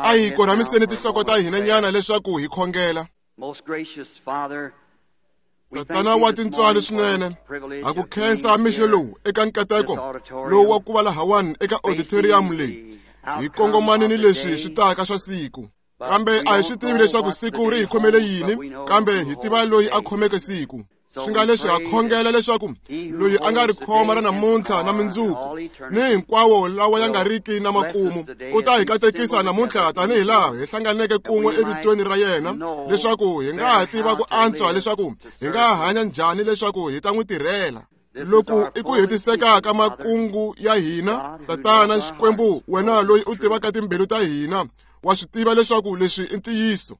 A hi korhamiseni tinhloko ta hina nyana leswaku hi khongela. Tatana wa tintswalo swinene, ha ku khensa mixo lowu eka nkateko lowu wa ku va lahawani eka auditorium leyi hi kongomane ni leswi swi taka swa siku. Kambe a hi swi tivi leswaku siku ri hi khomele yini, kambe hi tiva loyi a khomeke siku. Swi nga leswi ha khongela leswaku loyi a nga ri khoma ra namuntlha na mindzuku ni hinkwawo lawa ya nga riki na makumu u ta hi katekisa namuntlha tanihi laha hi hlanganeke kun'we evitweni ra yena, leswaku hi nga ha tiva ku antswa leswaku hi nga hanya njhani leswaku hi ta n'wi tirhela. Loko i ku hetiseka ka makungu ya hina, Tatana Xikwembu, wena loyi u tivaka timbilu ta hina, wa swi tiva leswaku leswi i ntiyiso.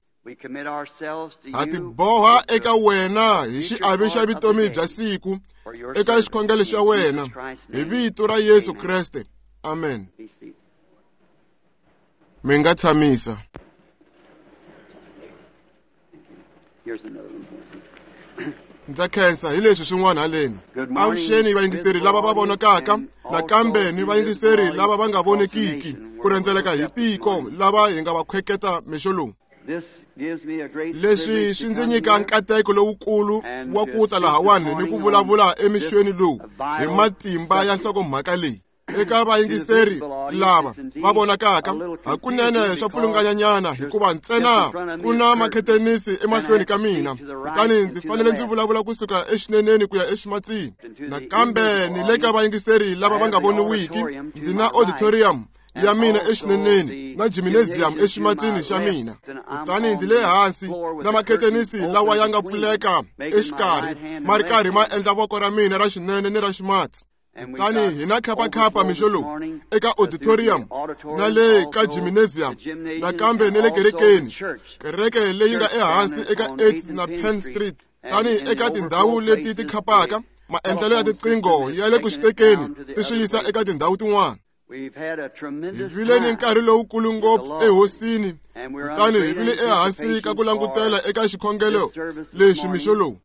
Ha tiboha eka wena hi xiave xa vutomi bya siku eka xikhongelo xa wena hi vito ra Yesu Kreste. Amen. Mi nga tshamisa. Ndza khensa hi leswi swin'wana haleni. Avuxeni vayingiseri lava va vonakaka, nakambe ni vayingiseri lava va nga vonekiki ku rhendzeleka hi tiko lava hi nga va khweketa mixo lowu. Leswi swi ndzi nyika nkateko lowukulu wa ku ta lahawani ni ku vulavula emixweni lowu hi matimba ya nhlokomhaka leyi. Eka vayingiseri lava va vonakaka, hakunene swa pfulunganyanyana hikuva ntsena ku na makhetenisi emahlweni ka mina, kutani ndzi fanele ndzi vulavula kusuka exineneni ku ya eximatsini. Nakambe ni le ka vayingiseri lava va nga voniwiki, ndzi na auditorium ya mina exineneni na gymnasium eximatsini xa mina, kutani ndzi le hansi na makhetenisi lawa ya nga pfuleka exikarhi ma ri karhi ma endla voko ra mina ra xinene ni ra ximatsi. Kutani hi na khapakhapa mixo lowu eka auditorium na le ka gymnasium, nakambe ni le kerekeni, kereke leyi nga ehansi eka 8th na Penn Street. Tani eka tindhawu leti ti khapaka, maendlelo ya tiqingho ya le ku switekeni ti swi yisa eka tindhawu tin'wana. Hi vile ni nkarhi lowukulu ngopfu ehosini, kutani hi vile ehansi ka ku langutela eka xikhongelo lexi mixo lowu.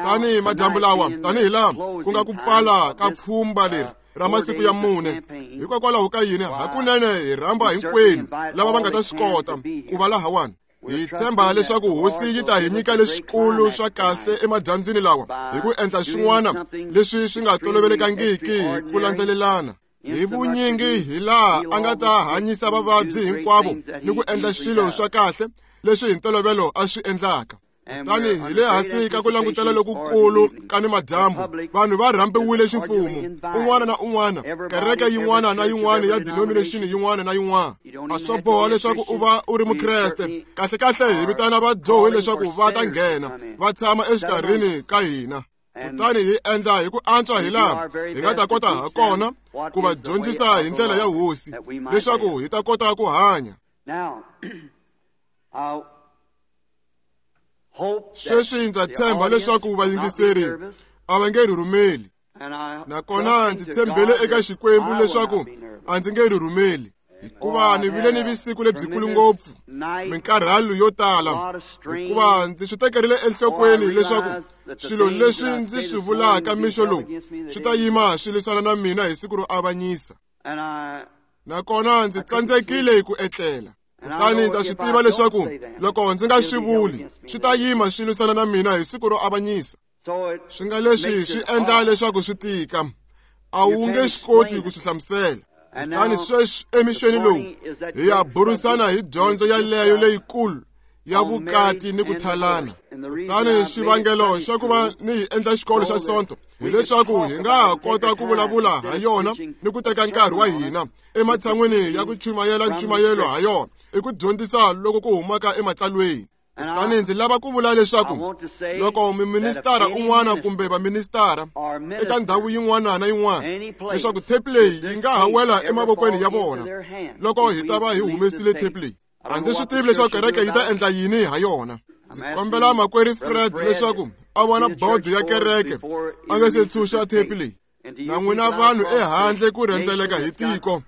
Tani madyambu lawa, tanihi laha ku nga ku pfala ka pfhumba leri ra masiku ya mune, hikokwalaho ka yini hakunene hi rhamba hinkwenu lava va nga ta swi kota ku va lahawani. Hi tshemba leswaku hosi yi ta hi nyika leswikulu swa kahle emadyambyini lawa hi ku endla swin'wana leswi swi nga tolovelekangiki hi ku landzelelana. Hi vunyingi hi laha a nga ta hanyisa vavabyi hinkwavo ni ku endla swilo swa kahle leswi hi ntolovelo a swi endlaka. Kutani hi le hansi ka ku langutela lokukulu ka ni madyambu, vanhu va rhambiwile ximfumo, un'wana na un'wana, kereke yin'wana na yin'wana ya denomination yin'wana na yin'wana. A swo boha leswaku u va u ri Mukreste. Kahlekahle hi vitana vadyohi leswaku va ta nghena va tshama exikarhini ka hina. Kutani hi endla hi ku antswa hi laha hi nga ta kota ha kona ku va dyondzisa hi ndlela ya hosi leswaku hi ta kota ku hanya. Sweswi ndza tshemba leswaku vayingiseri a va nge rhurhumeli, nakona ndzi tshembele eka Xikwembu leswaku a ndzi nge rhurhumeli, hikuva ni vile ni vusiku lebyikulu ngopfu, minkarhalo yo tala, hikuva ndzi swi tekerile enhlokweni leswaku swilo leswi ndzi swi vulaka mixo lowu swi ta yima swi lwisana na mina hi siku ro avanyisa. Nakona ndzi tsandzekile ku etlela. Kutani ndza swi tiva leswaku loko ndzi nga swi vuli, swi ta yima swi lwisana na mina hi siku ro avanyisa. Swi nga leswi swi endla leswaku swi tika, a wu nge swi koti ku swi hlamusela. Kutani sweswi emixweni lowu hi ya burisana hi dyondzo yaleyo leyikulu ya vukati ni ku thalana. Kutani xivangelo xa ku va ni hi endla xikolo xa Sonto hileswaku hi nga ha kota ku vulavula ha yona ni ku teka nkarhi wa hina ematshan'wini ya ku chumayela nchumayelo ha yona, i ku dyondzisa loko ku humaka ematsalweni. Kutani ndzi lava ku vula leswaku loko miministara un'wana kumbe vaministara eka ndhawu yin'wana na yin'wana, leswaku tape leyi yi nga ha wela emavokweni ya vona loko hi ta va hi humesile tape leyi. A ndzi swi tivi leswaku kereke yi ta endla yini ha yona. Ndzi kombela makwerhu Fred leswaku a vona bodo ya kereke a nga se tshunxa tape leyi. Na n'wina vanhu ehandle ku rhendzeleka hi tiko,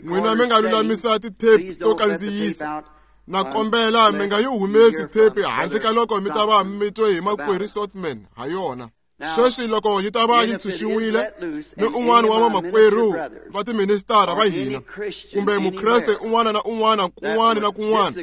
n'wina mi nga lulamisa ti-tape to kandziyisa. Na kombela mi nga yi humesi tape handle ka loko mi ta va mi twe hi makwerhu Sothmann ha yona. Sweswi loko yi ta va yi ntshunxiwile ni un'wana wa vamakwerhu va tiministara va hina kumbe mukreste un'wana na un'wana kun'wana na kun'wana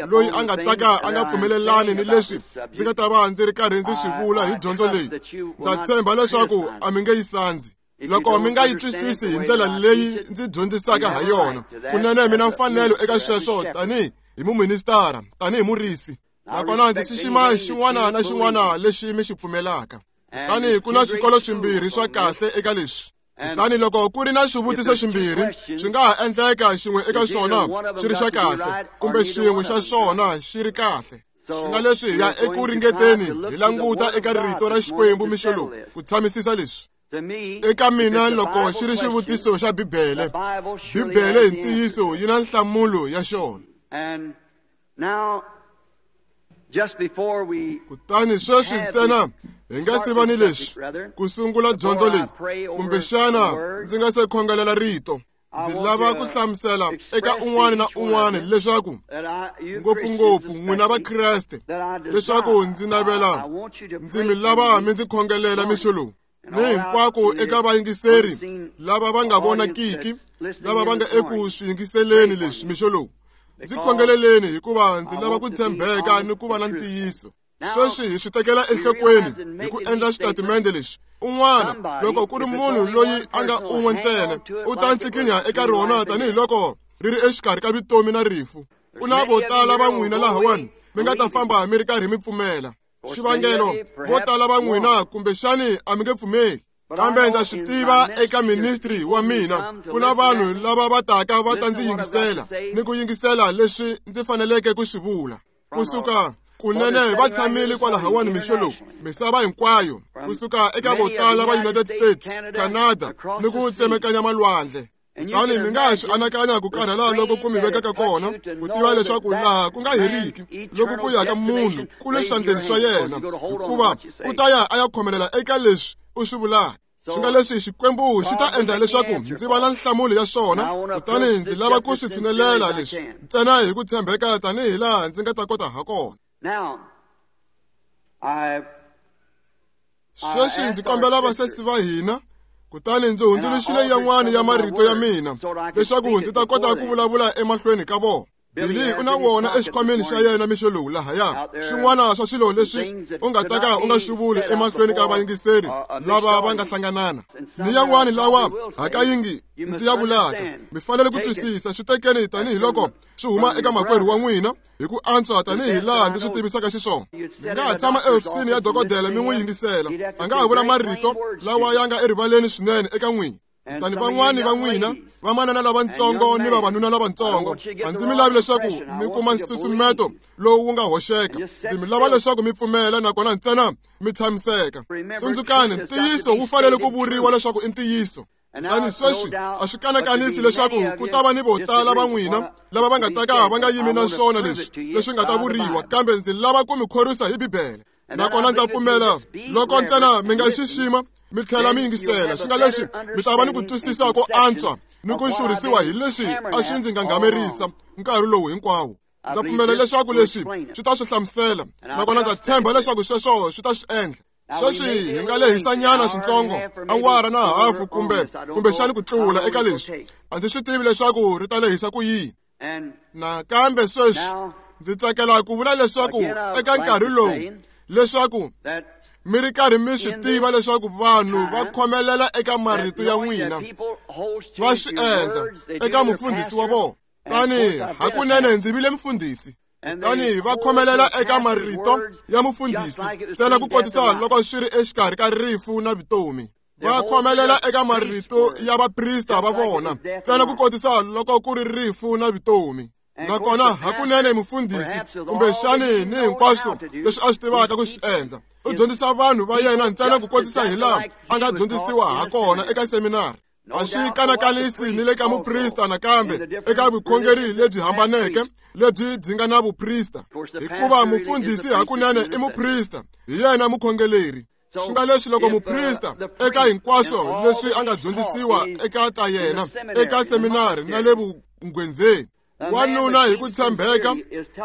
loyi a nga ta ka a nga pfumelelani ni leswi ndzi nga ta va ndzi ri karhi ndzi swi vula hi dyondzo leyi, ndza tshemba leswaku a mi nge yi sandzi. Loko mi nga yi twisisi hi ndlela leyi ndzi dyondzisaka ha yona, kunene mi na mfanelo eka sweswo tanihi hi muministara, tanihi murisi. Nakona ndzi xixima xin'wana na xin'wana lexi mi xi pfumelaka. Kutani ku na swikolo swimbirhi swa kahle eka leswi. Kutani loko ku ri na swivutiso swimbirhi, swi nga ha endleka xin'we eka swona xi ri xa kahle kumbe xin'we xa swona xi ri kahle. Swi nga leswi hi ya eku ringeteni hi languta eka rito ra Xikwembu mixo lowu ku tshamisisa leswi. Eka mina loko xi ri xivutiso xa Bibele, Bibele hi ntiyiso yi na nhlamulo ya xona. Kutani sweswi ntsena hi nga si va ni leswi ku sungula dyondzo leyi, kumbexana ndzi nga se khongelela rito, ndzi lava ku hlamusela eka un'wana na un'wana leswaku ngopfungopfu n'wina Vakreste leswaku ndzi navela ndzi mi lava mi ndzi khongelela mixo lowu ni hinkwako eka vayingiseri lava va nga vonakiki lava va nga eku swi yingiseleni leswi mixo lowu. Ndzi khongeleleni hikuva ndzi lava ku tshembeka ni ku va na ntiyiso. Sweswi hi swi tekela enhlokweni hi ku endla xitatimende lexi. Un'wana loko ku ri munhu loyi a nga un'we ntsena u ta ncikinya eka rona tanihiloko ri ri exikarhi ka vutomi na rifu. Ku na vo tala va n'wina lahawani mi nga ta famba mi ri karhi mi pfumela. Xivangelo vo tala va n'wina kumbexani a mi nge pfumeli, kambe ndza swi tiva eka ministry wa mina ku na vanhu lava va taka va ta ndzi yingisela ni ku yingisela leswi ndzi faneleke ku swi vula. Kusuka kunene va tshamile kwalahawani mixo lowu misava hinkwayo, kusuka eka vo tala va United States, Canada ni ku tsemekanya malwandle. Kutani mi nga ha swi anakanya ku karhala loko ku mi vekaka kona ku tiva leswaku laha ku nga heriki loko ku ya ka munhu ku le swandleni swa yena, hikuva u ta ya a ya khomelela eka leswi u swi vulaka. Swi nga leswi Xikwembu xi ta endla leswaku ndzi va na nhlamulo ya xona, kutani ndzi lava ku swi tshinelela leswi ntsena hi ku tshembeka tanihi laha ndzi nga ta kota ha kona. Sweswi ndzi kombela vasesi va hina, kutani ndzi hundzuluxile yan'wana ya marito ya mina leswaku ndzi ta kota ku vulavula emahlweni ka vona. Billy u na wona exikhwameni xa yena mixo lowu lahaya. Swin'wana swa swilo leswi u nga ta ka u nga swi vuli emahlweni ka vayingiseri lava va nga hlanganana ni yan'wana lawa hakanyingi ndzi ya vulaka. Mi fanele ku twisisa, swi tekeni tanihiloko swi huma eka makwerhu wa n'wina hi ku antswa tanihi laha ndzi swi tivisaka xiswona. Mi nga ha tshama ehofisini ya dokodela mi n'wi yingisela, a nga ha vula marito lawa ya nga erivaleni swinene eka n'wina. Kutani van'wani va n'wina vamanana lavatsongo ni vavanuna lavatsongo, a ndzi mi lavi leswaku mi kuma nsusumeto lowu wu nga hoxeka. Ndzi mi lava leswaku mi pfumela nakona ntsena mi tshamiseka. Tsundzukani, ntiyiso wu fanele ku vuriwa leswaku i ntiyiso. Kutani sweswi a swi kanakanisi leswaku ku ta va ni vo tala va n'wina lava va nga ta ka va nga yimi na swona leswi leswi nga ta vuriwa, kambe ndzi lava ku mi khorwisa hi Bibele. Nakona ndza pfumela loko ntsena mi nga xixima mi tlhela mi yingisela, swi nga leswi mi ta va ni ku twisisa ko antswa ni ku xurhisiwa hi leswi a swi ndzi ngangamerisa nkarhi lowu hinkwawo. Ndza pfumela leswaku leswi swi ta swi hlamusela, nakona ndza tshemba leswaku sweswo swi ta swi endla. Sweswi hi nga lehisanyana swintsongo, awara na hafu kumbe kumbexani ku tlula eka leswi. A ndzi swi tivi leswaku ri ta lehisa ku yini. Nakambe sweswi ndzi tsakela ku vula leswaku eka nkarhi lowu leswaku mi ri karhi mi swi tiva leswaku vanhu va khomelela eka marito ya n'wina, va swi endla eka mufundhisi wa vona. Tani hakunene ndzi vile mufundhisi, kutani va khomelela eka marito ya mufundhisi ntsena ku kotisa loko swi ri exikarhi ka rifu na vutomi. Va khomelela eka marito ya vaprista va vona ntsena ku kotisa loko ku ri rifu na vutomi. Nakona hakunene mufundhisi kumbexani ni hinkwaswo leswi a swi tivaka ku swi endla, u dyondzisa vanhu va yena ntsena ku kotisa hi laha a nga dyondzisiwa ha kona eka seminari. A swi kanakanisi ni le ka muprista nakambe eka vukhongeri lebyi hambaneke lebyi byi nga na vuprista, hikuva mufundhisi hakunene i muprista, hi yena mukhongeleri. Swi nga leswi loko muprista eka hinkwaswo leswi a nga dyondzisiwa eka ta yena eka seminari na le vunghwenzeni, wanuna hi ku tshembeka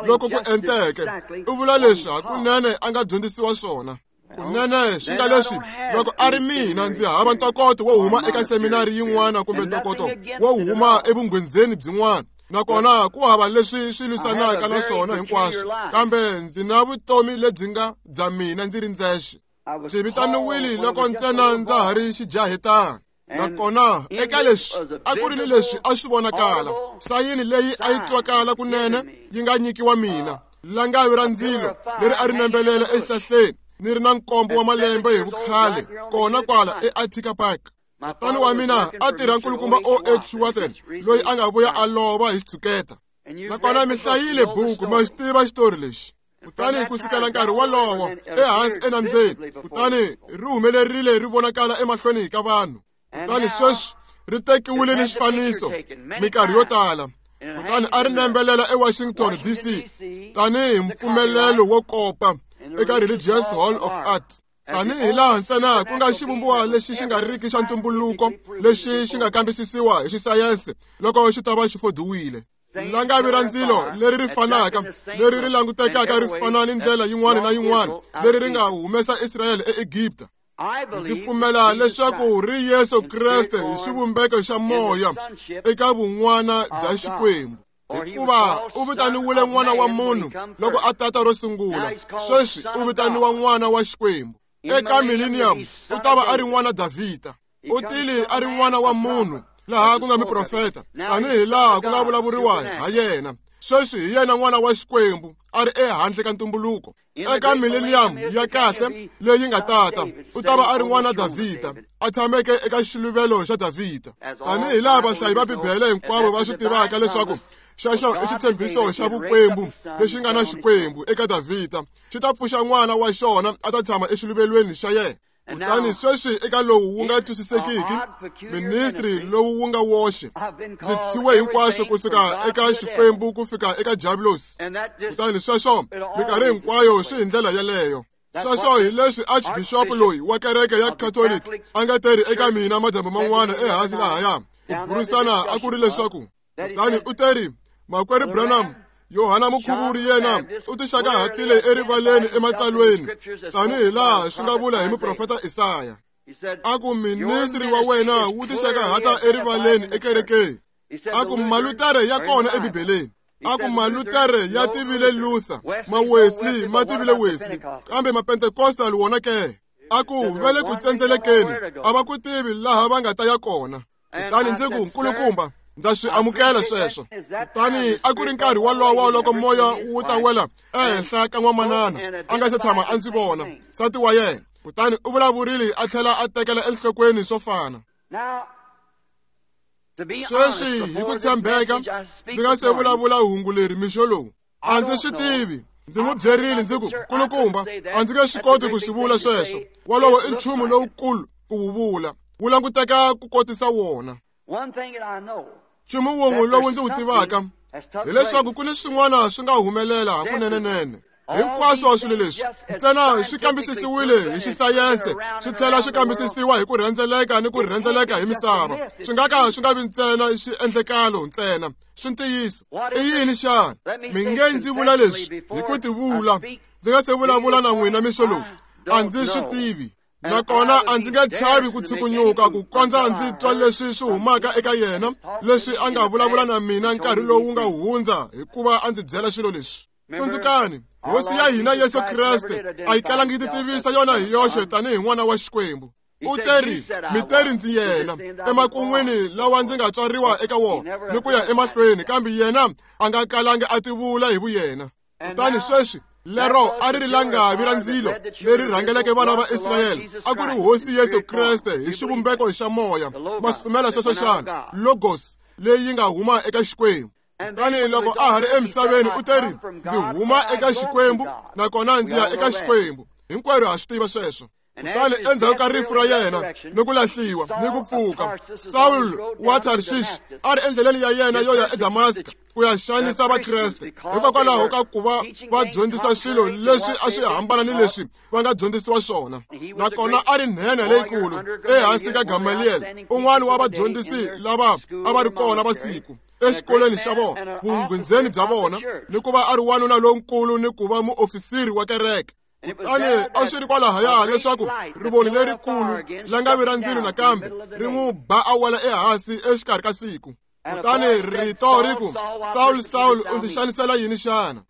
loko ku enteke u vula leswi hakunene a nga dyondzisiwa swona. Kunene swi nga leswi loko a ri mina ndzi hava ntokoto wo huma eka seminari yin'wana kumbe ntokoto wo huma evunghwenzeni byin'wana, nakona ku hava leswi swi lwisanaka na swona hinkwaswo, kambe ndzi na vutomi lebyi nga bya mina ndzi ri ndzexe. Ndzi vitaniwile loko ntsena ndza ha ri xijahetana. Nakona eka leswi a ku ri ni leswi a swi vonakala sayini leyi a yi twakala kunene yi nga nyikiwa mina, langavi ra ndzilo leri a ri nembelela exihlahleni ni ri na nkombo wa malembe hi vukhale kona kwala eAttica Park. Tatani wa mina a tirha nkulukumba O.H. Watson loyi a nga vuya a lova hi xitshuketa. Nakona mi hlayile buku, ma xi tiva xitori lexi. Kutani ku sukela nkarhi wolowo ehansi enambyeni, kutani ri humelerile ri vonakala emahlweni ka vanhu. Kutani sweswi ri tekiwile ni xifaniso minkarhi yo tala. Kutani a ri nembelela eWashington DC tanihi mpfumelelo wo kopa eka Religious Hall of Art. Tanihi laha ntsena ku nga xivumbiwa lexi xi nga riki xa ntumbuluko lexi xi nga kambisisiwa hi xisayense loko xi ta va xi fodiwile. Langavi ra ndzilo leri ri fanaka, leri ri langutekaka ri fana ni ndlela yin'wana na yin'wana leri ri nga humesa Israyele eEgipta. Ndzi pfumela leswaku ri Yesu Kreste hi xivumbeko xa moya eka vun'wana bya Xikwembu. Hikuva u vitaniwile n'wana wa munhu loko a tata ro sungula, sweswi u vitaniwa n'wana wa Xikwembu. Eka millennium u ta va a ri n'wana Davhida. U tile a ri n'wana wa munhu laha ku nga muprofeta, tanihi laha ku nga vulavuriwa ha yena. Sweswi hi yena n'wana wa Xikwembu a ri ehandle ka ntumbuluko. Eka millennium ya kahle leyi nga tata u ta va a ri n'wana Davhida a tshameke eka xiluvelo xa Davhida. Tanihi laha vahlayi va Bibele hinkwavo va swi tivaka leswaku xexo i xitshembiso xa vukwembu lexi nga na Xikwembu eka Davhida, xi ta pfuxa n'wana wa xona a ta tshama exiluvelweni xa yena. Kutani sweswi eka lowu wu nga twisisekiki, ministry lowu wu nga woxe, ndzi thyiwe hinkwaswo kusuka eka Xikwembu ku fika eka Diablos. Kutani sweswo minkarhi hinkwayo swi hi ndlela yeleyo. Sweswo hi leswi Archbishop loyi wa kereke ya Catholic a nga teri eka mina madyambu man'wana ehansi lahaya. Ku burisana a ku ri leswaku, kutani u teri, Makwerhu Branham, Yohana Mukhuvuri yena u tixakahatile erivaleni ematsalweni tanihi laha swi nga vula hi muprofeta Isaya. A ku ministri wa wena wu tixakahata erivaleni ekerekeni. A ku Malutere ya kona eBibeleni. A ku Malutere ya tivile Luther, ma-Wesley ma tivile Wesley, kambe ma-Pentecostal wona ke. A ku va le ku tsendzelekeni, a va ku tivi laha va nga ta ya kona. Kutani ndzi ku, nkulukumba, ndza swi amukela sweswo. Kutani a ku ri nkarhi wolowo loko moya wu ta wela ehenhla ka n'wamanana a nga se tshama a ndzi vona, nsati wa yena. Kutani u vulavurile a tlhela a tekela enhlokweni swo fana. Sweswi hi ku tshembeka ndzi nga se vulavula hungu leri mixo lowu, a ndzi swi tivi. Ndzi n'wi byerile ndzi ku, nkulukumba, a ndzi nge swi koti ku swi vula sweswo. Wolowo i nchumu lowukulu ku wu vula, wu languteka ku kotisa wona. Nchumu wun'we lowu ndzi wu tivaka hileswaku ku ni swin'wana swi nga humelela hakunenenene. Hinkwaswo swilo leswi ntsena swi kambisisiwile hi xisayense, swi tlhela swi kambisisiwa hi ku rhendzeleka ni ku rhendzeleka hi misava. Swi nga ka swi nga vi ntsena xiendlekalo ntsena, swi ntiyiso. I yini xana? Mi nge ndzi vula leswi hi ku tivula, ndzi nga se vulavula na n'wina mixo lowu, a ndzi swi tivi. Nakona a ndzi nge chavi ku tshukunyuka ku kondza ndzi twa leswi swi humaka eka yena, leswi a nga vulavula na mina nkarhi lowu nga hundza, hikuva a ndzi byela swilo leswi. Tsundzukani, Hosi ya hina Yesu Kreste a yi kalangi yi titivisa yona hi yoxe tanihi n'wana wa Xikwembu. U teri, mi teri ndzi yena, emakun'wini lawa ndzi nga tswariwa eka wona, ni ku ya emahlweni, kambe yena a nga kalangi a tivula hi vuyena. Kutani sweswi lero a ri ri langavi ra ndzilo leri rhangeleke vana va Israyele, a ku ri Hosi Yesu Kreste hi xivumbeko xa moya. Ma swi pfumela sweswo xana? Logos leyi nga huma eka Xikwembu. Kutani loko a ha ri emisaveni u teri, ndzi huma eka Xikwembu nakona ndzi ya eka Xikwembu. Hinkwerhu ha swi tiva sweswo. Kutani endzhaku ka rifu ra yena ni ku lahliwa ni ku pfuka, Saul wa Tarshish a ri endleleni ya yena yo ya eDamaska ku ya xanisa Vakreste hikokwalaho ka ku va va dyondzisa swilo leswi a swi hambana ni leswi va nga dyondzisiwa swona. Nakona a ri nhenha leyikulu ehansi ka Gamaliel, un'wana wa vadyondzisi lava a va ri kona va siku exikolweni xa vona, vunghwindzeni bya vona, ni ku va a ri wanuna lonkulu ni ku va muofisiri wa kereke. Kutani a swi ri kwalahaya leswaku rivoni lerikulu langavi ra ndzilo nakambe ri n'wi ba a wela ehansi exikarhi ka siku. Kutani rito ri ku, Saul, Saul, u ndzi xanisela yini xana?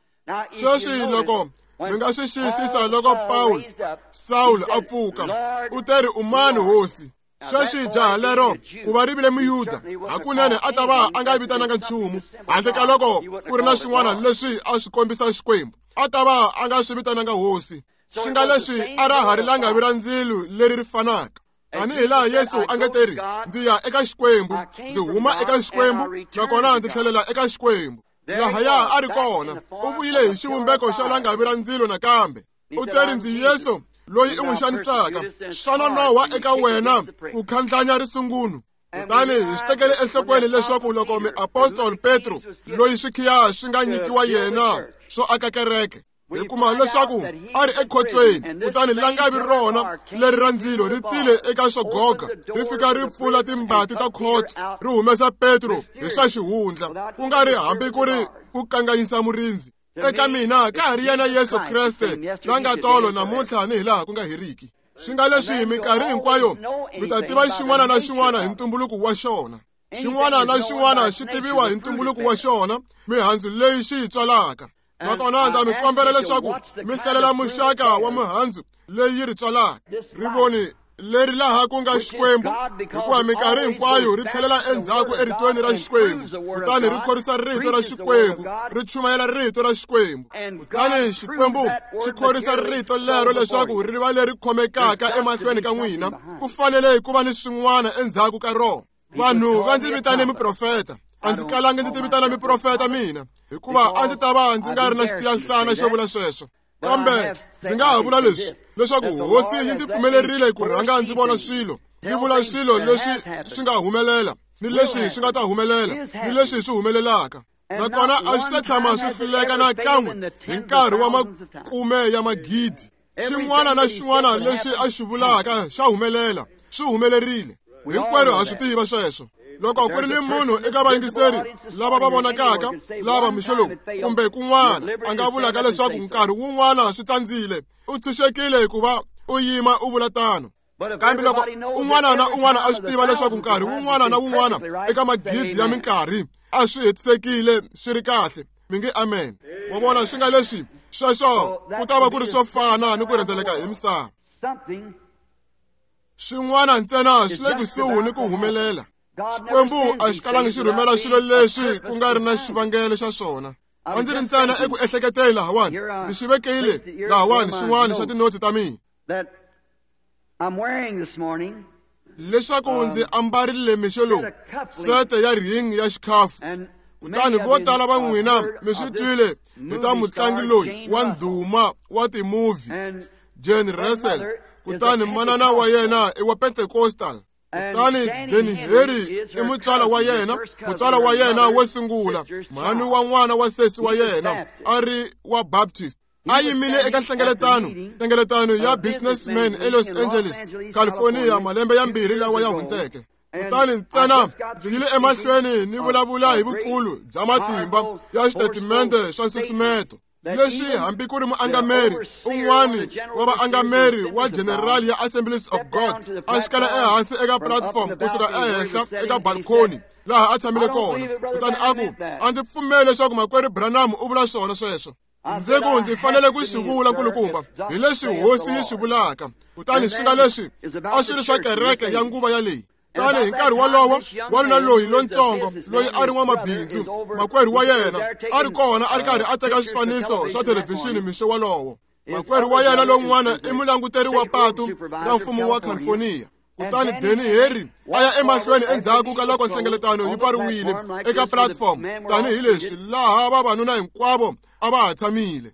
Sweswi loko mi nga swi xiyisisa loko Paul Saul a pfuka, u teri u mani hosi? Sweswi jaha lero ku va ri vile muyuda hakunene a ta va a nga vitananga nchumu handle ka loko ku ri na swin'wana leswi a swi kombisa Xikwembu, a ta va a nga swi vitananga hosi. Swi nga leswi a ra ha ri langavi ra ndzilo leri ri fanaka. Tanihi laha Yesu a nga teri, ndzi ya eka Xikwembu, ndzi huma eka Xikwembu, nakona ndzi tlhelela eka Xikwembu. Lahaya a ri kona, u vuyile hi xivumbeko xa langavi ra ndzilo nakambe. U teri ndzi Yesu loyi u n'wi xanisaka, xana nowa eka wena ku khandlanya risungunu? Kutani hi swi tekele enhlokweni leswaku loko muapostoli Petro loyi swikhiya swi nga nyikiwa yena swo aka kereke, hi kuma leswaku a ri ekhotsweni, kutani langavi rona leri ra ndzilo ri tile eka swo goga, ri fika ri pfula timbati ta khotso, ri humesa Petro hi swa xihundla, ku nga ri hambi ku ri ku kanganyisa murindzi. Eka mina ka ha ri yena Yesu Kreste la nga tolo namuntlha ni hilaha ku nga heriki. Swi nga leswi minkarhi hinkwayo mi ta tiva xin'wana na xin'wana hi ntumbuluko wa xona. Xin'wana na xin'wana xi tiviwa hi ntumbuluko wa xona, mihandzu leyi xi yi tswalaka. Nakona ndza mi kombela leswaku mi hlalela muxaka wa mihandzu leyi yi ri tswalaka. Rivoni leri laha ku nga Xikwembu, hikuva minkarhi hinkwayo ri tlhelela endzhaku eritweni ra Xikwembu, kutani ri khorwisa rito ra Xikwembu, ri chumayela rito ra Xikwembu. Kutani Xikwembu xi khorwisa rito lero leswaku ri va leri khomekaka emahlweni ka n'wina. Ku fanele ku va ni swin'wana endzhaku ka rona. Vanhu va ndzi vitane muprofeta, a ndzi kalangi ndzi ti vitana muprofeta mina, hikuva a ndzi ta va ndzi nga ri na xitiyanhlana xo vula sweswo. Kambe ndzi nga ha vula leswi, leswaku hosi yi ndzi pfumelerile ku rhanga ndzi vona swilo, ndzi vula swilo leswi swi nga humelela, ni leswi swi nga ta humelela, ni leswi swi humelelaka. Nakona a swi se tshama swi hluleka na kan'we hi nkarhi wa makume ya magidi. Xin'wana na xin'wana lexi a xi vulaka xa humelela, swi humelerile. Hinkwerhu ha swi tiva sweswo. Loko ku ri ni munhu eka vayingiseri lava va vonakaka lava mixo lowu kumbe kun'wana a nga vulaka leswaku nkarhi wun'wana swi tsandzile, u tshunxekile ku va u yima u vula tano. Kambe loko un'wana na un'wana a swi tiva leswaku nkarhi wun'wana na wun'wana eka magidi ya minkarhi a swi hetisekile swi ri kahle, mi nge amen. Wa vona, swi nga leswi sweswo ku ta va ku ri swo fana ni ku rhendzeleka hi misava. Swin'wana ntsena swi le kusuhi ni ku humelela. Xikwembu a xi kalangi xi rhumela swilo leswi ku nga ri na xivangelo xa swona. A ndzi ri ntsena eku ehleketeni lahawani, ndzi xi vekile lahawani xin'wana xa tinotsi ta mina leswaku ndzi ambarile mixo lowu sete ya ring ya xikhafu. Kutani vo tala va n'wina mi swi twile hi ta mutlangi loyi wa ndhuma wa timovhi Jane Russell. Kutani manana wa yena i wa Pentecostal. Kutani Danny Henry i mutswala wa yena, mutswala wa yena wo sungula, mhani wa n'wana wa sesi wa yena a ri wa Baptist. A yimile eka nhlengeletano ya businessmen eLos Angeles, California, malembe ya 2 lawa ya hundzeke. Kutani ntsena ndzi yile emahlweni ni vulavula hi vukulu bya matimba ya xitatimende xa nsusumeto leswi hambi ku ri muangameri un'wani wa vaangameri wa general ya Assemblies of God a xikala ehansi eka platform kusuka ehenhla eka balcony laha a tshamile kona. Kutani a ku, a ndzi pfumeli leswaku makwerhu Branham u vula swona sweswo. Ndzi ku ndzi fanele ku swi vula nkulukumba hi leswi hosi yi swi vulaka. Kutani swi nga leswi a swi ri swa kereke ya nguva yaleyi. Tani hi nkarhi wolowo wanuna loyi lontsongo loyi a ri n'wamabindzu, makwerhu wa yena a ri kona a ri karhi a teka swifaniso swa thelevhixini mixo wolowo. Makwerhu wa yena lowun'wana i mulanguteri wa patu ra mfumo wa California. Kutani Danny Henry a ya emahlweni endzhaku ka loko nhlengeletano yi pfariwile eka platform tanihileswi laha vavanuna hinkwavo a va ha tshamile.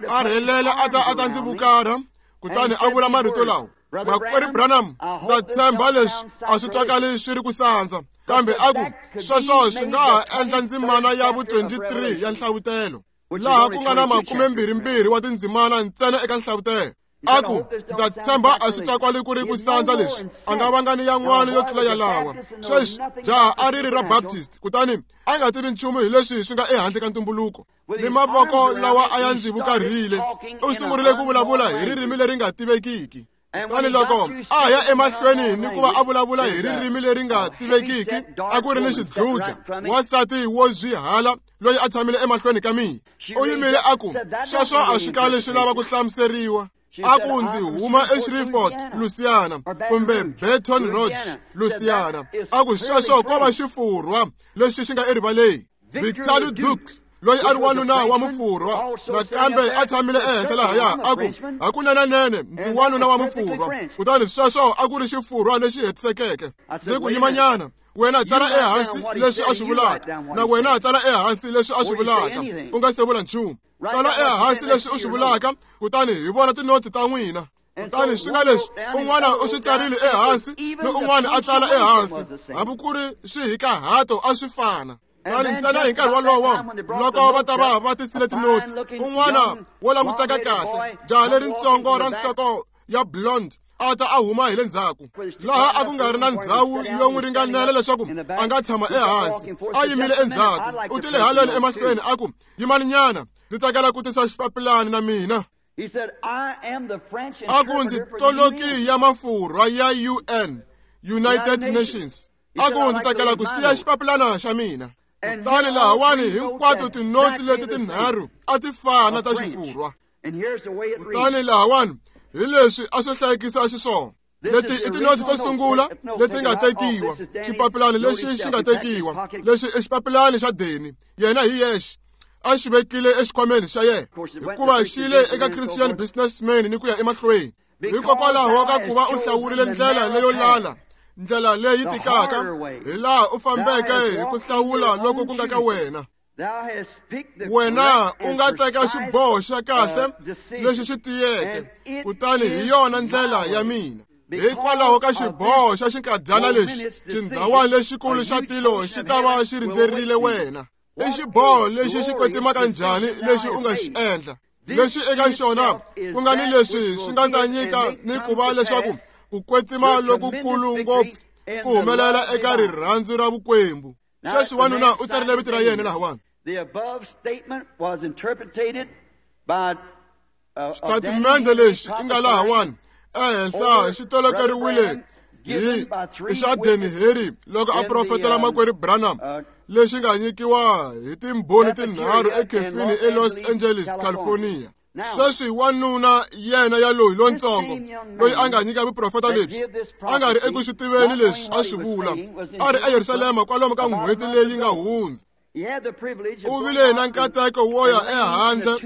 A rhelela a ta ndzi vukarha, kutani a vula marito lawa: Makwerhu Branham, ndza tshemba leswi a swi twakali swi ri ku sandza, kambe a ku sweswo swi nga ha endla ndzimana ya vu-23 ya nhlavutelo, laha ku nga na 22 wa tindzimana ntsena eka nhlavutelo. A ku, ndza tshemba a swi twakwali ku ri ku sandza leswi, a nga vanga ni yan'wana yo tlula yalawa. Sweswi jaha a ri ri ra Baptist, kutani a nga tivi nchumu hi leswi swi nga ehandle ka ntumbuluko. Ni mavoko lawa a ya ndzi vukarhile, u sungurile ku vulavula hi ririmi leri nga tivekiki. Kutani loko a ya emahlweni ni ku va a vulavula hi ririmi leri nga tivekiki, a ku ri ni xidludla, wansati wo zwihala loyi a tshamile emahlweni ka mina. U yimile a ku, sweswo a swi kali swi lava ku hlamuseriwa. A ku, ndzi huma eShreveport, Louisiana, kumbe Baton Rouge, Louisiana. A ku, sweswo ko va xifurwa lexi xi nga erivaleni. Victor Dukes, loyi a ri wanuna wa mufurwa, nakambe a tshamile ehenhla lahaya, a ku, hakunenenene ndzi wanuna wa mufurwa. Kutani sweswo a ku ri xifurwa lexi hetisekeke. Ndzi ku, yimanyana, wena tsala ehansi leswi a swi vulaka, na wena tsala ehansi leswi a swi vulaka, u nga se vula nchumu. Tsala ehansi leswi u swi vulaka, kutani hi vona tinotsi ta n'wina. Kutani swi nga leswi un'wana u swi tsarile ehansi ni un'wana a tsala ehansi, hambi ku ri swihikahato a swi fana. Kutani ntsena hi nkarhi wolowo loko va ta va va tisile tinotsi, un'wana wo languteka kahle, jaha leritsongo ra nhloko ya blonde, a ta a huma hi le ndzhaku, laha a ku nga ri na ndzhawu yo n'wi ringanela leswaku a nga tshama ehansi. A yimile endzhaku, u tile haleni emahlweni a ku, yimani nyana, ndzi tsakela ku tisa xipapilani na mina. A ku, ndzi toloki ya mafurwa ya UN, United Nations. A ku, ndzi tsakela ku siya xipapilana xa mina. Kutani lahawani hinkwato tinotsi leti tinharhu a ti fana ta xifurwa. Kutani lahawani hi leswi a swi hlayekisa xiswona. Leti i tinotsi to sungula leti nga tekiwa, xipapilani lexi xi nga tekiwa, lexi i xipapilani xa Deni, yena hi yexe a xi vekile exikhwameni xa yena, hikuva xi le eka Christian Businessman ni ku ya emahlweni. Hikokwalaho ka ku va u hlawurile ndlela leyo lala, ndlela leyi tikaka, hi laha u fambeke hi ku hlawula loko ku nga ka wena. Wena u nga teka xiboho xa kahle lexi xi tiyeke, kutani hi yona ndlela ya mina. Hikwalaho ka xiboho xa xinkadyana lexi, xindhawana lexikulu xa tilo xi ta va xi rindzerile wena. I xiboho lexi xi kwetsimaka njhani lexi u nga xi endla, lexi eka xona ku nga ni leswi swi nga ta nyika ni ku va leswaku ku kwetsima lokukulu ngopfu ku humelela eka rirhandzu ra vukwembu. Sweswi wanuna u tsarile vito ra yena lahawani. Xitatimende lexi i nga lahawani ehenhla xi tolokeriwile hi xa Danny Harry loko a profetela makwerhu Branham, lexi nga nyikiwa hi timbhoni tinharhu ekhefini eLos Angeles, California. Sweswi wanuna yena ya loyi lontsongo loyi a nga nyika vuprofeta lebyi, a nga ri eku swi tiveni leswi a swi vula, a ri eYerusalema kwalomu ka n'hweti leyi nga hundza. U vile na nkateko wo ya ehandle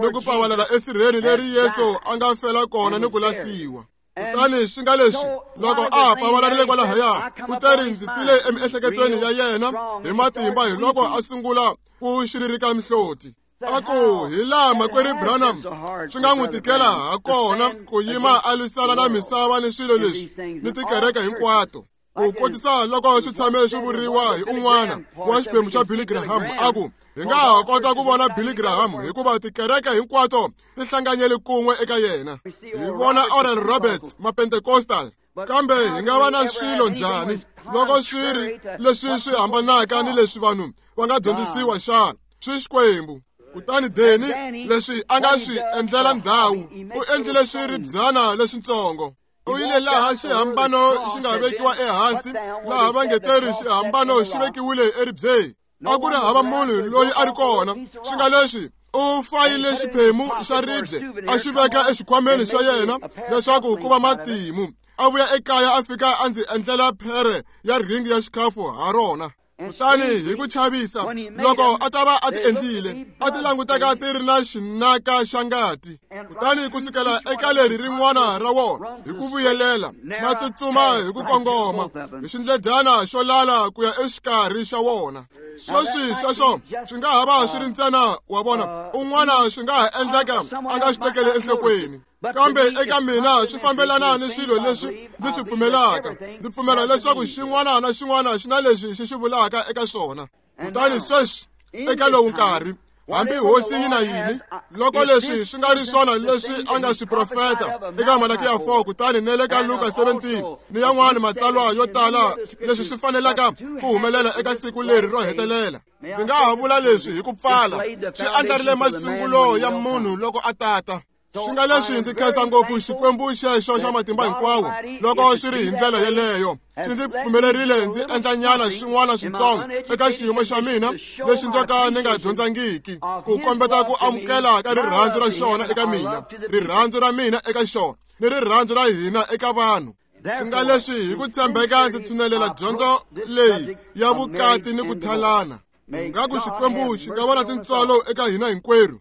ni ku pavalela esirheni leri Yesu a nga fela kona ni ku lahliwa. Kutani swi nga leswi loko a pavalarile kwalahaya, u teri ndzi tile emiehleketweni ya yena hi matimba hi loko a sungula ku xiririka mihloti. A ku, hi laha makwerhu Branham swi nga n'wi tikela ha kona ku yima a lwisana na misava ni swilo leswi ni tikereke hinkwato. Ku kotisa loko swi tshame swi vuriwa hi un'wana wa xiphemu xa Billy Graham, a ku, hi nga ha kota ku vona Billy Graham hikuva tikereke hinkwato ti hlanganyele kun'we eka yena. Hi vona Oral Roberts, Mapentecostal, kambe hi nga va na swilo njhani loko swi ri leswi swi hambanaka ni leswi vanhu va nga dyondzisiwa xana? Swi Xikwembu. Kutani Deni, leswi a nga swi endlela ndhawu, u endlile swiribyana leswitsongo. U yile laha xihambano xi nga vekiwa ehansi, laha va nge teri xihambano xi vekiwile eribyeni. A ku ri hava munhu loyi a ri kona. Swi nga leswi u fayile xiphemu xa ribye a xi veka exikhwameni xa yena leswaku ku va matimu. A vuya ekaya a fika a ndzi endlela phere ya ringi ya xikhafu ha rona. Kutani hi ku chavisa loko a ta va a ti endlile, a ti languteka ti ri na xinaka xa ngati. Kutani ku sukela eka leri rin'wana ra wona hi ku vuyelela, ma tsutsuma hi ku kongoma hi xindledyana xo lala ku ya exikarhi xa wona. Sweswi sweswo swi nga ha va swi ri ntsena wa vona, un'wana swi nga ha endleka a nga swi tekeli enhlokweni. Kambe eka mina swi fambelana ni swilo leswi ndzi swi pfumelaka. Ndzi pfumela leswaku xin'wana na xin'wana xi na leswi xi xi vulaka eka swona. Kutani sweswi eka lowu nkarhi, Hambi hosi yi na yini, loko leswi swi nga ri swona leswi a nga swi profeta eka Malakiya 4 kutani ne le ka Luka 17 ni yan'wana matsalwa yo tala leswi swi fanelaka ku humelela eka siku leri ro hetelela. Ndzi nga ha vula leswi hi ku pfala, swi andlarile masungulo ya munhu loko a tata. Swi nga leswi ndzi khensa ngopfu Xikwembu xexo xa matimba hinkwawo loko swi ri hi ndlela yeleyo. Xi ndzi pfumelerile ndzi endla nyana swin'wana switsongo eka xiyimo xa mina lexi ndzo ka ni nga dyondzangiki ku kombeta ku amukela ka rirhandzu ra xona eka mina, rirhandzu ra mina eka xona ni rirhandzu ra hina eka vanhu. Swi nga leswi hi ku tshembeka ndzi tshunelela dyondzo leyi ya vukati ni ku thalana. Ngaku Xikwembu xi nga va na tintswalo eka hina hinkwerhu.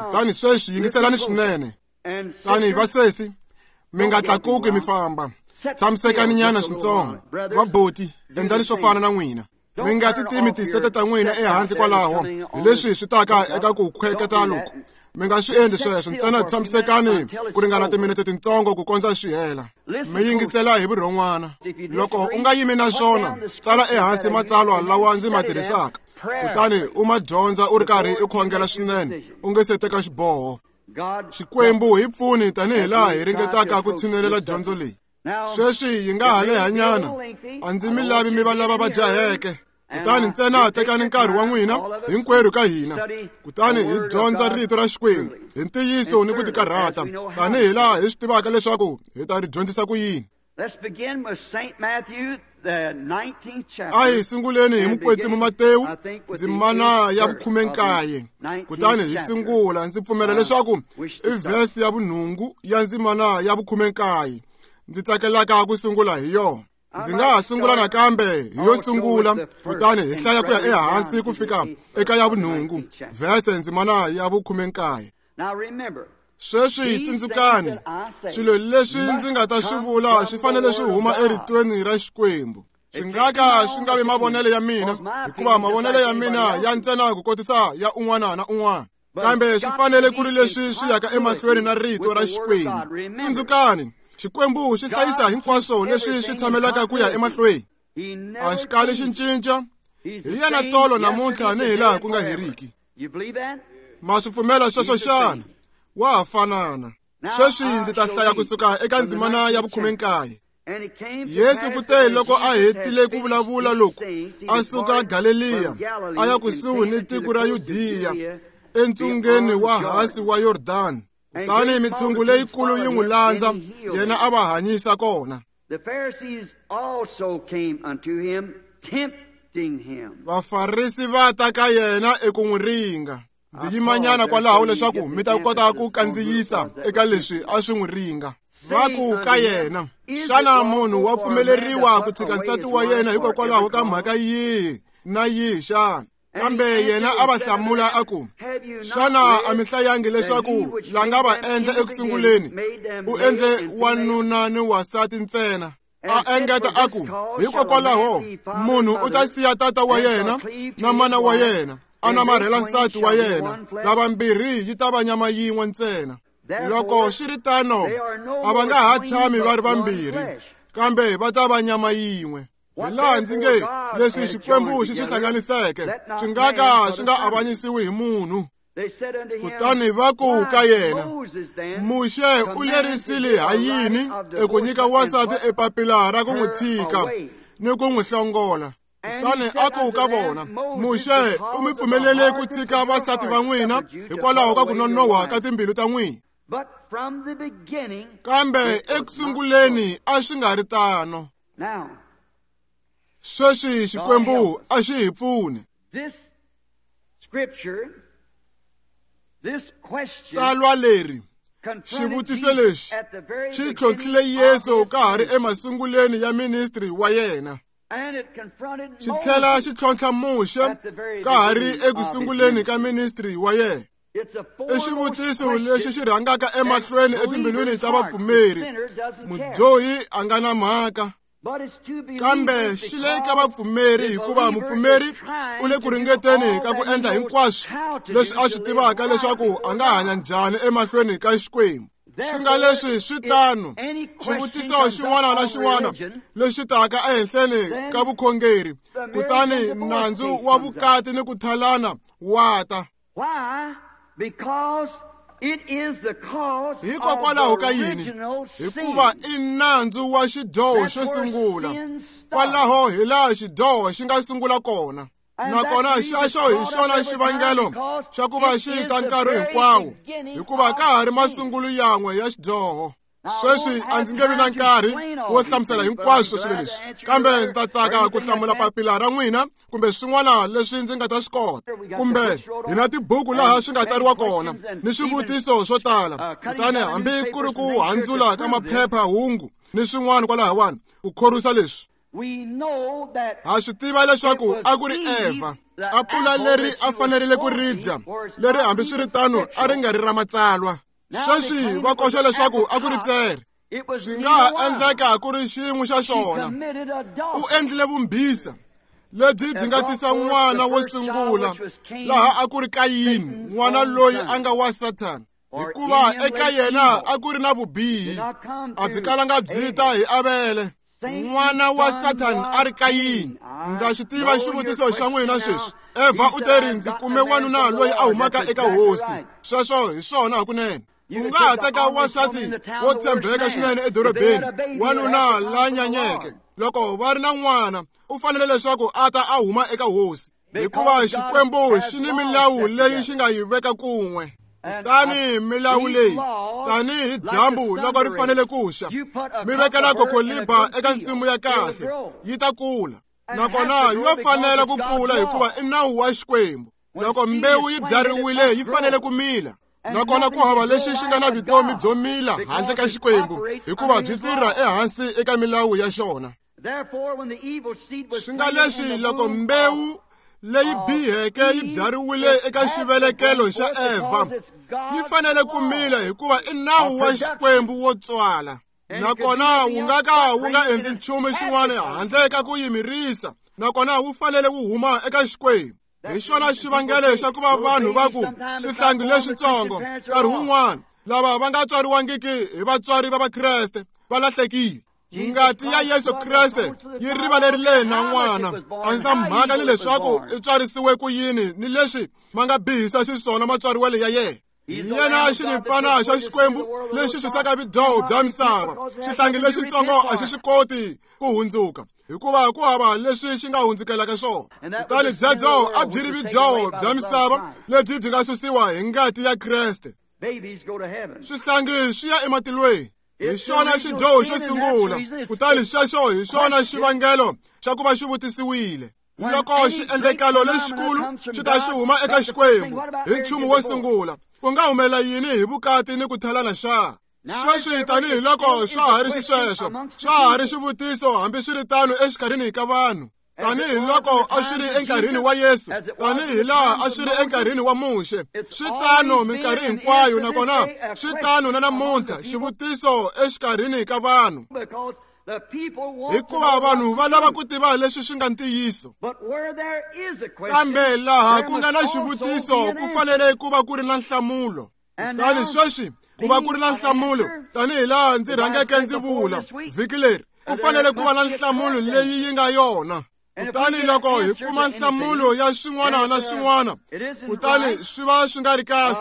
Kutani sweswi yingiselani swinene. Tani vasesi, mi nga tlakuki mi famba. Tshamisekani nyana swintsongo. Vaboti, endlani swo fana na n'wina. Mi nga ti timi tisete ta n'wina ehandle kwalaho hi leswi swi taka eka ku khweketa loku. Mi nga swi endli sweswo, ntsena tshamisekani ku ringana timinete tintsongo ku kondza swi hela. Mi yingisela hi vurhon'wana. Loko u nga yimi na swona, tsala ehansi matsalwa lawa ndzi ma tirhisaka. Kutani u ma dyondza u ri karhi u khongela swinene u nge se teka xiboho. Xikwembu hi pfuni tanihi laha hi ringetaka ku tshinelela dyondzo leyi. Sweswi yi nga ha lehanyana, a ndzi mi lavi mi va lava va jaheke. Kutani ntsena tekani nkarhi wa n'wina hinkwerhu ka hina, kutani hi dyondza rito ra Xikwembu hi ntiyiso ni ku tikarhata tanihi laha hi swi tivaka leswaku hi ta ri dyondzisa ku yini. A hi sunguleni hi Mukwetsimi Matewu ndzimana ya 19, kutani hi sungula. Ndzi pfumela leswaku i vhesi ya vunhungu ya ndzimana ya 19 ndzi tsakelaka ku sungula hi yona. Ndzi nga ha sungula nakambe hi yo sungula, kutani hi hlaya ku ya ehansi ku fika eka ya vunhungu, vhese ndzimana ya 19. Sweswi tsundzukani, swilo leswi ndzi nga ta swi vula swi fanele swi huma eritweni ra Xikwembu. Swi nga ka swi nga vi mavonelo ya mina, hikuva mavonelo ya mina ya ntsena ku kotisa ya un'wana na un'wana. Kambe swi fanele ku ri leswi swi yaka emahlweni na rito ra Xikwembu. Tsundzukani, Xikwembu xi hlayisa hinkwaswo leswi swi tshamelaka ku ya emahlweni. A xi kali xi cinca. Hi yena tolo namuntlha ni hilaha ku nga heriki. Ma swi pfumela sweswo xana? Wa ha fanana. Sweswi ndzi ta hlaya kusuka eka ndzimana ya 19. Yesu kute loko a hetile ku vulavula loku, a suka Galeliya a ya kusuhi ni tiko ra Yudiya entsungeni wa hasi wa Yordani. Kutani mitshungu leyikulu yi n'wi landza, yena a va hanyisa kona. Vafarisi va ta ka yena eku n'wi ringa. Ndzi yimanyana kwalaho leswaku mi ta kota ku kandziyisa eka leswi a swi n'wi ringa. Va ku ka yena, xana munhu wa pfumeleriwa ku tshika nsati wa yena hikokwalaho ka mhaka yihi na yihi xana? Kambe yena a va hlamula a ku, xana a mi hlayangi leswaku la nga va endla ekusunguleni u endle wanuna ni wansati ntsena? A engeta a ku, hikokwalaho munhu u ta siya tata wa yena na mana wa yena, a namarhela nsati wa yena, lavambirhi yi ta va nyama yin'we ntsena. Loko swi ri tano, a va nga ha tshami va ri vambirhi, kambe va ta va nyama yin'we. Hi laha ndzi nge leswi Xikwembu xi swi hlanganiseke swi nga ka swi nga avanyisiwi hi munhu. Kutani va ku ka yena, Muxe u lerisile ha yini eku nyika wansati epapila ra ku n'wi tshika ni ku n'wi hlongola? Kutani a ku ka vona, Muxe u mi pfumelele ku tshika vasati va n'wina hikwalaho ka ku nonoha ka timbilu ta n'wina. Kambe ekusunguleni a swi nga ri tano. Sweswi Xikwembu a xi hi pfune. Tsalwa leri, xivutiso lexi xi tlhontlhile Yesu ka ha ri emasunguleni ya ministry wa yena. Xi tlhela xi tlhontlha Muxe ka ha ri ekusunguleni ka ministry wa yena. I xivutiso lexi xi rhangaka emahlweni etimbilwini ta vapfumeri. Mudyohi a nga na mhaka, kambe xi le ka vapfumeri, hikuva mupfumeri u le ku ringeteni ka ku endla hinkwaswo leswi a swi tivaka leswaku a nga hanya njhani emahlweni ka Xikwembu. Swi nga leswi swi tano, xivutiso xin'wana na xin'wana lexi taka ehenhleni ka vukhongeri, kutani nandzu wa vukati ni ku thalana wa ta. Hikokwalaho ka yini? Hikuva i nandzu wa xidyoho xo sungula. Kwalaho hi laha xidyoho xi nga sungula kona. Nakona xexo hi xona xivangelo xa ku va xi ta nkarhi hinkwawo, hikuva ka ha ri masungulo yan'we ya xidyoho. Sweswi a ndzi nge vi na nkarhi wo hlamusela hinkwaswo swilo leswi, kambe ndzi ta tsaka ku hlamula papila ra n'wina kumbe swin'wana leswi ndzi nga ta swi kota. Kumbe hi na tibuku laha swi nga tsariwa kona ni swivutiso swo tala, kutani hambi ku ri ku handzula ka maphepha-hungu ni swin'wana kwalahawani ku khorwisa leswi. Ha swi tiva leswaku a ku ri Eva, apula leri a fanerile ku ri dya, leri hambiswiritano a ri nga ri ra matsalwa. Sweswi va koxa leswaku a ku ri tsere. Swi nga ha endleka ku ri xin'we xa xona. U endlile vumbhisa lebyi byi nga tisa n'wana wo sungula, laha a ku ri Kayini, n'wana loyi a nga wa Sathana, hikuva eka yena a ku ri na vubihi, a byi kalanga byi ta hi Avele. N'wana wa Sathana a ri Kayini. Ndza xi tiva xivutiso xa n'wina sweswi. Eva u teri, ndzi kume wanuna loyi a humaka eka hosi. Sweswo hi swona hakunene. U nga ha teka wansati wo tshembeka swinene edorobeni, wanuna la nyanyeke. Loko va ri na n'wana, u fanele leswaku a ta a huma eka hosi, hikuva Xikwembu xi ni milawu leyi xi nga yi veka kun'we. Kutani milawu leyi, tanihi dyambu loko ri fanele ku xa, mi vekela kokoliba eka nsimu ya kahle, yi ta kula. Nakona yo fanela ku kula hikuva i nawu wa Xikwembu. Loko mbewu yi byariwile, yi fanele ku mila. Nakona ku hava lexi xi nga na vutomi byo mila handle ka Xikwembu, hikuva byi tirha ehansi eka milawu ya xona. Swi nga leswi loko mbewu leyi biheke yi byariwile eka xivelekelo xa Eva, yi fanele ku mila hikuva i nawu wa Xikwembu wo tswala. Nakona wu nga ka wu nga endli nchumu xin'wana handle ka ku yimirisa, nakona wu fanele wu huma eka Xikwembu. Hi xona xivangelo xa ku va vanhu va ku swihlangi leswitsongo nkarhi wun'wana lava va nga tswariwangiki hi vatswari va Vakreste va lahlekile. Ngati ya Yesu Kreste yi rivalerile na n'wana. A ndzi na mhaka ni leswaku i tswarisiwe ku yini ni leswi ma nga bihisa xiswona matswariwelo ya yena. Hi yena xinyimpfana xa Xikwembu lexi xisaka vudyoho bya misava. Xihlangi lexitsongo a xi swi koti ku hundzuka, hikuva ku hava leswi xi nga hundzukelaka swona. Kutani byebyo a byi ri vudyoho bya misava lebyi byi nga susiwa hi ngati ya Kreste. Swihlangi swi ya ematilweni. Hi xona xidyoho xo sungula, kutani xexo hi xona xivangelo xa ku va xi vutisiwile. Loko xiendlekalo lexikulu xi ta xi huma eka Xikwembu hi nchumu wo sungula, ku nga humelela yini hi vukati ni ku thalana xa? Sweswi tanihiloko swa ha ri xisweswo, swa ha ri xivutiso hambiswiritano exikarhini ka vanhu. Tanihiloko a swi ri enkarhini wa Yesu, tanihilaha a swi ri enkarhini wa Muxe, swi tano minkarhi hinkwayo, nakona swi tano na namuntlha, xivutiso exikarhini ka vanhu. Hikuva vanhu va lava ku tiva leswi swi nga ntiyiso. Kambe laha ku nga na xivutiso ku fanele ku va ku ri na nhlamulo. Kutani sweswi ku va ku ri na nhlamulo, tanihilaha ndzi rhangeke ndzi vula vhiki leri, ku fanele ku va na nhlamulo leyi yi nga yona. Kutani loko hi kuma nhlamulo ya swin'wana na swin'wana, kutani swi va swi nga ri kahle,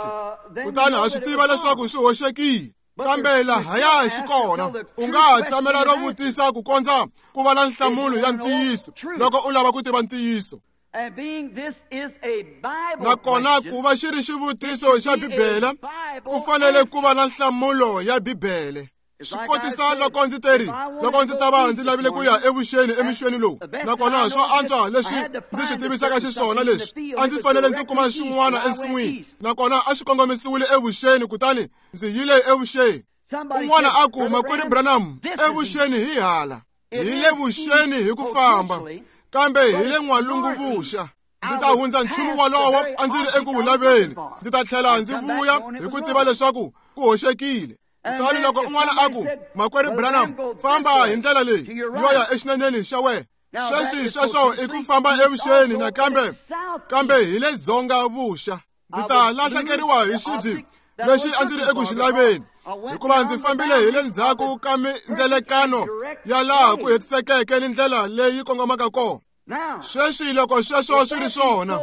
kutani ha swi tiva leswaku swi hoxekile. Kambe lahaya xi kona, u nga ha tshamela ro vutisa ku kondza ku va na nhlamulo ya ntiyiso loko u lava ku tiva ntiyiso. Nakona ku va xi ri xivutiso xa Bibele, ku fanele ku va na nhlamulo ya Bibele. Swi kotisa loko ndzi teri, loko ndzi ta va ndzi lavile ku ya evuxeni emixweni lowu, nakona swo antswa leswi ndzi swi tivisaka xiswona leswi, a ndzi fanele ndzi kuma xin'wana ensin'wini, nakona a xi kongomisiwile evuxeni, kutani ndzi yile evuxeni. Un'wana a ku, Makwerhu Branham, evuxeni hi hala, hi le vuxeni hi ku famba, kambe hi le n'walungu vuxa. Ndzi ta hundza nchumu wolowo a ndzi ri eku wu laveni, ndzi ta tlhela ndzi vuya hi ku tiva leswaku ku hoxekile. Kutani loko un'wana a ku, Makwerhu Branham, famba hi ndlela leyi yo ya exineneni xa wena. Sweswi sweswo i ku famba evuxeni nakambe, kambe hi le dzonga vuxa. Ndzi ta lahlekeriwa hi xibyi lexi a ndzi ri eku xi laveni, hikuva ndzi fambile hi le ndzhaku ka mindzelekano ya laha ku hetisekeke ni ndlela leyi kongomaka kona. Sweswi loko sweswo swi ri swona,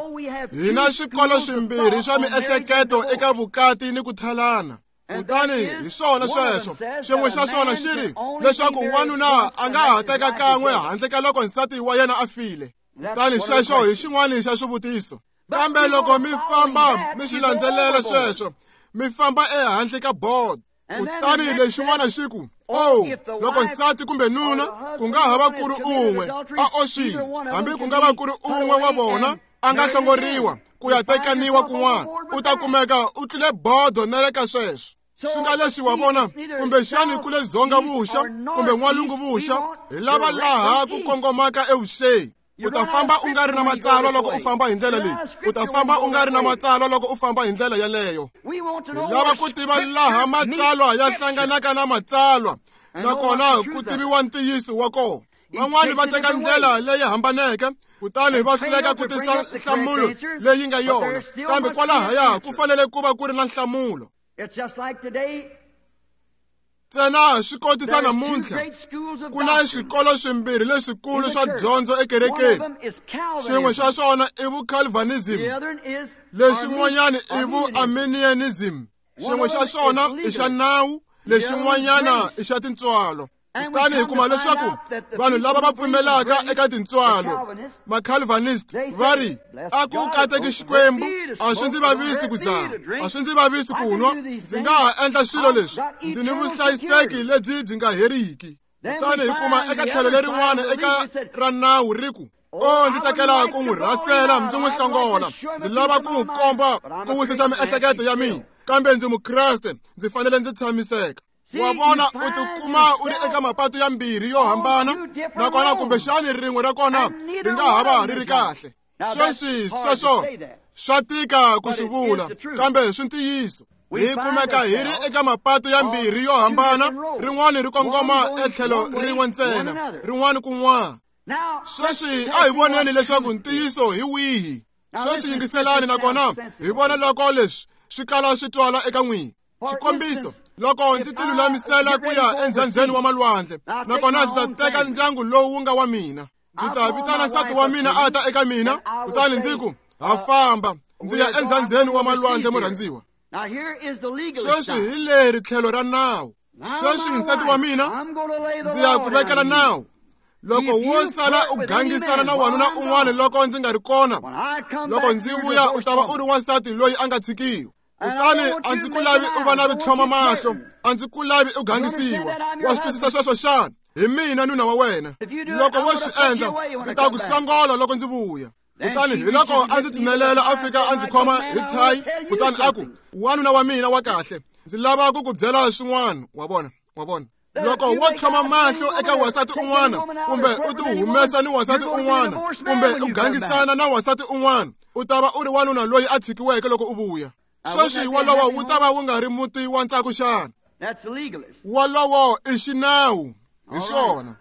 hi na swikolo swimbirhi swa miehleketo eka vukati ni ku thalana. Kutani hi swona sweswo, xin'we xa swona xi ri leswaku wanuna a nga ha teka kan'we handle ka loko nsati wa yena a file. Kutani sweswo hi xin'wana xa swivutiso. Kambe loko mi famba mi swi landzelela sweswo, mi famba ehandle ka bodo. Kutani lexin'wana xi ku, oh, loko nsati kumbe nuna ku nga ha va ku ri un'we a oxile, hambi ku nga va ku ri un'we wa vona a nga hlongoriwa ku ya tekaniwa kun'wana, u ta kumeka u tlule bodo na le ka sweswo. Swi nga leswi wa vona, kumbexani ku le dzonga vuxa kumbe n'walungu vuxa, hi lava laha ku kongomaka evuxeni. U ta famba u nga ri na matsalwa loko u famba hi ndlela leyi. U ta famba u nga ri na matsalwa loko u famba hi ndlela yeleyo. Hi lava ku tiva laha matsalwa ya hlanganaka na matsalwa, nakona ku tiviwa ntiyiso wa kona. Van'wani va teka ndlela leyi hambaneke, kutani va hluleka ku tisa nhlamulo leyi nga yona. Kambe kwalahaya ku fanele ku va ku ri na nhlamulo. Ntsena swi kotisa namuntlha, ku na swikolo swimbirhi leswikulu swa dyondzo ekerekeni. Xin'we xa swona i vucalvinism, lexin'wanyana i vuarminianism. Xin'we xa swona i xa nawu, lexin'wanyana i xa tintswalo. Kutani hi kuma leswaku vanhu lava va pfumelaka eka tintswalo, macalvinist, va ri a ku kateki Xikwembu, a swi ndzi vavisi ku dzaha, a swi ndzi vavisi ku nwa, ndzi nga ha endla swilo leswi, ndzi ni vuhlayiseki lebyi byi nga heriki. Kutani hi kuma eka tlhelo lerin'wana eka ra nawu ri ku, oh, ndzi tsakela ku n'wi rhasela ndzi n'wi hlongola, ndzi lava ku n'wi komba ku wisisa miehleketo ya mina, kambe ndzi Mukreste, ndzi fanele ndzi tshamiseka. Wa vona, u tikuma u ri eka mapatu ya mbirhi yo hambana, nakona kumbexani rin'we ra kona ri nga ha va ri ri kahle. Sweswi sweswo swa tika ku swi vula, kambe swi ntiyiso. Hi kumeka hi ri eka mapatu ya mbirhi yo hambana, rin'wana ri kongoma etlhelo rin'we ntsena, rin'wana kun'wana. Sweswi a hi voneni leswaku ntiyiso hi wihi. Sweswi yingiselani, nakona hi vona loko leswi swi kala swi twala eka n'wina. Xikombiso, loko ndzi ti lulamisela ku ya endzhandzheni wa malwandle, nakona ndzi ta teka ndyangu lowu wu nga wa mina, ndzi ta vitana nsati wa mina a ta eka mina, kutani ndzi ku, ha famba, ndzi ya endzhandzheni wa malwandle, murhandziwa. Sweswi hi leri tlhelo ra nawu. Sweswi nsati wa mina, ndzi ya ku vekela nawu. Loko wo sala u gangisana na wanuna un'wana loko ndzi nga ri kona, loko ndzi vuya u ta va u ri wansati loyi a nga tshikiwi. Kutani a ndzi ku lavi u va na vitlhoma mahlo, a ndzi ku lavi u gangisiwa. Wa swi twisisa sweswo xana? Hi mina nuna wa wena. Loko wo swi endla, ndzi ta ku hlongola loko ndzi vuya. Kutani hi loko a ndzi tshinelela a fika a ndzi khoma hi thayi, kutani a ku, wanuna wa mina wa kahle, ndzi lava ku ku byela swin'wana. Wa vona, wa vona. Loko wo tlhoma mahlo eka wansati un'wana, kumbe u ti humesa ni wansati un'wana, kumbe u gangisana na wansati un'wana, u ta va u ri wanuna loyi a tshikiweke loko u vuya. Sweswi wolowo wu ta va wu nga ri muti wa ntsako xana? Wolowo i xinawu, hi swona.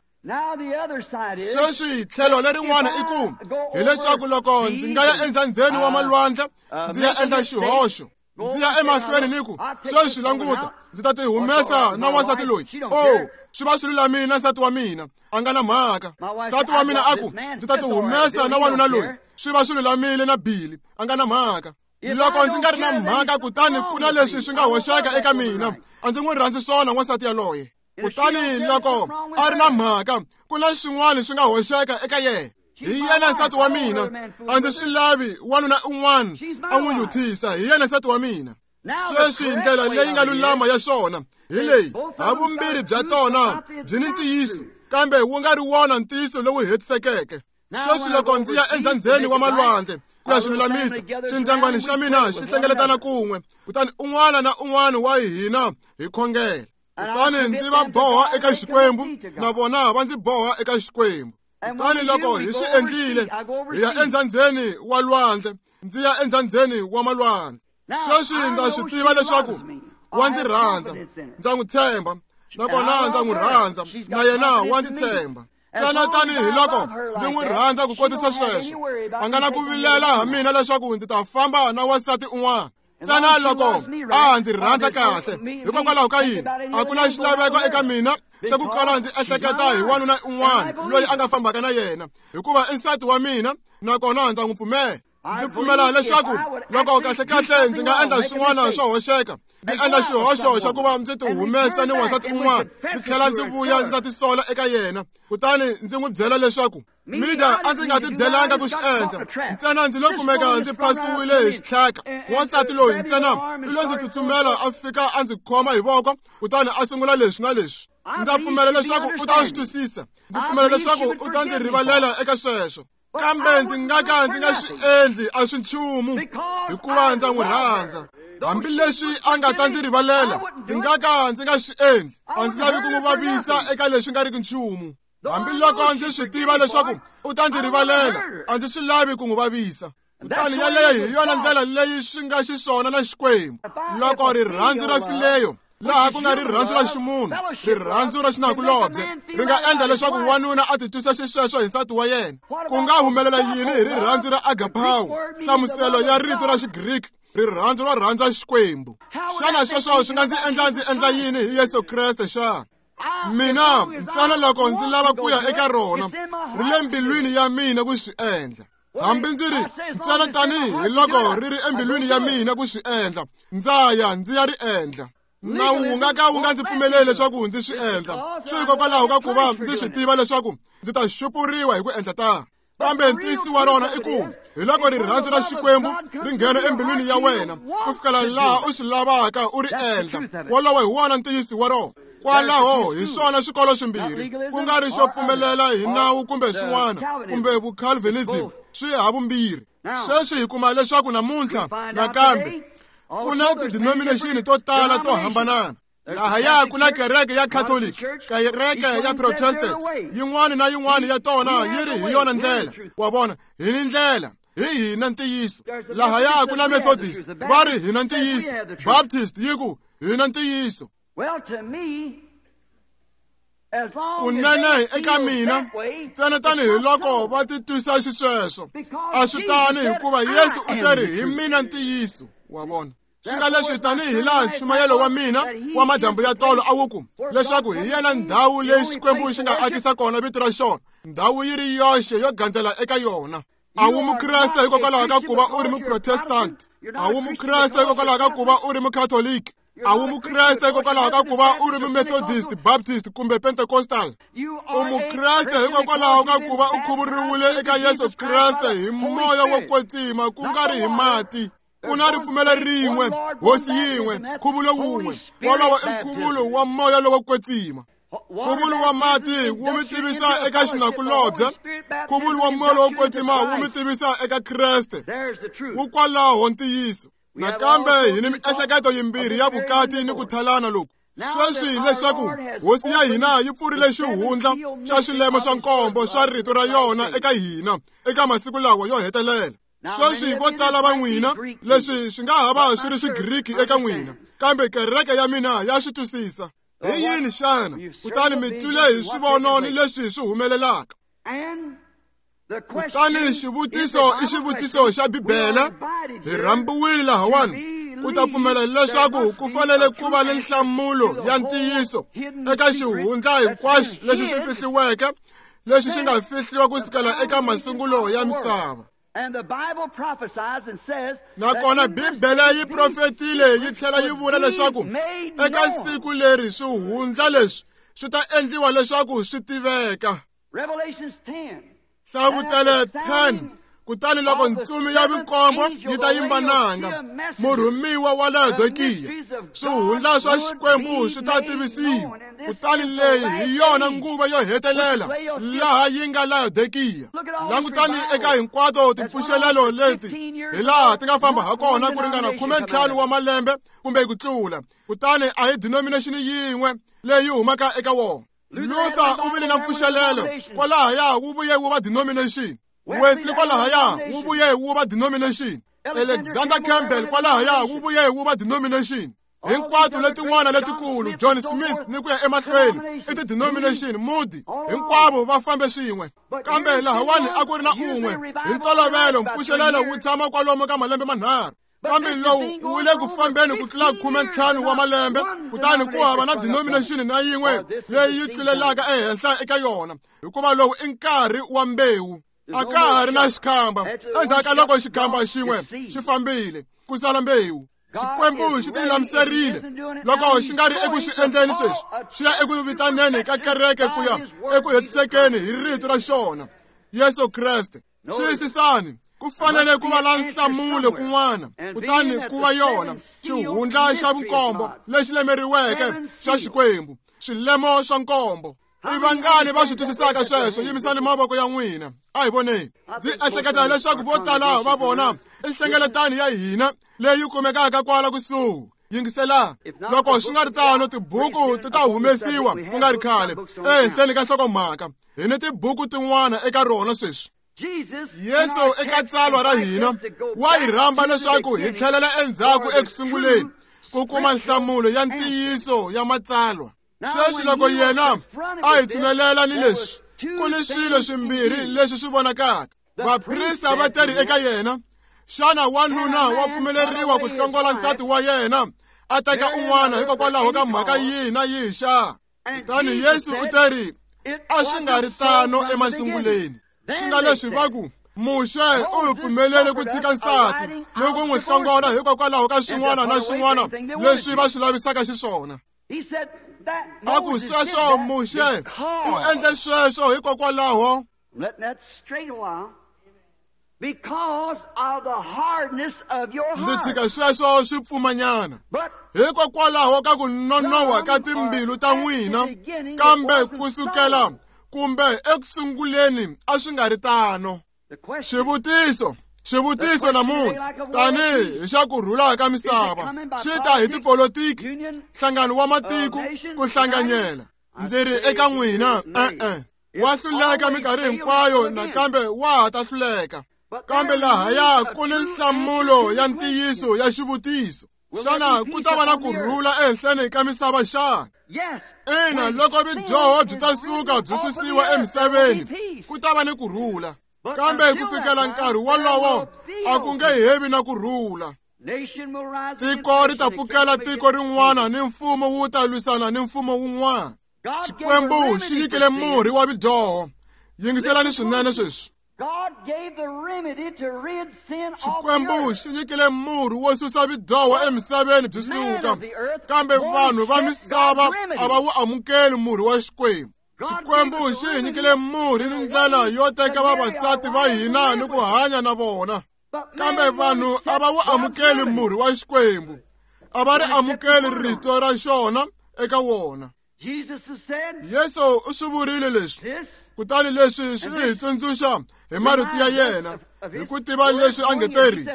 Sweswi tlhelo lerin'wana i ku, hileswaku loko ndzi nga ya endzhandzheni wa malwandle, ndzi ya endla xihoxo, ndzi ya emahlweni ni ku, sweswi languta, ndzi ta ti humesa na wansati loyi. Oh, swi va swi lulamile na nsati wa mina, a nga na mhaka. Nsati wa mina a ku, ndzi ta ti humesa na wanuna loyi, swi va swi lulamile na Billy, a nga na mhaka. Loko ndzi nga ri na mhaka, kutani ku na leswi swi nga hoxeka eka mina, a ndzi n'wi rhandzi swona wansati yaloye. Kutani loko a ri na mhaka, ku na swin'wana swi nga hoxeka eka yena. Hi yena nsati wa mina, a ndzi swi lavi wanuna un'wana a n'wi yuthisa, hi yena nsati wa mina. Sweswi ndlela leyi nga lulama ya swona hi leyi, havumbirhi bya tona byi ni ntiyiso, kambe wu nga ri wona ntiyiso lowu hetisekeke. Sweswi loko ndzi ya endzhandzheni wa malwandle ku ya swi lulamisa, xindyangwani xa mina xi hlengeletana kun'we, kutani un'wana na un'wana wa hina hi khongela. Kutani ndzi va boha eka Xikwembu, na vona va ndzi boha eka Xikwembu. Kutani loko hi swi endlile, hi ya endzhandzheni wa lwandle, ndzi ya endzhandzheni wa malwandle. Sweswi ndza swi tiva leswaku wa ndzi rhandza, ndza n'wi tshemba, nakona ndza n'wi rhandza, na yena wa ndzi tshemba. Ntsena tanihi loko ndzi n'wi rhandza ku kotisa sweswo, a nga na ku vilela ha mina leswaku ndzi ta famba na wansati un'wana. Ntsena loko a ndzi rhandza kahle, hikokwalaho ka yini a ku na xilaveko eka mina xa ku kala ndzi ehleketa hi wanuna un'wana loyi a nga fambaka na yena, hikuva i nsati wa mina nakona ndza n'wi pfumela. Ndzi pfumela leswaku loko kahlekahle ndzi nga endla swin'wana swo hoxeka, ndzi endla xihoxo xa ku va ndzi ti humesa ni wansati un'wana, ndzi tlhela ndzi vuya ndzi ta tisola eka yena, kutani ndzi n'wi byela leswaku Mida a ndzi nga ti byelanga ku swi endla, ntsena ndzi lo kumeka ndzi phasiwile hi xitlhaka. Wansati loyi ntsena i lo ndzi tsutsumela a fika a ndzi khoma hi voko, kutani a sungula leswi na leswi. Ndza pfumela leswaku u ta swi twisisa, ndzi pfumela leswaku u ta ndzi rivalela eka sweswo, kambe ndzi nga ka ndzi nga swi endli a swi nchumu, hikuva ndza n'wi rhandza. Hambileswi a nga ta ndzi rivalela, ndzi nga ka ndzi nga swi endli. A ndzi lavi ku n'wi vavisa eka leswi nga riki nchumu. Hambiloko ndzi swi tiva leswaku u ta ndzi rivalela, a ndzi swi lavi ku n'wi vavisa. Kutani yaleyo hi yona ndlela leyi swi nga xiswona na Xikwembu. Loko rirhandzu ra fileyo, laha ku nga rirhandzu ra ximunhu, rirhandzu ra xinakulobye, ri nga endla leswaku wanuna a titwisa xisweswo hi nsati wa yena, ku nga humelela yini hi rirhandzu ra agapao, nhlamuselo ya rito ra Xigriki, rirhandzu ro rhandza Xikwembu? Xana sweswo swi nga ndzi endla ndzi endla yini hi Yesu Kreste xana? Mina ntsena loko ndzi lava ku ya eka rona, ri le mbilwini ya mina ku swi endla. Hambi ndzi ri ntsena tanihi loko ri ri embilwini ya mina ku swi endla, ndza ya ndzi ya ri endla. Nawu wu nga ka wu nga ndzi pfumeleli leswaku ndzi swi endla, swi hikokwalaho ka ku va ndzi swi tiva leswaku ndzi ta xupuriwa hi ku endla tano. Kambe ntiyiso wa rona i ku hi loko rirhandzu ra Xikwembu ri nghena embilwini ya wena ku fikela laha u swi lavaka u ri endla, wolowo hi wona ntiyiso wa rona. Kwalaho hi swona swikolo swimbirhi, ku nga ri xo pfumelela hi nawu kumbe swin'wana, kumbe vucalvinism, swi havumbirhi. Sweswi hi kuma leswaku namuntlha nakambe ku na tidenomination to tala to hambanana. Lahaya ku na kereke ya Catholic, kereke ya Protestant, yin'wana na yin'wana ya tona yi ri hi yona ndlela. Wa vona, hi ni ndlela, hi hina ntiyiso. Lahaya ku na Methodist, va ri hina ntiyiso. Baptist yi ku hina ntiyiso. Kunene eka mina, ntsena tanihiloko va titwisa xisweswo, a swi tani, hikuva Yesu u te ri hi mina ntiyiso. Wa vona, swi nga leswi tanihi laha nchumayelo wa mina wa madyambu ya tolo a wu ku leswaku hi yena ndhawu leyi Xikwembu xi nga akisa kona vito ra xona, ndhawu yi ri yoxe yo gandzela eka yona. A wu mukreste hikokwalaho ka ku va u ri muprotestant, a wu mukreste hikokwalaho ka ku va u ri mukatholiki, a wu mukreste hikokwalaho ka ku va u ri mumethodist, Baptist kumbe Pentecostal. U mukreste hikokwalaho ka ku va u khuvuriwile eka Yesu Kreste hi moya wo kwetsima, ku nga ri hi mati. Ku na ripfumelo rin'we, hosi yin'we, nkhuvulo wun'we. Wolowo i nkhuvulo wa moya lowo kwetsima. Nkhuvulo wa mati wu mi tivisa eka xinakulobye, nkhuvulo wa moya lowo kwetsima wu mi tivisa eka Kreste. Wu kwalaho ntiyiso. Nakambe hi ni miehleketo yimbirhi ya vukati ni ku thalana loku. Sweswi leswaku hosi ya hina yi pfurile xihundla xa xilemo xa nkombo xa rito ra yona eka hina eka masiku lawa yo hetelela. Sweswi vo tala va n'wina, leswi swi nga ha va swi ri Xigriki eka n'wina, kambe kereke ya mina ya swi twisisa. Hi yini xana? Kutani mi twile hi swivono ni leswi swi humelelaka. Kutani xivutiso i xivutiso xa Bibele. Hi rhambiwile lahawani ku ta pfumela leswaku ku fanele ku va ni nhlamulo ya ntiyiso eka xihundla hinkwaxo lexi xi fihliweke, lexi xi nga fihliwa ku sukela eka masungulo ya misava. Nakona Bibele yi profetile yi tlhela yi vula leswaku eka siku leri swihundla leswi swi ta endliwa leswaku swi tiveka. Hlavutelo 10. Kutani loko ntsumi ya vunkombo yi ta yimba nanga, murhumiwa wa Laodikiya, swihundla swa Xikwembu swi ta tivisiwa. Kutani leyi hi yona nguva yo hetelela laha yi nga Laodikiya. Langutani eka hinkwato timpfuxelelo leti hi laha ti nga famba ha kona ku ringana 15 wa malembe kumbe ku tlula. Kutani a hi denomination yin'we leyi humaka eka wona. Luther u vile na mpfuxelelo kwalahaya, wu vuye wu va denomination. Wesley kwalahaya, wu vuye wu va denomination. Alexander Campbell kwalahaya, wu vuye wu va denomination. Hinkwato letin'wana letikulu, John Smith ni ku ya emahlweni, i ti-denomination. Moody, hinkwavo va fambe swin'we. Kambe lahawani a ku ri na un'we. Hi ntolovelo mpfuxelelo wu tshama kwalomu ka malembe manharhu. Kambe lowu wu le ku fambeni ku tlula 15 wa malembe, kutani ku hava na denomination na yin'we leyi yi tlulelaka ehenhla eka yona, hikuva lowu i nkarhi wa mbewu. A ka ha ri na xikhamba. Endzhaku ka loko xikhamba xin'we xi fambile, ku sala mbewu. Xikwembu xi tilulamiserile. Loko xi nga ri eku xi endleni sweswi, xi ya eku vitaneni ka kereke ku ya eku hetisekeni hi rito ra xona, Yesu Kreste. Xiyisisani, ku fanele ku va na nhlamulo kun'wana, kutani ku va yona xihundla xa vunkombo lexi lemeriweke xa Xikwembu, swilemo swa nkombo. I vangani va swi twisisaka sweswo? Yimisani mavoko ya n'wina. A hi voneni. Ndzi ehleketa leswaku vo tala va vona i nhlengeletano ya hina leyi kumekaka kwala kusuhi. Yingisela, loko swi nga ri tano, tibuku ti ta humesiwa ku nga ri khale ehenhleni ka nhlokomhaka. Hi ni tibuku tin'wana eka rona sweswi. Yesu eka tsalwa ra hina wa hi rhamba leswaku hi tlhelela endzhaku ekusunguleni ku kuma nhlamulo ya ntiyiso ya matsalwa. Sweswi loko yena a hi tshinelela ni leswi, ku ni swilo swimbirhi leswi swi vonakaka. Vaprista va teri eka yena, xana wanuna wa pfumeleriwa ku hlongola nsati wa yena a teka un'wana hikokwalaho ka mhaka yihi na yihi xa? Kutani Yesu u teri, a swi nga ri tano emasunguleni. Swi nga leswi va ku, Muxe u hi pfumelele ku tshika nsati ni ku n'wi hlongola hikokwalaho ka swin'wana na swin'wana leswi va swi lavisaka xiswona. A ku sweswo Muxe u endle sweswo hikokwalaho ndzi tshika sweswo swi pfumanyana hikokwalaho ka ku nonoha ka timbilu ta n'wina, kambe ku sukela kumbe ekusunguleni a swi nga ri tano. Xivutiso namuntlha tanihi hi xa ku rhula ka misava xi ta hi tipolotiki, nhlangano wa matiko, ku hlanganyela. Ndzi ri eka n'wina, e-e, wa hluleka minkarhi hinkwayo nakambe wa ha ta hluleka. Kambe lahaya ku ni nhlamulo ya ntiyiso ya xivutiso. Xana ku ta va na ku rhula ehenhleni ka misava xana? Ina, loko vudyoho byi ta suka byi susiwa emisaveni, ku ta va ni ku rhula. Kambe ku fikela nkarhi wolowo a ku nge hevi na ku rhula. Tiko ri ta pfukela tiko rin'wana ni mfumo wu ta lwisana ni mfumo wun'wana. Xikwembu xi nyikile murhi wa vudyoho. Yingiselani swinene sweswi. Xikwembu xi nyikile murhi wo susa vudyoho emisaveni byi suka, kambe vanhu va misava a va wu amukeli murhi wa Xikwembu. Xikwembu xi hi nyikile murhi ni ndlela yo teka vavasati va hina ni ku hanya na vona, kambe vanhu a va wu amukeli murhi wa Xikwembu, a va ri amukeli rito ra xona eka wona. Yesu u swi vurile leswi, kutani leswi swi hi tsundzuxa hi marito ya yena, hi ku tiva leswi a nge teri,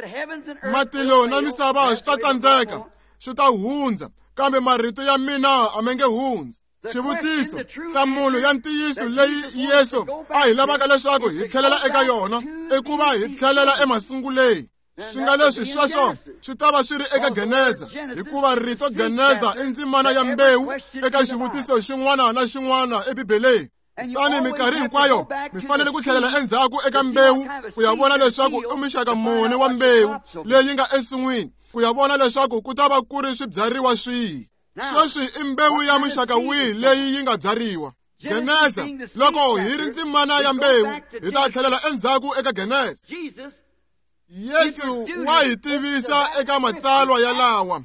matilo na misava swi ta tsandzeka, swi ta hundza, kambe marito ya mina a ma nge hundzi. Xivutiso, nhlamulo ya ntiyiso leyi Yesu a hi lavaka leswaku hi tlhelela eka yona i ku va hi tlhelela emasunguleni. Swi nga leswi sweswo swi ta va swi ri eka Geneza, hikuva rito Geneza i ndzimana ya mbewu eka xivutiso xin'wana na xin'wana eBibeleni. Kutani minkarhi hinkwayo mi fanele ku tlhelela endzhaku eka mbewu ku ya vona leswaku i muxaka muni wa mbewu leyi nga ensin'wini, ku ya vona leswaku ku ta va ku ri swibyariwa swihi. Sweswi i mbewu ya muxaka wihi leyi yi nga byariwa? Geneza, loko hi ri ndzimana ya mbewu, hi ta tlhelela endzhaku eka Geneza. Yesu wa hi tivisa eka matsalwa yalawa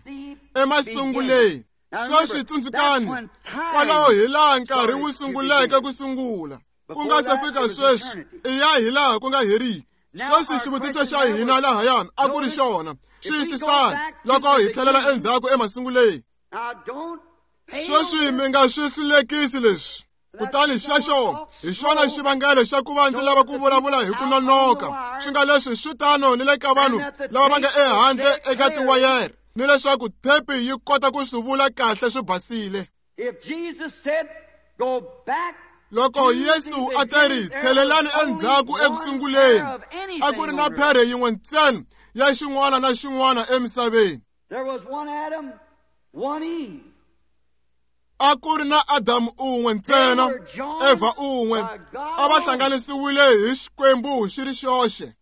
emasunguleni. Sweswi tsundzukani, kwalaho hi laha nkarhi wu sunguleke ku sungula. Ku nga se fika sweswi, i ya hi laha ku nga heriki. Sweswi xivutiso xa hina lahayani a ku ri xona, xiyisisani loko hi tlhelela endzhaku emasunguleni. Sweswi mi nga swi hlulekisi leswi. Kutani xexo hi xona xivangelo xa ku va ndzi lava ku vulavula hi ku nonoka. Swi nga leswi swi tano ni le ka vanhu lava va nga ehandle eka tiwayere, ni leswaku thepi yi kota ku swi vula kahle swi basile. Loko Yesu a teri tlhelelani endzhaku ekusunguleni, a ku ri na phere yin'we ntsena ya xin'wana na xin'wana emisaveni. A ku ri na Adamu un'we ntsena, Eva un'we, a va hlanganisiwile hi Xikwembu xi ri xoxe.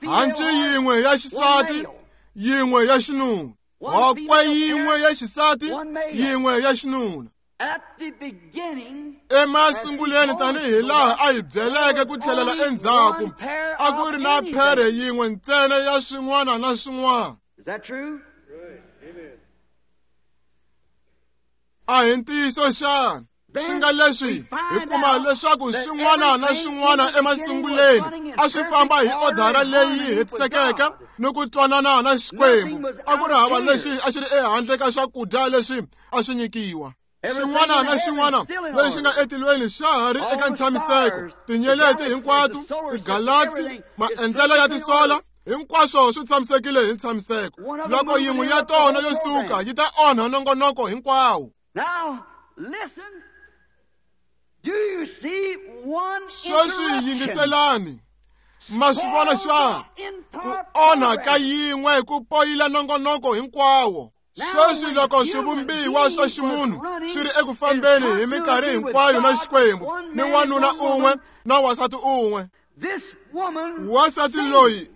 Hanci yin'we ya xisati yin'we ya xinuna. Hokwe yin'we ya xisati, yin'we ya xinuna. Emasunguleni tanihi laha a hi byeleke ku tlhelela endzhaku, a ku ri na phere yin'we ntsena ya swin'wana na swin'wana. A hi ntiyiso xana? Swi nga leswi hi kuma leswaku swin'wana na swin'wana emasunguleni a swi famba hi odara leyi hetisekeke ni ku twanana na Xikwembu. A ku ri hava lexi a xi ri ehandle ka swakudya leswi a swi nyikiwa. Xin'wana na xin'wana lexi nga etilweni xa ha ri eka ntshamiseko. Tinyeleti hinkwato, tigalaxy, maendlelo ya tisola, hinkwaswo swi tshamisekile hi ntshamiseko. Loko yin'we ya tona yo suka yi ta onha nongonoko hinkwawo. Sweswi yingiselani, ma swi vona xana? Ku onha ka yin'we ku poyila nongonoko hinkwawo. Sweswi loko swivumbiwa swa ximunhu swi ri eku fambeni hi minkarhi hinkwayo na Xikwembu, ni wanuna un'we na wansati un'we. Wansati loyi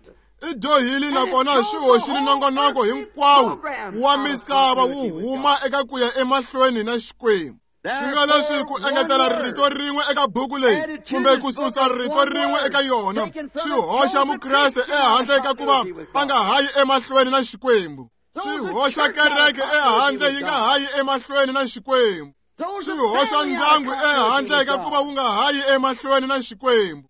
i dyohile nakona swi hoxile nongonoko hinkwawo wa misava wu huma eka ku ya emahlweni na Xikwembu. Swi nga leswi ku engetela rito rin'we eka buku leyi kumbe ku susa rito rin'we eka yona swi hoxa Mukreste ehandle ka ku va a nga hayi emahlweni na Xikwembu. Swi hoxa kereke ehandle yi nga hayi emahlweni na Xikwembu. Swi hoxa ndyangu ehandle ka ku va wu nga hayi emahlweni na Xikwembu.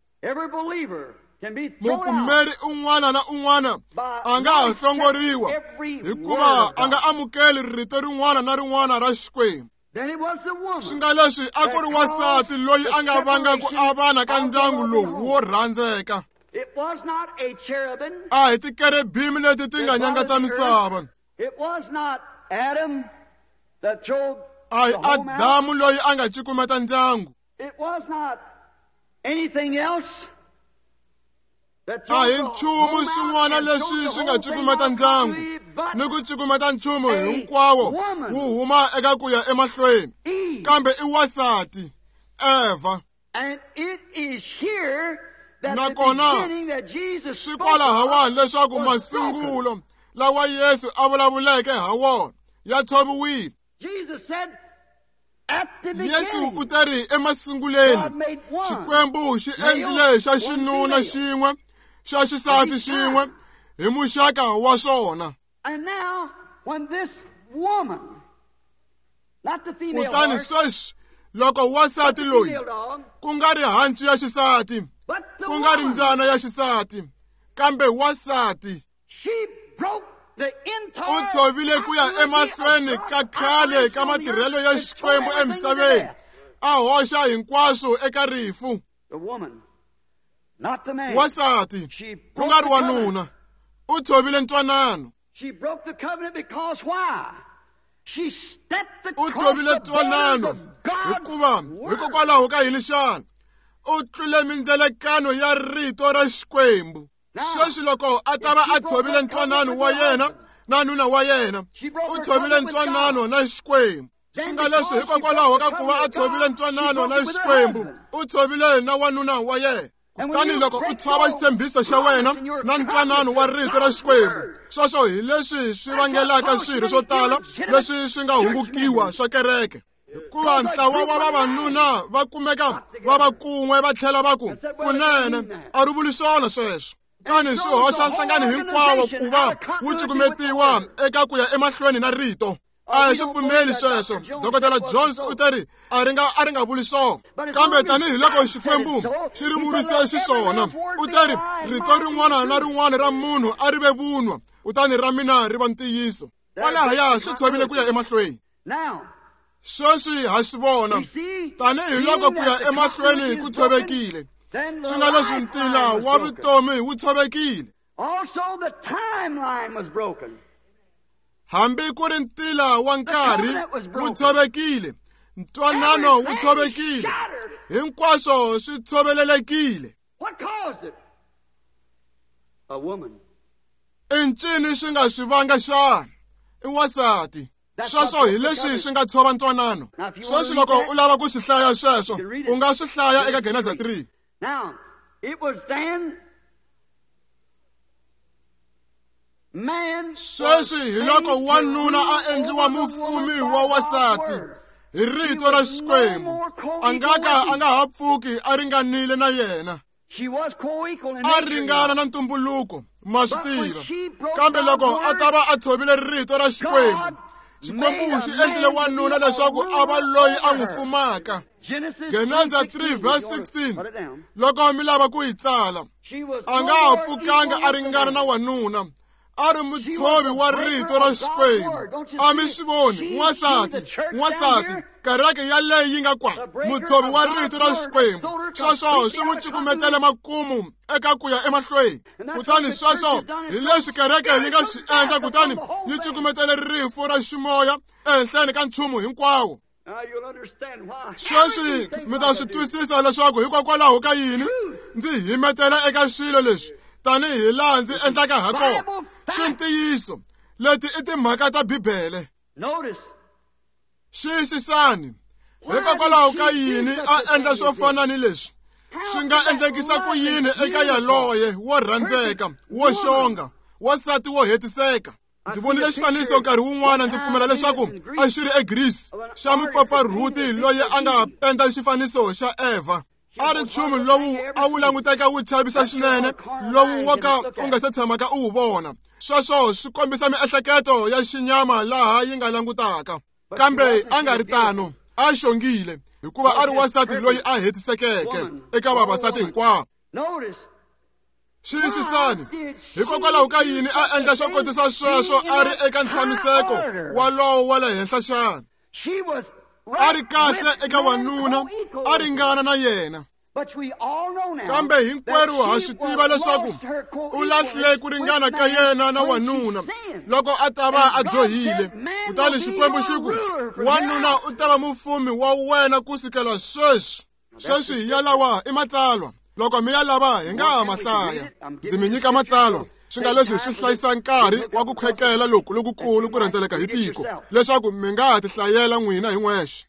Mupfumeri un'wana na un'wana a nga ha hlongoriwa hikuva a nga amukeli rito rin'wana na rin'wana ra Xikwembu. Swi nga leswi a ku ri wansati loyi a nga vanga ku avana ka ndyangu lowu wo rhandzeka. A hi tikerebimi leti ti nga nyangatsa misava. A hi Adamu loyi a nga cukumeta ndyangu. A hi nchumu xin'wana lexi xi nga cukumeta ndyangu ni ku cukumeta nchumu hinkwawo wu huma eka ku ya emahlweni, kambe i wansati Eva. Nakona swi kwalahawani leswaku masungulo lawa Yesu a vulavuleke ha wona ya tshoviwile. Yesu u ta ri emasunguleni Xikwembu xi endlile xa xinuna xin'we, xa xisati xin'we hi muxaka wa swona. Kutani sweswi loko wansati loyi ku nga ri hanci ya xisati, ku nga ri mbyana ya xisati, kambe wansati u tshovile ku ya emahlweni ka khale ka matirhelo ya Xikwembu emisaveni, a hoxa hinkwaswo eka rifu. Wansati ku nga ri wanuna u tshovile ntwanano. U tshovile ntwanano hikuva hikokwalaho ka yini xana? U tlule mindzelekano ya rito ra Xikwembu. Sweswi loko a ta va a tshovile ntwanano wa yena na nuna wa yena, u tshovile ntwanano na Xikwembu. Swi nga leswi hikokwalaho ka ku va a tshovile ntwanano na Xikwembu, u tshovile na wanuna wa yena. Kutani loko u tshova xitshembiso xa wena na ntwanano wa rito ra Xikwembu, sweswo hi leswi swi vangelaka swirho swo tala leswi swi nga hungukiwa swa kereke. Hikuva ntlawa wa vavanuna va kumeka va va kun'we va tlhela va ku kunene a ri vuli swona sweswo. Kutani swi hoxa nhlangano hinkwawo ku va wu cukumetiwa eka ku ya emahlweni na rito. A hi swi pfumeli sweswo. Dr. Jones u ta ri a ri nga vuli swona, kambe tanihiloko Xikwembu xi ri vurise xiswona, u ta ri rito rin'wana na rin'wana ra munhu a ri ve vunwa, kutani ra mina ri va ntiyiso. Kwalahaya swi tshovile ku ya emahlweni. Sweswi ha swi vona tanihiloko ku ya emahlweni ku tshovekile, swi nga leswi ntila wa vutomi wu tshovekile. Hambi ku ri ntila wa nkarhi wu tshovekile, ntwanano wu tshovekile, hinkwaswo swi tshovelelekile. I ncini swi nga swi vanga xana? I wansati. Sweswo hi leswi swi nga tshova ntwanano. Sweswi loko u lava ku swi hlaya sweswo, u nga swi hlaya eka Geneza 3. Sweswi hi loko wanuna a endliwa mufumi wa wasati hi rito ra Xikwembu, a nga ka a nga ha pfuki a ringanile na yena. A ringana na ntumbuluko, ma swi tiva. Kambe loko a ta va a tshovile rito ra Xikwembu, Xikwembu xi endlile wanuna leswaku a va loyi a n'wi fumaka. Geneza 3 verse 16, loko mi lava ku yi tsala, a nga ha pfukanga a ringana na wanuna, a ri mutshovi wa rito ra Xikwembu. A mi swi voni, n'wansati, n'wansati, kereke yaleyi yi nga kwa, mutshovi wa rito ra Xikwembu. Sweswo swi n'wi cukumetele makumu eka ku ya emahlweni. Kutani sweswo hi leswi kereke yi nga swi endla, kutani yi cukumetele rifu ra ximoya ehenhleni ka nchumu hinkwawo. Sweswi mi ta swi twisisa leswaku hikokwalaho ka yini ndzi himetela eka swilo leswi tanihi laha ndzi endlaka ha kona. Swi ntiyiso, leti i timhaka ta Bibele. Xiyisisani, hikokwalaho ka yini a endla swo fana ni leswi? Swi nga endlekisa ku yini eka yaloye wo rhandzeka, wo xonga, wansati wo hetiseka? Ndzi vonile xifaniso nkarhi wun'wana, ndzi pfumela leswaku a xi ri eGreece, xa mupfapfarhuti loyi a nga penda xifaniso xa Eva. A ri nchumu lowu a wu languteka wu chavisa swinene, lowu wo ka u nga se tshamaka u wu vona. Sweswo swi kombisa miehleketo ya xinyama laha yi nga langutaka. Kambe a nga ri tano, a xongile, hikuva a ri wansati loyi a hetisekeke eka vavasati hinkwavo. Xiyisisani, hikokwalaho ka yini a endla swo kotisa sweswo a ri eka ntshamiseko walowo wa le henhla xana? A ri kahle eka wanuna, a ringana na yena. Kambe hinkwerhu ha swi tiva leswaku u lahlile ku ringana ka yena na wanuna loko a ta va a dyohile. Kutani Xikwembu xi ku, wanuna u ta va mufumi wa wena ku sukela sweswi. Sweswi yalawa i matsalwa. Loko mi ya lava hi nga ha ma hlaya. Ndzi mi nyika matsalwa, swi nga leswi swi hlayisa nkarhi wa ku khwekela loku lokukulu ku rhendzeleka hi tiko, leswaku mi nga ha tihlayela n'wina hi n'wexe.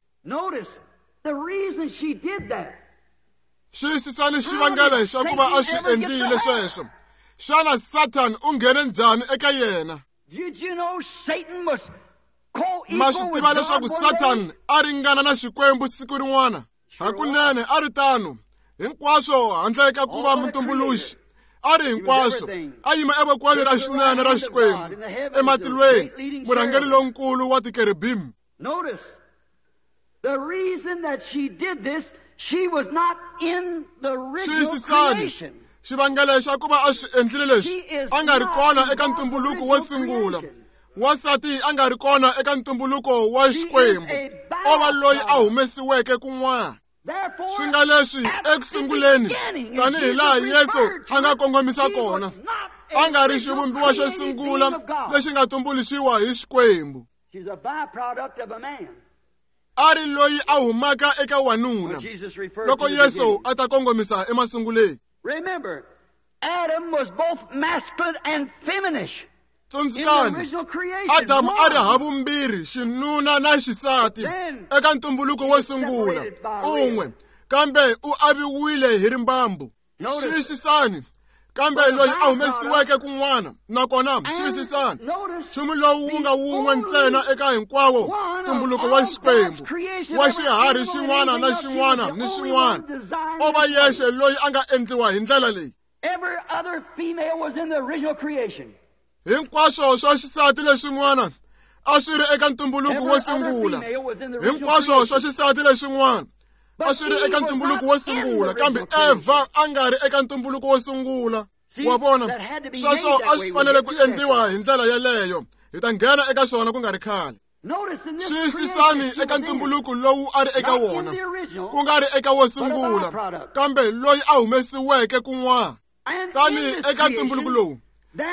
Xiyisisani xivangelo xa ku va a swi endlile sweswo. Xana Satan u nghene njhani eka yena? Ma swi tiva leswaku Satan a ringana na Xikwembu siku rin'wana? Hakunene a ri tano. Hinkwaswo handle ka ku va mutumbuluxi, a ri hinkwaswo, a yima evokweni ra xinene ra Xikwembu ematilweni, murhangeri lonkulu wa tikerubim. Xiyisisani, xivangelo xa ku va a swi endlile leswi, a nga ri kona eka ntumbuluko wo sungula. Wansati a nga ri kona eka ntumbuluko wa Xikwembu, o va loyi a humesiweke kun'wana. Swi nga leswi eku sunguleni, tanihi laha Yesu a nga kongomisa kona, a nga ri xivumbiwa xo sungula lexi nga tumbuluxiwa hi Xikwembu. A ri loyi a humaka eka wanuna loko Yesu a ta kongomisa emasunguleni. Tsundzukani, Adamu a ri havumbirhi xinuna na xisati eka ntumbuluko wo sungula un'we, kambe u aviwile hi rimbambu. Xiyisisani, kambe loyi a humesiweke kun'wana, nakona xiyisisani, nchumu lowu wu nga wun'we ntsena eka hinkwawo ntumbuluko wa Xikwembu, wa xiharhi xin'wana na xin'wana ni xin'wana, o va yexe loyi a nga endliwa hi ndlela leyi. Hinkwaswo swa xisati lexin'wana a swi ri eka ntumbuluko wo sungula. Hinkwaswo swa xisati lexin'wana a swi ri eka ntumbuluko wo sungula, kambe Eva a nga ri eka ntumbuluko wo sungula. Wa vona, sweswo a swi fanele ku endliwa hi ndlela yeleyo. Hi ta nghena eka swona ku nga ri khale. Xiyisisani eka ntumbuluko lowu a ri eka wona, ku nga ri eka wo sungula, kambe loyi a humesiweke kun'wana. Tani eka ntumbuluko lowu,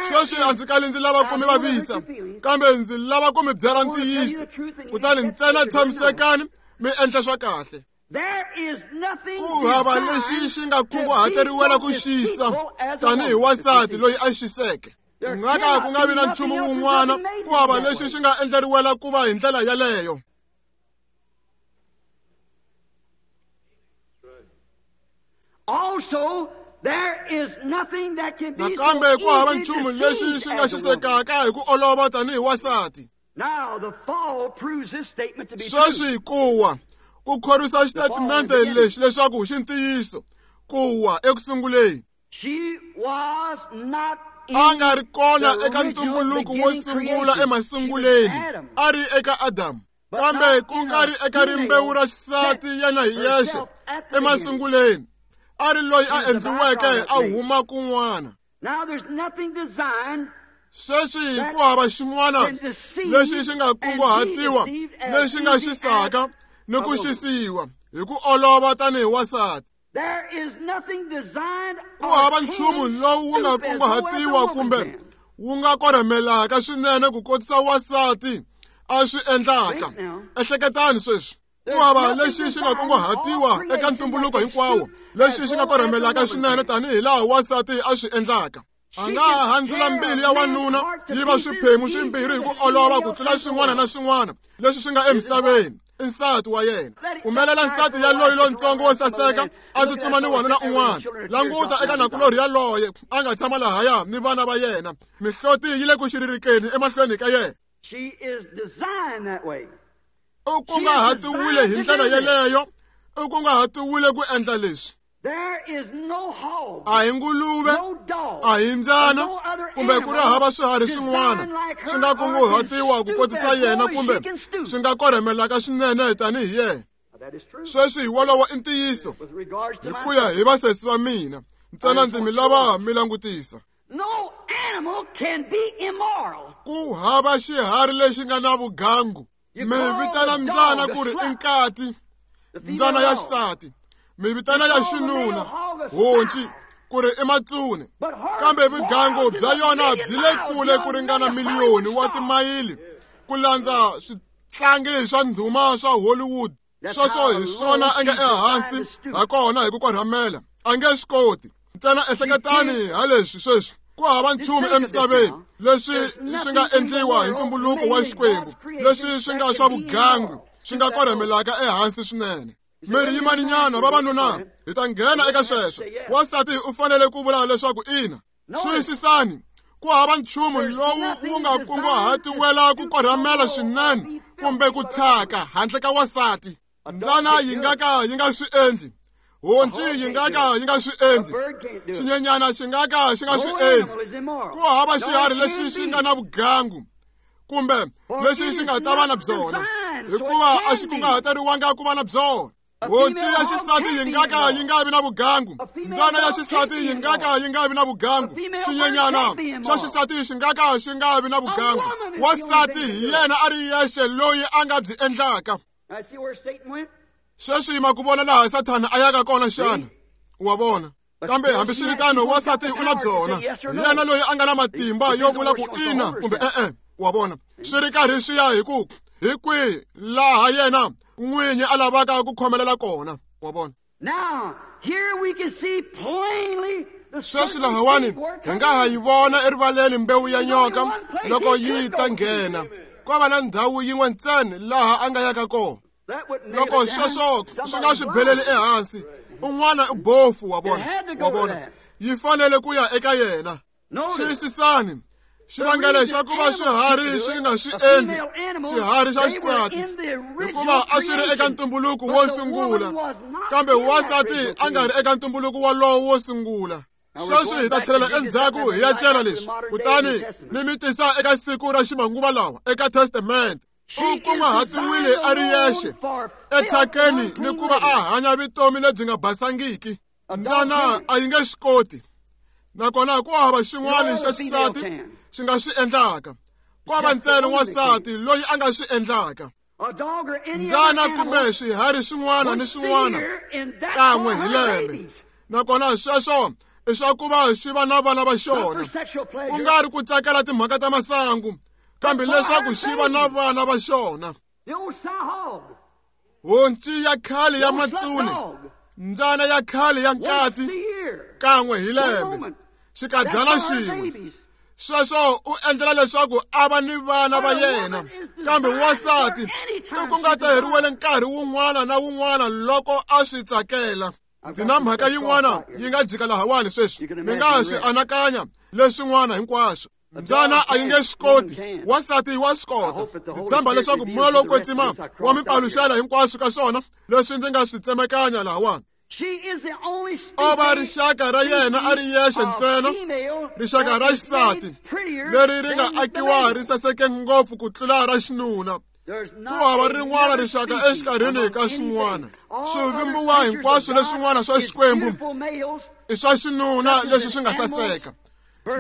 sweswi a ndzi kali ndzi lava ku mi vavisa, kambe ndzi lava ku mi byela ntiyiso. Kutani ntsena tshamisekani mi endla swa kahle. Ku hava lexi xi nga kunguhateriwela ku xisa tanihi wansati loyi a xiseke. Ku nga ka ku nga vi na nchumu wun'wana, ku hava lexi xi nga endleriwela ku va hi ndlela yaleyo. Also, Nakambe ku hava nchumu lexi xi nga xisekaka hi ku olova tanihi wansati. Sweswi ku wa ku khorwisa xitatimende lexi leswaku xi ntiyiso, ku wa eku sunguleni. A nga ri kona eka ntumbuluko wo sungula emasunguleni, a ri eka Adamu, kambe ku nga ri eka rimbewu ra xisati yena hi yexe emasunguleni, a ri loyi a endliweke a huma kun'wana. Sweswi ku hava xin'wana lexi xi nga kunguhatiwa lexi nga xisaka ni ku xisiwa hi ku olova tanihi wansati. Ku hava nchumu lowu wu nga kunguhatiwa kumbe wu nga korhamelaka swinene ku kotisa wansati a swi endlaka. Ehleketani sweswi, ku hava lexi xi nga kunguhatiwa eka ntumbuluko hinkwawo lexi xi nga korhamelaka swinene tanihi laha wansati a swi endlaka. A nga ha handzula mbilu ya wanuna yi va swiphemu swimbirhi hi ku olova ku tlula swin'wana na swin'wana leswi swi nga emisaveni. I nsati wa yena. Pfumelela nsati ya loyi lontsongo wo saseka a tsutsuma ni wanuna un'wana. Languta eka nakulorhi yaloye a nga tshama lahaya ni vana va yena, mihloti yi le ku xiririkeni emahlweni ka yena. U kunguhatiwile hi ndlela yeleyo, u kunguhatiwile ku endla leswi. A hi nguluve, a hi mbyana, kumbe ku ri hava swiharhi swin'wana swi nga kunguhatiwa ku kotisa yena kumbe swi nga korhamelaka swinene tanihi yena. Sweswi wolowo i ntiyiso hi ku ya hi vasesi va mina, ntsena ndzi mi lava mi langutisa. Ku hava xiharhi lexi nga na vugangu. Mi vitana mbyana ku ri i nkati, mbyana ya xisati. Mi vitana ya xinuna honci ku ri i matsune, kambe vugangu bya yona byi le kule ku ringana miliyoni wa timayili ku landza switlangi swa ndhuma swa Hollywood. Sweswo hi swona a nga ehansi ha kona hi ku korhamela, a nge swi koti. Ntsena ehleketani ha leswi sweswi, ku hava nchumu emisaveni leswi swi nga endliwa hi ntumbuluko wa Xikwembu leswi swi nga swa vugangu swi nga korhamelaka ehansi swinene. Miri yimaninyana vavanuna, hi ta nghena eka sweswo. Wansati u fanele ku vula leswaku ina. Xiyisisani, ku hava nchumu lowu wu nga kunguhatiwela ku korhamela swinene kumbe ku thyaka handle ka wansati. Mbyana yi nga ka yi nga swi endli, honci yi nga ka yi nga swi endli, xinyenyana xi nga ka xi nga swi endli. Ku hava xiharhi lexi xi nga na vugangu kumbe lexi xi nga ta va na byona, hikuva a xi kunguhateriwanga ku va na byona. Honci ya xisati yi nga ka yi nga vi na vugangu, mbyana ya xisati yi nga ka yi nga vi na vugangu, xinyenyana xa xisati xi nga ka xi nga vi na vugangu. Wansati hi yena a ri yexe loyi a nga byi endlaka. Sweswi ma ku vona laha Sathana a yaka kona xana? Wa vona? Kambe hambiswiritano wansati u na byona, hi yena loyi a nga na matimba yo vula ku ina kumbe e-e. Wa vona? Swi ri karhi swi ya hi ku hi kwihi laha yena n'winyi a lavaka ku khomelela kona. Wa vona? Sweswi lahawani hi nga ha yi vona erivaleni mbewu ya nyoka loko yi ta nghena. Ko va na ndhawu yin'we ntsena laha a nga yaka kona. Loko sweswo swi nga swi beleli ehansi, un'wana i bofu. Wa vona? Wa vona? Yi fanele ku ya eka yena. Xiyisisani, xivangelo xa ku va swiharhi swi nga swi endli xiharhi xa xisati, hikuva a swi ri eka ntumbuluko wo sungula, kambe wansati a nga ri eka ntumbuluko wolowo wo sungula. Sweswi hi ta tlhelela endzhaku hi ya cela leswi, kutani mi mi tisa eka siku ra ximanguva lawa eka Testamente. U kunguhatiwile a ri yexe ethyakeni ni ku va a hanya vutomi lebyi nga basangiki. Mbyana a yi nge swi koti, nakona ku hava xin'wana xa xisati xi nga swi endlaka. Ku hava ntsena wansati loyi a nga swi endlaka. Mbyana kumbe swiharhi swin'wana ni swin'wana kan'we hi lembe, nakona sweswo i swa ku va swi va na vana va xona, ku nga ri ku tsakela timhaka ta masangu, kambe leswaku xi va na vana va xona. Honci ya khale ya matsune, mbyana ya khale ya nkati, kan'we hi lembe, xikadyana xin'we. Sweswo u endlela leswaku a va ni vana va yena. Kambe wansati i ku nga ta heriwele nkarhi wun'wana na wun'wana loko a swi tsakela. Ndzi na mhaka yin'wana yi nga jika lahawani sweswi. Mi nga swi anakanya leswin'wana hinkwaswo. Mbyana a yi nge swi koti, wansati wa swi kota. Ndzi tshemba leswaku moya lowo kwetsima wa mi paluxela hinkwaswo ka swona leswi ndzi nga swi tsemekanya lahawani. O va rixaka ra yena a ri yexe ntsena, rixaka ra xisati leri ri nga akiwa ri saseke ngopfu ku tlula ra xinuna. Ku hava rin'wana rixaka exikarhini ka swin'wana. Swivumbiwa hinkwaswo leswin'wana swa Xikwembu i swa xinuna leswi swi nga saseka,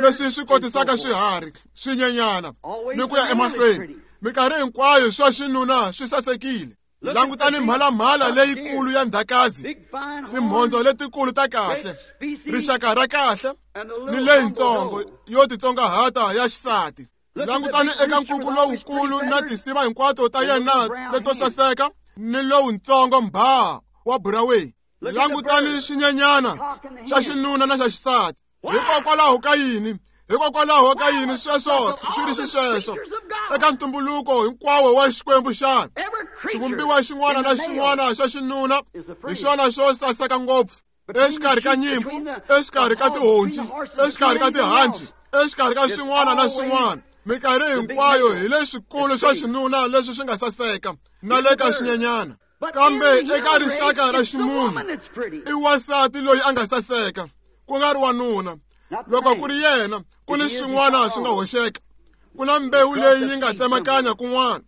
leswi swi kotisaka swiharhi, swinyenyana ni ku ya emahlweni. Minkarhi hinkwayo swa xinuna swi sasekile. Langutani mhalamhala leyikulu ya ndzhakazi, timhondzo letikulu ta kahle, rixaka ra kahle ni leyitsongo yo titsongahata ya xisati. Langutani eka nkuku lowukulu na tinsiva hinkwato ta yena leto saseka ni lowutsongo mbhaha wa buraweni. Langutani xinyenyana xa xinuna na xa xisati. Hikokwalaho ka yini? Hikokwalaho ka yini sweswo swi ri xisweswo eka ntumbuluko hinkwawo wa Xikwembu xana? Xivumbiwa xin'wana na xin'wana xa xinuna hi xona xo saseka ngopfu exikarhi ka nyimpfu, exikarhi ka tihonci, exikarhi ka tihanci, exikarhi ka swin'wana na swin'wana. Minkarhi hinkwayo hi leswikulu swa xinuna leswi swi nga saseka na le ka xinyenyana. Kambe eka rixaka ra ximunhu i wansati loyi a nga saseka, ku nga ri wanuna. Loko ku ri yena, ku ni swin'wana swi nga hoxeka, ku na mbewu leyi yi nga tsemakanya kun'wana.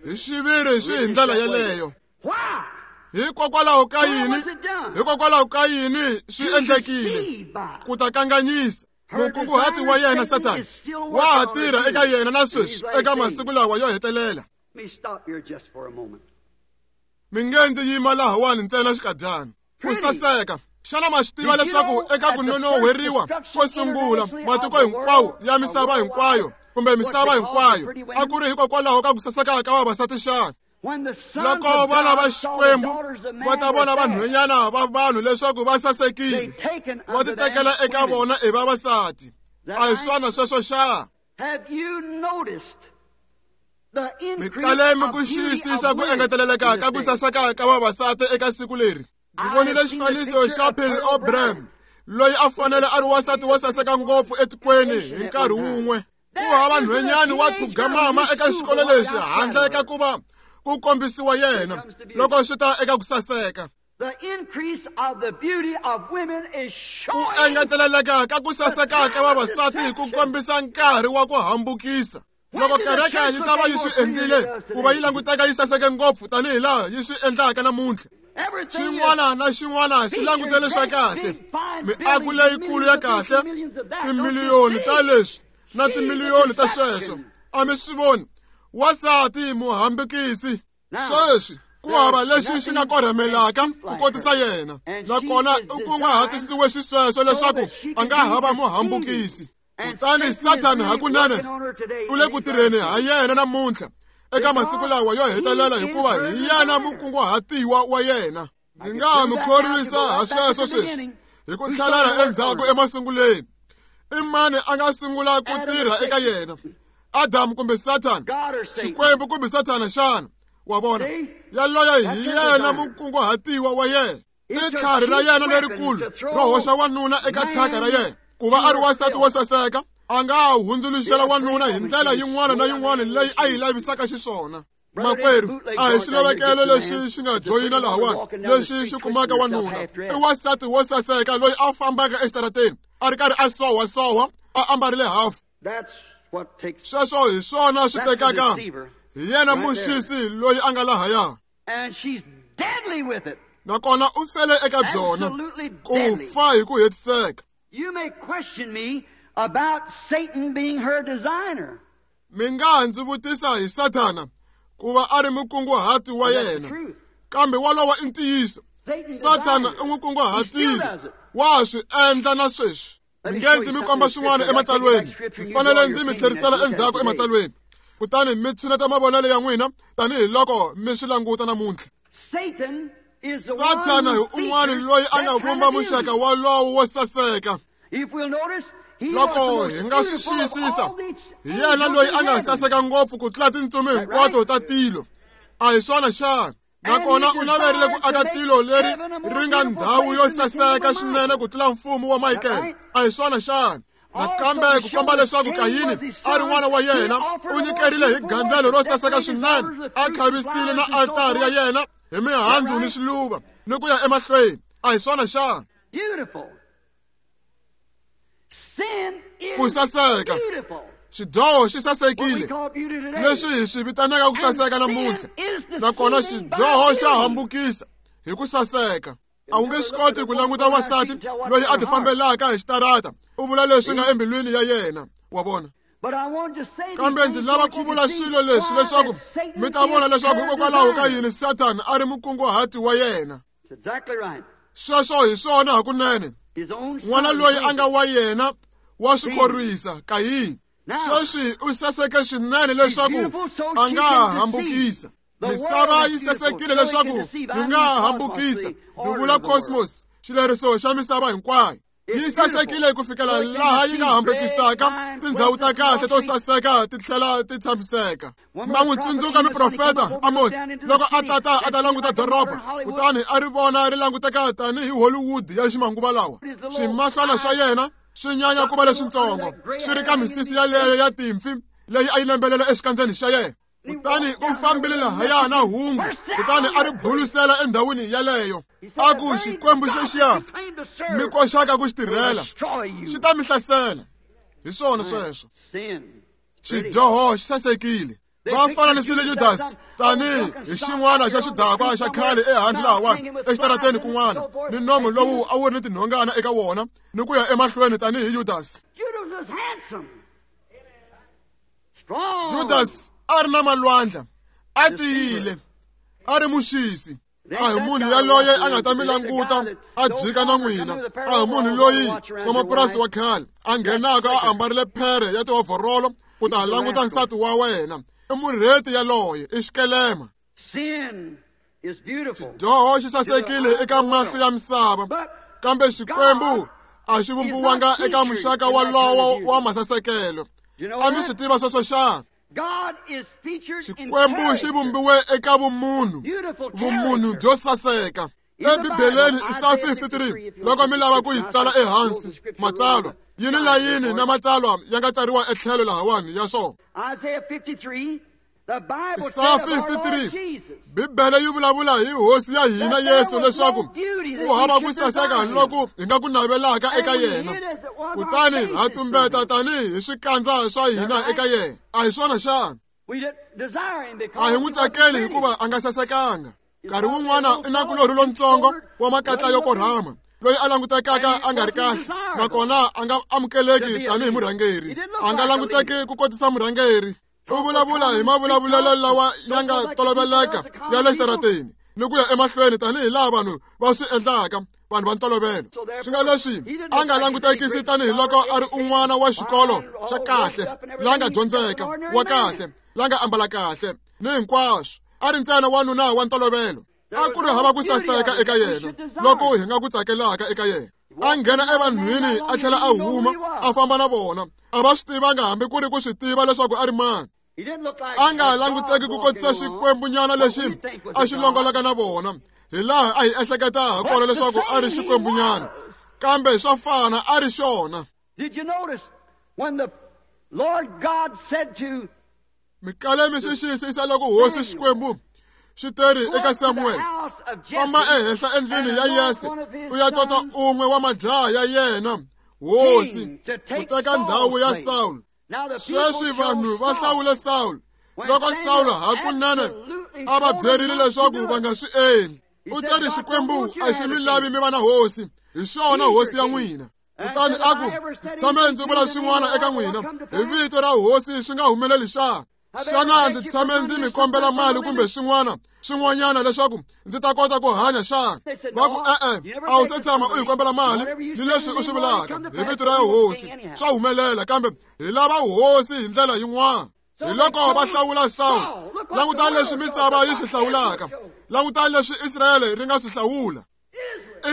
Hi xiviri swi hi ndlela yeleyo. Hikokwalaho ka yini? Hikokwalaho ka yini swi endlekile? Ku ta kanganyisa. Mukunguhati wa yena Sathana wa ha tirha eka yena na sweswi eka masiku lawa yo hetelela. Mi nge ndzi yima lahawani ntsena xikadyana. Ku saseka. Xana ma swi tiva leswaku eka ku nonoheriwa ko sungula matiko hinkwawo ya misava hinkwayo kumbe misava hinkwayo a ku ri hikokwalaho ka ku saseka ka vavasati xana? Loko vana va Xikwembu va ta vona vanhwanyana va vanhu leswaku va sasekile, va titekela eka vona i vavasati. A hi swona sweswo xana? Mi kale mi ku xiyisisa ku engeteleleka ka ku saseka ka vavasati eka siku leri. Ndzi vonile xifaniso xa Pearl O'Brien loyi a fanele a ri wansati wo saseka ngopfu etikweni hi nkarhi wun'we. Ku hava nhwenyani wa thugamama eka xikolo lexi handle ka ku va ku kombisiwa yena loko swi ta eka ku saseka. Ku engeteleleka ka ku saseka ka vavasati ku kombisa nkarhi wa ku hambukisa. Loko kereke yi ta va yi swi endlile ku va yi languteka yi saseke ngopfu tanihi laha yi swi endlaka namuntlha, xin'wana na xin'wana xi langutele swa kahle, miako leyikulu ya kahle, timiliyoni ta leswi na timiliyoni ta sweswo. A mi swi voni? Wansati muhambukisi sweswi ku hava lexi xi nga korhamelaka ku kotisa yena, nakona u kunguhatisiwe xisweswo leswaku a nga hava muhambukisi. Kutani Sathana hakunene u le ku tirheni ha yena namuntlha eka masiku lawa yo hetelela, hikuva hi yena mukunguhatiwa wa yena. Ndzi nga ha mi khorwisa ha sweswo sweswi hi ku tlhelela endzhaku emasunguleni. I mani a nga sungula ku tirha eka yena? Adamu kumbe Sathana? Xikwembu kumbe Sathana xana? Wa vona, yaloye hi yena mukunguhatiwa wa yena. I tlhari ra yena lerikulu ro hoxa wanuna eka thyaka ra yena. Ku va a ri wansati wo saseka, a nga ha hundzuluxela wanuna hi ndlela yin'wana na yin'wana leyi a yi lavisaka xiswona. Makwerhu, a hi xilavekelo lexi xi nga joyina lahawani lexi xi kumaka wanuna. I wansati wo saseka loyi a fambaka exitarateni a ri karhi a sohwasohwa a ambarile hafu. Sweswo hi swona swi tekaka. Hi yena muxisi loyi a nga lahaya. Nakona u fele eka byona ku fa hi ku hetiseka. Mi nga ha ndzi vutisa hi Sathana ku va a ri mukunguhati wa yena, kambe wolowo i ntiyiso. Sathana u n'wi kunguhatile, wa swi endla na sweswi. Mi nge ndzi mi komba swin'wana ematsalweni, ndzi fanele ndzi mi tlherisela endzhaku ematsalweni, kutani mi tshuneta mavonelo ya n'wina tanihiloko mi swi languta namuntlha. Sathana hi un'wana loyi a nga vumba muxaka wolowo wo saseka. Loko hi nga swi xiyisisa, hi yena loyi a nga saseka ngopfu ku tlula tintsumi hinkwato ta tilo. A hi swona xana? Nakona u naverile ku aka tilo leri ri nga ndhawu yo saseka swinene ku tlula mfumo wa Michael. A hi swona xana? Nakambe ku komba leswaku Kayini a ri n'wana wa yena, u nyikerile hi gandzelo ro saseka swinene, a khavisile na altari ya yena hi mihandzu ni swiluva ni ku ya emahlweni. A hi swona xana? Ku saseka. Xidyoho xi sasekile, leswi hi swi vitanaka ku saseka namuntlha. Nakona xidyoho xa hambukisa hi ku saseka. A wu nge swi koti ku languta wansati loyi a tifambelaka hi xitarata u vula leswi nga embilwini ya yena, wa vona. Kambe ndzi lava ku vula swilo leswi leswaku mi ta vona leswaku hikokwalaho ka yini Sathana a ri mukunguhati wa yena. Sweswo hi swona hakunene. N'wana loyi a nga wa yena wa swi khorwisa Kayini. Sweswi u saseke swinene leswaku a nga hambukisa. Misava yi sasekile leswaku yi nga hambukisa. Ndzi vula cosmos, xileriso xa misava hinkwayo. Yi sasekile ku fikela laha yi nga hambukisaka tindhawu ta kahle to saseka ti tlhela ti tshamiseka. Ma n'wi tsundzuka muprofeta Amos loko a tata a ta languta doroba, kutani a ri vona ri languteka tanihi Hollywood ya ximanguva lawa. Swimahlwana swa yena swi nyanya ku va leswitsongo, swi ri ka misisi yaleyo ya timpfi leyi a yi lembelela exikandzeni xa yena. Kutani u fambile lahaya na hungu, kutani a ri bulusela endhawini yaleyo. A ku, Xikwembu xexiya mi koxaka ku xi tirhela xi ta mi hlasela. Hi swona sweswo. Xidyoho xi sasekile. Va fananisile Judas tanihi hi xin'wana xa xidakwa xa khale ehandle lahawani exitarateni kun'wana, ni nomu lowu a wu ri ni tinhongana eka wona, ni ku ya emahlweni tanihi Judas. Judas a ri na malwandla, a tiyile, a ri muxisi. A hi munhu yaloye a nga ta mi languta a jika na n'wina. A hi munhu loyi wa mapurasi wa khale a nghenaka a ambarile phere ya tiovorolo ku ta languta nsati wa wena. I murheti yaloye, i xikelema. Xidyoho xi sasekile eka mahlo ya misava, kambe Xikwembu a xi vumbiwanga eka muxaka walowo wa masasekelo. A mi swi tiva sweswo xana? Xikwembu xi vumbiwe eka vumunhu, vumunhu byo saseka. EBibeleni Isaya 53, loko mi lava ku yi tsala ehansi, matsalwa yini na yini na matsalwa ya nga tsariwa etlhelo lahawani ya swona. Isaya 53, Bibele yi vulavula hi Hosi ya hina Yesu leswaku ku hava ku saseka loku hi nga ku navelaka eka yena, kutani ha tumbeta tanihi hi swikandza swa hina eka yena. A hi swona xana? A hi n'wi tsakeli hikuva a nga sasekanga. Nkarhi wun'wana i nakulorhi lontsongo wa makatla yo korhama loyi a langutekaka a nga ri kahle, nakona a nga amukeleki tanihi murhangeri. A nga languteki ku kotisa murhangeri. U vulavula hi mavulavulelo lawa ya nga toloveleka ya le xitarateni ni ku ya emahlweni tanihi laha vanhu va swi endlaka, vanhu va ntolovelo. Swi nga leswi a nga langutekisi tanihi loko a ri un'wana wa xikolo xa kahle, la nga dyondzeka, wa kahle, la nga ambala kahle ni hinkwaswo. A ri ntsena wanuna wa ntolovelo. A ku ri hava ku saseka eka yena loko hi nga ku tsakelaka eka yena. A nghena evanhwini a tlhela a huma a famba na vona. A va swi tivanga hambi ku ri ku swi tiva leswaku a ri mani. A nga languteki ku kotisa xikwembunyana lexi a xi longolaka na vona, hi laha a hi ehleketa ha kona leswaku a ri xikwembunyana, kambe swa fana a ri xona. Mi kale mi swi xiyisisa loko Hosi Xikwembu xi teri eka Samuel, famba ehenhla endlwini ya Yese u ya tota un'we wa majaha ya yena hosi ku teka ndhawu ya Sawulo. Sweswi vanhu va hlawule Sawulo loko Sawulo hakunene a va byerile leswaku va nga swi endli. U teri Xikwembu a xi mi lavi mi va na hosi, hi xona hosi ya n'wina. Kutani a ku, tshame ndzi vula swin'wana eka n'wina hi vito ra hosi swi nga humeleli xana? Xana ndzi tshame ndzi mi kombela mali kumbe swin'wana swin'wanyana leswaku ndzi ta kota ku hanya xana? Va ku, e-e, a wu se tshama u hi kombela mali ni leswi u swi vulaka hi vito ra hosi swa humelela, kambe hi lava hosi hi ndlela yin'wana. Hi loko va hlawula Sawulo. Langutani leswi misava yi swi hlawulaka. Langutani leswi Israyele ri nga swi hlawula.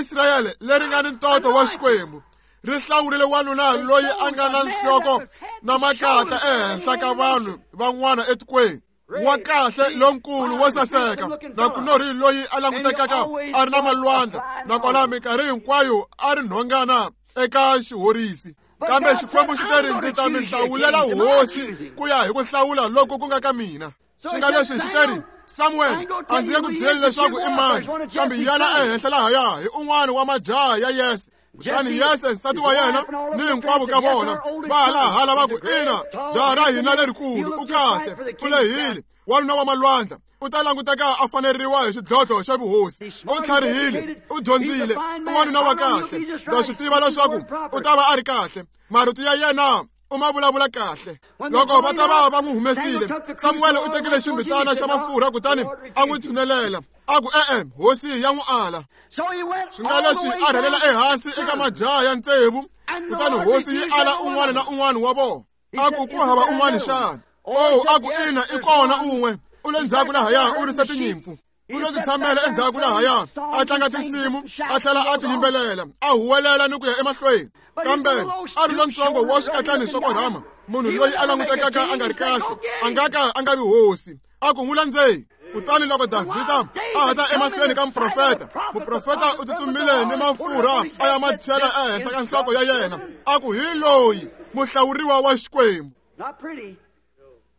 Israyele leri nga ni ntoto wa Xikwembu ri hlawurile wanuna loyi a nga na nhloko na makatla ehenhla ka vanhu van'wana etikweni. Wa kahle lonkulu wo saseka nakulorhi loyi a langutekaka a ri na malwandla nakona minkarhi hinkwayo a ri nhongana eka xihorisi. Kambe Xikwembu xi teri ndzi ta mi hlawulela hosi ku ya hi ku hlawula loko ku nga ka mina. Swi nga leswi xi teri Samuel a ndzi nge ku byeli leswaku i mani, kambe yana ehenhla lahaya hi un'wana wa majaha ya Yese. Kutani Yese nsati wa yena ni hinkwavo ka vona va halahala va ku ina, jaha ra hina lerikulu u kahle, u lehile, wanuna wa malwandla, u ta languteka a faneriwa hi xidlodlo xa vuhosi. U tlharihile, u dyondzile, u wanuna wa kahle. Ndza swi tiva leswaku u ta va a ri kahle. Marito ya yena u ma vulavula kahle. Loko va ta va va n'wi humesile, Samuel u tekile ximbitana xa mafurha kutani a n'wi tshunelela. A ku e-e, hosi ya n'wi ala. Swi nga leswi a rhelela ehansi eka majaha ya tsevu, kutani hosi yi ala un'wana na un'wana wa vona. A ku ku hava un'wana xana? Oh, a ku ina, i kona un'we. U le ndzhaku lahaya u risa tinyimpfu. U lo titshamela endzhaku lahaya a tlanga tinsimu a tlhela a ti yimbelela a huwelela ni ku ya emahlweni. Kambe a ri lontsongo wa swikatlani swa korhama, munhu loyi a langutekaka a nga ri kahle, a nga ka a nga vi hosi. A ku n'wi landzeli. Kutani loko Davhida a hatla emahlweni ka muprofeta, muprofeta u tsutsumile ni mafurha a ya ma chela ehenhla ka nhloko ya yena, a ku hi loyi muhlawuriwa wa Xikwembu.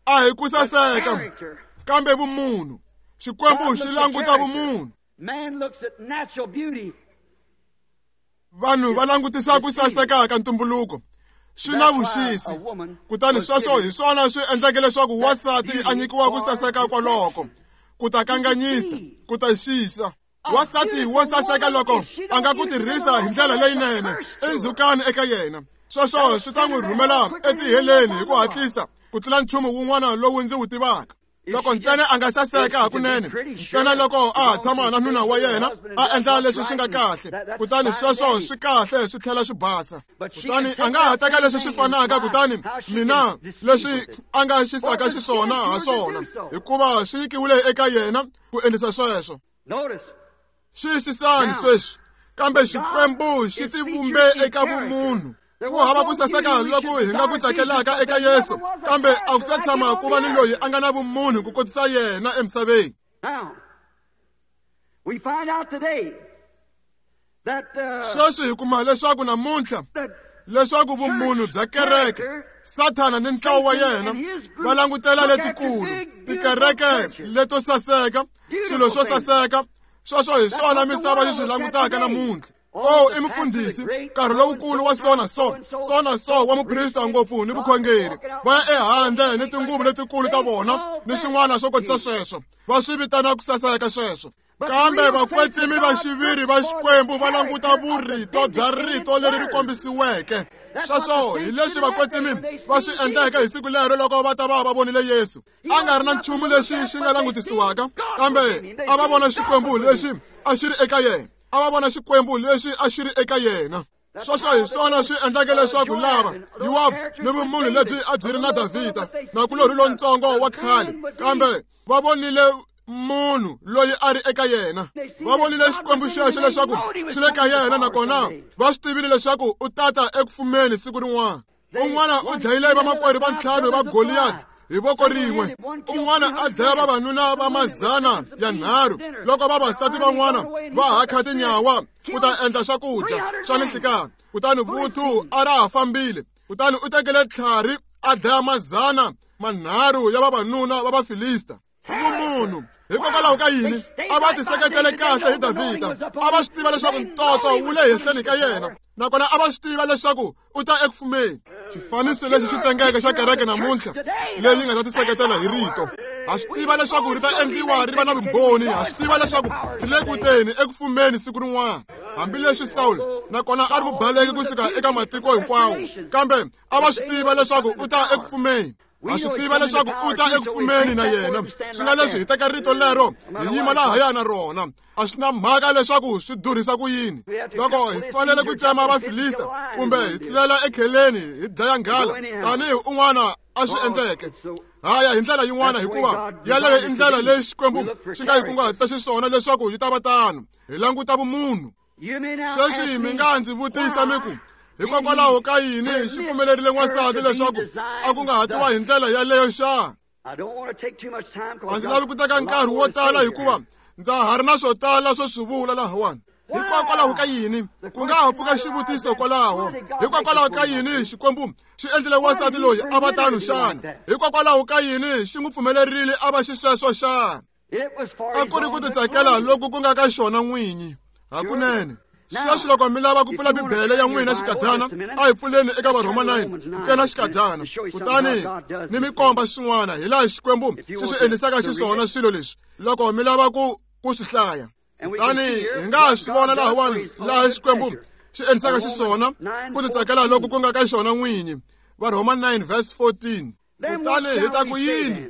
A hi ku saseka, kambe vumunhu. Xikwembu xi languta vumunhu. Vanhu va langutisa ku saseka ka ntumbuluko, swi na vuxisi. Kutani sweswo hi swona swi endleke leswaku wansati a nyikiwa ku saseka kwaloko, ku ta kanganyisa, ku ta xisa. Wansati wo saseka loko a nga ku tirhisa hi ndlela leyinene i ndzhukani eka yena. Sweswo swi ta n'wi rhumela etiheleni hi ku hatlisa ku tlula nchumu wun'wana lowu ndzi wu tivaka. Loko ntsena a nga saseka hakunene, ntsena loko a ha tshama na nuna wa yena a endla leswi swi nga kahle, kutani sweswo swi kahle swi tlhela swi basa. Kutani a nga ha teka leswi swi fanaka kutani mina leswi a nga xisaka xiswona ha swona, hikuva swi nyikiwile eka yena ku endlisa sweswo. Xiyisisani sweswi, kambe Xikwembu xi tivumbe eka vumunhu. Ku hava ku saseka loko hi nga ku tsakelaka eka Yesu, kambe a ku se tshama ku va ni loyi a nga na vumunhu ku kotisa yena emisaveni. Sweswi hi kuma leswaku namuntlha leswaku vumunhu bya kereke, Sathana ni ntlawa wa yena va langutela letikulu, tikereke leto saseka, swilo swo saseka. Sweswo hi swona misava yi swi langutaka namuntlha. Oh, i mufundhisi, nkarhi lowukulu wa sona so, sona so wa muprista ngopfu ni vukhongeri. Va ya ehandle ni tinguvu letikulu ta vona ni swin'wana swo kotisa sweswo, va swi vitana ku saseka sweswo. Kambe vakwetsimi va xiviri va Xikwembu va languta vurito bya rito leri ri kombisiweke. Sweswo hi leswi vakwetsimi va swi endleke hi siku lero loko va ta va va vonile Yesu. A nga ri na nchumu lexi xi nga langutisiwaka, kambe a va vona Xikwembu lexi a xi ri eka yena. A va vona Xikwembu lexi a xi ri eka yena. Sweswo hi swona swi endleke leswaku lava Yowabu ni vumunhu lebyi a byi ri na Davhida nakulorhi lontsongo wa khale, kambe va vonile munhu loyi a ri eka yena. Va vonile Xikwembu xexo leswaku xi le ka yena, nakona va swi tivile leswaku u tata eku fumeni siku rin'wana. Un'wana u dlayile vamakwerhu va ntlhanu va Goliyati hi voko rin'we, un'wana a dlaya vavanuna va mazana ya nharhu loko vavasati van'wana va hakha tinyawa ku ta endla swakudya swa ninhlikani. Kutani vuthu a ra ha fambile, kutani u tekele tlhari a dlaya mazana manharhu ya vavanuna va Vafilista. Vumunhu hikokwalaho ka yini a va tiseketele kahle hi Davhida? A va swi tiva leswaku ntoto wu le henhleni ka yena, nakona a va swi tiva leswaku u ta eku fumeni. Xifaniso lexi xi tengeke xa kereke namuntlha leyi nga ta tiseketela hi rito. Ha swi tiva leswaku ri ta endliwa ri va na vumbhoni, ha swi tiva leswaku ri le ku teni eku fumeni siku rin'wana. Hambileswi Sawulo nakona a ri mubaleki kusuka eka matiko hinkwawo, kambe a va swi tiva leswaku u ta eku fumeni. Ha swi tiva leswaku u ta eku fumeni na yena. Swi nga leswi hi teka rito lero hi yima lahaya na rona. A swi na mhaka leswaku swi durhisa ku yini. Loko hi fanele ku tsema Vafilista kumbe hi tlulela ekheleni hi dlaya nghala tanihi un'wana a swi endleke, haya hi ndlela yin'wana, hikuva yaleyo i ndlela leyi Xikwembu xi nga yi kunguhatisa xiswona leswaku yi ta va tano. Hi languta vumunhu. Sweswi mi nga ndzi vutisa mi ku, hikokwalaho ka yini xi pfumelerile n'wansati leswaku a kunguhatiwa hi ndlela yaleyo xa? A ndzi lavi ku teka nkarhi wo tala hikuva ndza ha ri na swo tala swo swi vula lahawani. Hikokwalaho ka yini ku nga ha pfuka xivutiso kwalaho? Hikokwalaho ka yini Xikwembu xi endlile wansati loyi a va tano xana? Hikokwalaho ka yini xi n'wi pfumelerile a va xisweswo xana? A ku ri ku titsakela loku ku nga ka xona n'winyi hakunene. Sweswi loko mi lava ku pfula Bibele ya n'wina xikadyana, a hi pfuleni eka Varhoma 9 ntsena xikadyana, kutani ni mi komba swin'wana hi laha Xikwembu xi swi endlisaka xiswona swilo leswi loko mi lava ku swi hlaya. Kutani hi nga swi vona lahawani laha Xikwembu xi endlisaka xiswona ku titsakela loku ku nga ka xona n'winyi. Varhoma 9 verse 14. Kutani hi ta ku yini?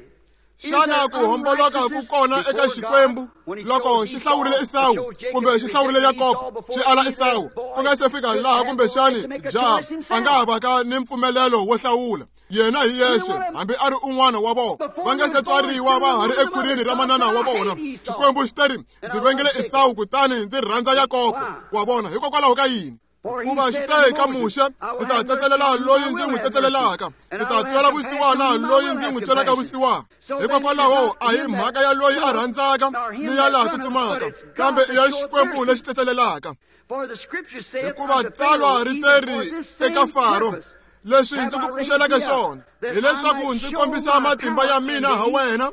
Xana ku homboloka ku kona eka Xikwembu loko xi hlawurile Esawu kumbe xi hlawurile Yakobo xi ala Esawu ku nga se fika laha kumbexani jaha a nga ha vaka ni mpfumelelo wo hlawula yena hi yexe hambi a ri un'wana wa vona va nga se tswariwa va ha ri ekhwirini ra manana wa vona. Xikwembu xi teri ndzi vengele Esawu kutani ndzi rhandza Yakobo. Wa vona hikokwalaho ka yini? Kuva xi te ka Muxe, ndzi ta tsetselela loyi ndzi n'wi tsetselelaka, ndzi ta twela vusiwana loyi ndzi n'wi twelaka vusiwana. Hikokwalaho a hi mhaka ya loyi a rhandzaka ni ya laha tsutsumaka, kambe i ya Xikwembu lexi tsetselelaka. Hikuva tsalwa ri teri eka Faro, leswi ndzi ku pfuxeleke swona hileswaku ndzi kombisa matimba ya mina ha wena,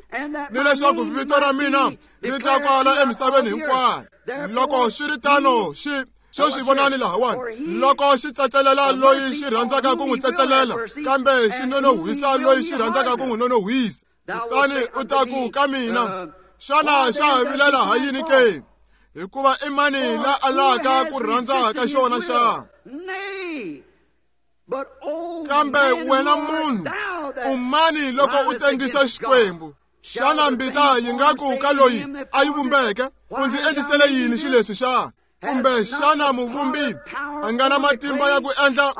ni leswaku vito ra mina ri ta kwala emisaveni hinkwayo. Loko swi ri tano xi sweswi vonani lahawani loko xi tsetselela loyi xi rhandzaka ku n'wi tsetselela, kambe xi nonohwisa loyi xi rhandzaka ku n'wi nonohwisa. Kutani u ta ku ka mina, xana xa ha vilela ha yini ke? Hikuva i mani la alaka ku rhandza ka xona xa? Kambe wena munhu, u mani loko u tengisa Xikwembu? Xana mbita yi nga ku ka loyi a yi vumbeke, u ndzi endlisele yini xileswi xa? Kumbe xana muvumbi a nga na matimba ya ku endla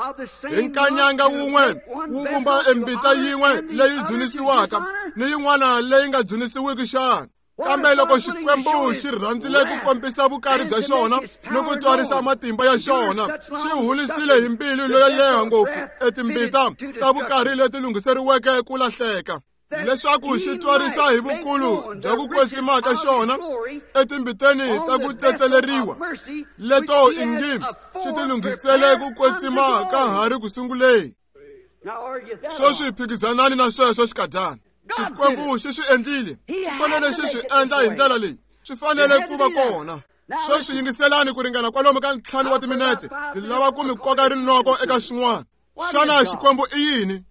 hi nkanyanga wun'we wu vumba embita yin'we leyi dzunisiwaka ni yin'wana leyi nga dzunisiwiki xana? Kambe loko Xikwembu xi rhandzile ku kombisa vukari bya xona ni ku twarisa matimba ya xona, xi hulisile hi mbilu leyo leha ngopfu etimbita ta vukari leti lunghiseriweke ku lahleka, leswaku xi twarisa hi vukulu bya ku kwetsima ka xona etimbiteni ta ku tsetseleriwa leto ingi xi ti lunghisele ku kwetsima ka ha ri ku sunguleni. Sweswi phikizanani na sweswo xikadyana. Xikwembu xi swi endlile, xi fanele xi swi endla hi ndlela leyi, swi fanele ku va kona. Sweswi yingiselani ku ringana kwalomu ka 5 wa timinetse, ndzi lava ku mi koka rinoko eka xin'wana. Xana Xikwembu i yini?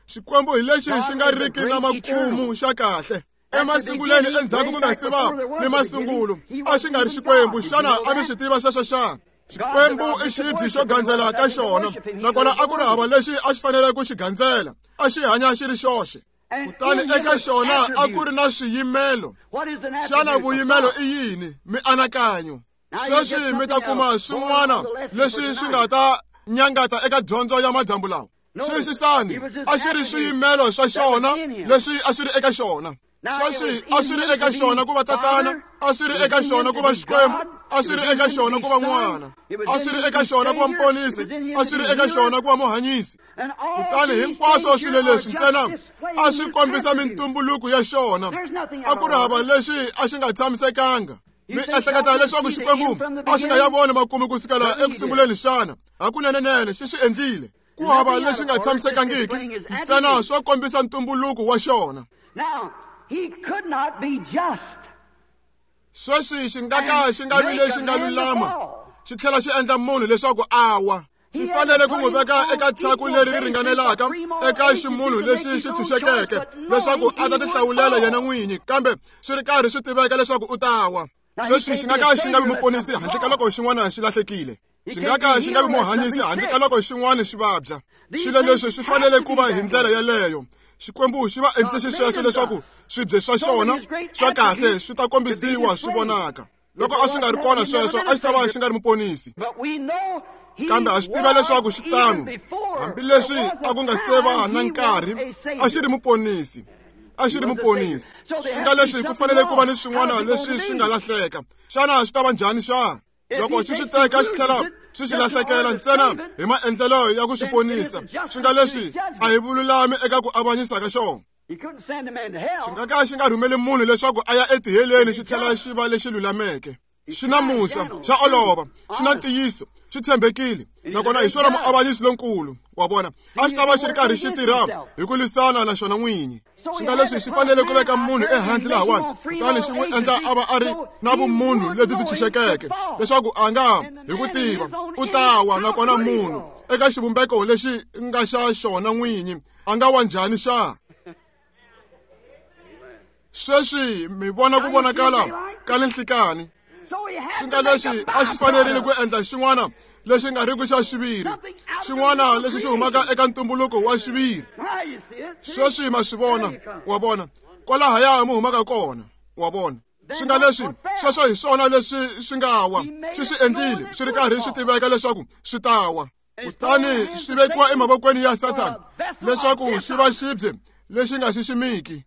Xikwembu hi lexi xi nga riki na makumu xa kahle. Emasungulweni endzhaku ku nga se va ni masungulo, a xi nga ri Xikwembu. Xana a mi swi tiva sweswo xana? Xikwembu i xibye xo gandzela ka xona, nakona a ku ri hava lexi a xi fanele ku xi gandzela, a xi hanya xi ri xoxe. Kutani eka xona a ku ri na swiyimelo. Xana vuyimelo i yini? Mianakanyo. Sweswi mi ta kuma swin'wana leswi swi nga ta nyangatsa eka dyondzo ya madyambu lawa. Xiyisisani, a xi ri swiyimelo swa xona leswi a swi ri eka xona. Sweswi a swi ri eka xona ku va tatana, a swi ri eka xona ku va Xikwembu, a swi ri eka xona ku va n'wana, a swi ri eka xona ku va muponisi, a swi ri eka xona ku va muhanyisi. Kutani hinkwaswo swilo leswi ntsena a swi kombisa mintumbuluko ya xona. A ku ri hava lexi a xi nga tshamisekanga. Mi ehleketa leswaku Xikwembu a xi nga ya voni makumu ku sukela eku sunguleni xana? Hakunenenene xi swi endlile. Ku hava lexi nga tshamisekangiki, ntsena swo kombisa ntumbuluko wa xona. Sweswi xi nga ka xi nga vi lexi nga lulama, xi tlhela xi endla munhu leswaku a wa. Xi fanele ku n'wi veka eka tshaku leri ri ringanelaka eka ximunhu lexi xi tshunxekeke leswaku a ta tihlawulela yena n'winyi, kambe swi ri karhi swi tiveka leswaku u ta wa. Sweswi xi nga ka xi nga vi muponisi handle ka loko xin'wana xi lahlekile. Xi nga ka xi nga vi muhanyisi handle ka loko xin'wana xi vabya. Swilo leswi swi fanele ku va hi ndlela yeleyo. Xikwembu xi va endlise xisweswo leswaku swibye swa xona swa kahle swi ta kombisiwa swi vonaka. Loko a swi nga ri kona sweswo, a xi ta va xi nga ri muponisi. Kambe a xi tiva leswaku xi tano, hambileswi a ku nga se va na nkarhi, a xi ri muponisi. A xi ri muponisi. Swi nga leswi ku fanele ku va ni swin'wana leswi swi nga lahleka. Xana swi ta va njhani xana? Loko xi swi teka xi tlhela swi xi lahlekela ntsena hi maendlelo ya ku xi ponisa, swi nga leswi a hi vululami eka ku avanyisa ka xona. Xi nga ka xi nga rhumeli munhu leswaku a ya etiheleni xi tlhela xi va lexi lulameke. Xi na musa, xa olova, xi na ntiyiso, xi tshembekile, nakona hi xona muavanyisi lonkulu. Wa vona, a xi ta va xi ri karhi xi tirha hi ku lwisana na xona n'winyi. Xi nga leswi xi fanele ku veka munhu ehandle lahawani, kutani xi n'wi endla a va a ri na vumunhu lebyi byi tshunxekeke, leswaku a nga hi ku tiva u ta wa, nakona munhu eka xivumbeko lexi nga xa xona n'winyi a nga wa njhani xa? Sweswi mi vona ku vonakala ka le nhlikani. Swi nga leswi a xi fanerile ku endla xin'wana lexi nga riki xa xiviri, xin'wana lexi xi humaka eka ntumbuluko wa xiviri. Sweswi ma swi vona, wa vona, kwalahaya mi humaka kona, wa vona. Swi nga leswi sweswo hi swona leswi swi nga wa, xi swi endlile swi ri karhi swi tiveka leswaku swi ta wa, kutani swi vekiwa emavokweni ya Sathana leswaku xi va xibye lexi nga xiximiki.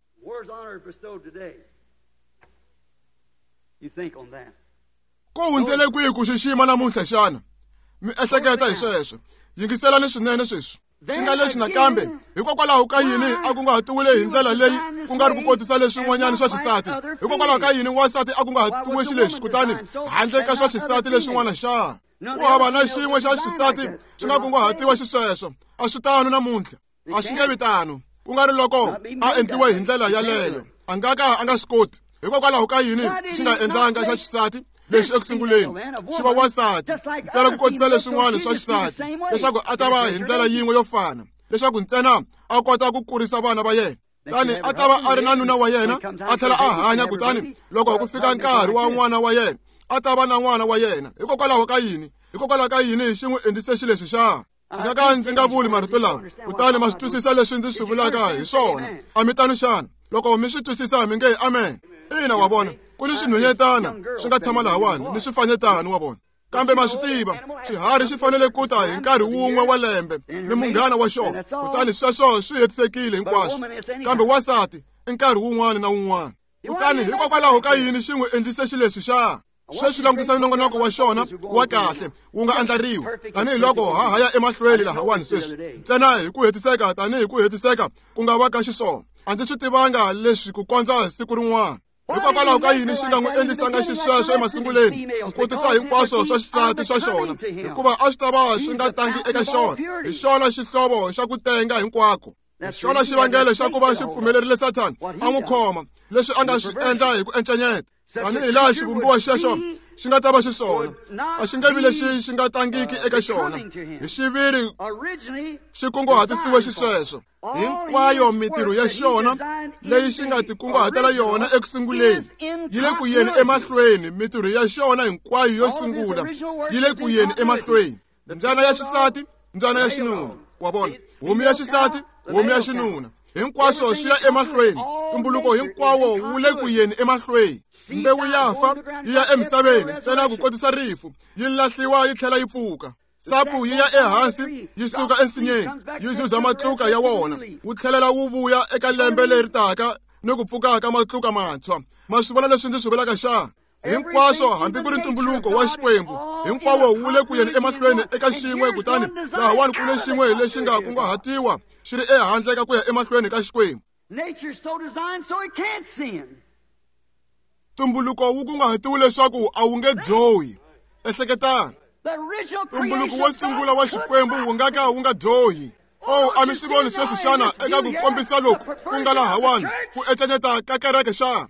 Ku hundzele kwihi ku xixima namuntlha xana? Mi ehleketa hi sweswo. Yingiselani swinene sweswi. Swi nga leswi nakambe, hikokwalaho ka yini a kunguhatiwile hi ndlela leyi ku nga ri ku kotisa leswin'wanyana swa xisati? Hikokwalaho ka yini wansati a kunguhatiwe xileswi kutani handle ka swa xisati leswin'wana xa? Ku hava na xin'we xa xisati xi nga kunguhatiwa xisweswo. A swi tano namuntlha. A swi nge vi tano. Ku nga ri loko a endliwe hi ndlela yaleyo, a nga ka a nga swi koti. Hikokwalaho ka yini xi nga endlanga xa xisati lexi eku sunguleni xi va wansati ntsena ku kotisa leswin'wana swa xisati, leswaku a ta va hi ndlela yin'we yo fana, leswaku ntsena a kota ku kurisa vana va yena? Tani a ta va a ri na nuna wa yena, a tlhela a hanya, kutani loko ku fika nkarhi wa n'wana wa yena, a ta va na n'wana wa yena. Hikokwalaho ka yini? Hikokwalaho ka yini xi n'wi endlise xileswi xa? Ndzi nga ka ndzi nga vuli marito lawa, kutani ma swi twisisa leswi ndzi swi vulaka hi swona. A mi tano xana? Loko mi swi twisisa mi nge amen. Ina, wa vona, ku ni swinhwanyetana swi nga tshama lahawani ni swifanyetana, wa vona. Kambe ma swi tiva, xiharhi xi fanele ku ta hi nkarhi wun'we wa lembe ni munghana wa xona, kutani sweswo swi hetisekile hinkwaswo. Kambe wansati i nkarhi wun'wana na wun'wana. Kutani hikokwalaho ka yini xi n'wi endlise xileswi xa? Sweswi langutisa nongonoko wa xona wa kahle wu nga andlariwa tanihiloko ha ha ya emahlweni lahawani sweswi, ntsena hi ku hetiseka tanihi ku hetiseka ku nga va ka xiswona. A ndzi swi tivanga leswi ku kondza siku rin'wana. Hikokwalaho ka yini xi nga n'wi endlisanga xisweswo emasunguleni, ku kotisa hinkwaswo swa xisati swa xona? Hikuva a swi ta va swi nga tangi eka xona. Hi xona xihlovo xa ku tenga hinkwako. Hi xona xivangelo xa ku va xi pfumelerile Sathana a n'wi khoma, leswi a nga swi endla hi ku encenyeta. Tanihi laha xivumbiwa xexo xi nga ta va xiswona, a xi nge vi lexi xi nga tangiki eka xona. Hi xiviri xi kunguhatisiwe xisweswo. Hinkwayo mintirho ya xona leyi xi nga tikunguhatela yona eku sunguleni yi le ku yeni emahlweni. Mintirho ya xona hinkwayo yo sungula yi le ku yeni emahlweni. Mbyana ya xisati, mbyana ya xinuna, wa vona, homu ya xisati, homu ya xinuna, hinkwaswo swi ya emahlweni. Ntumbuluko hinkwawo wu le ku yeni emahlweni. Mbewu ya fa yi ya emisaveni ntsena ku kotisa rifu, yi lahliwa yi tlhela yi pfuka. Sapu yi ya ehansi yi suka ensinyeni, yi zuza matluka ya wona, wu tlhelela wu vuya eka lembe leri taka ni ku pfuka ka matluka mantshwa. Ma swi vona leswi ndzi swi vulaka xana? Hinkwaswo, hambi ku ri ntumbuluko wa Xikwembu hinkwawo wu le ku yeni emahlweni eka xin'we, kutani lahawani ku le xin'we lexi nga kunguhatiwa xi ri ehandle ka ku ya emahlweni ka Xikwembu. Ntumbuluko wu kunguhatiwe leswaku a wu nge dyohi. Ehleketani, ntumbuluko wo sungula wa Xikwembu wu nga ka wu nga dyohi. Oh, a mi swi voni sweswi xana eka ku kombisa loku ku nga lahawani ku encenyeta ka kereke xana?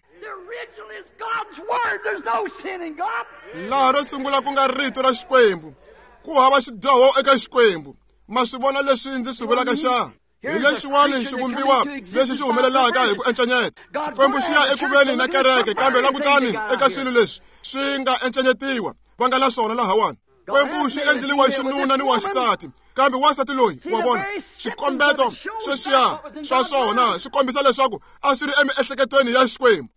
Laha ro sungula ku nga rito ra Xikwembu, ku hava xidyoho eka Xikwembu. Ma swi vona leswi ndzi swi vulaka xana? Hi lexiwani xivumbiwa lexi xi humelelaka hi ku encenyeta. Xikwembu xi ya ekuveni na kereke, kambe langutani eka swilo leswi swi nga encenyetiwa va nga na swona lahawani. Xikwembu xi endlile wa xinuna ni wa xisati, kambe wansati loyi, wa vona, xikombeto sweswiya swa swona xi kombisa leswaku a swi ri emiehleketweni ya Xikwembu.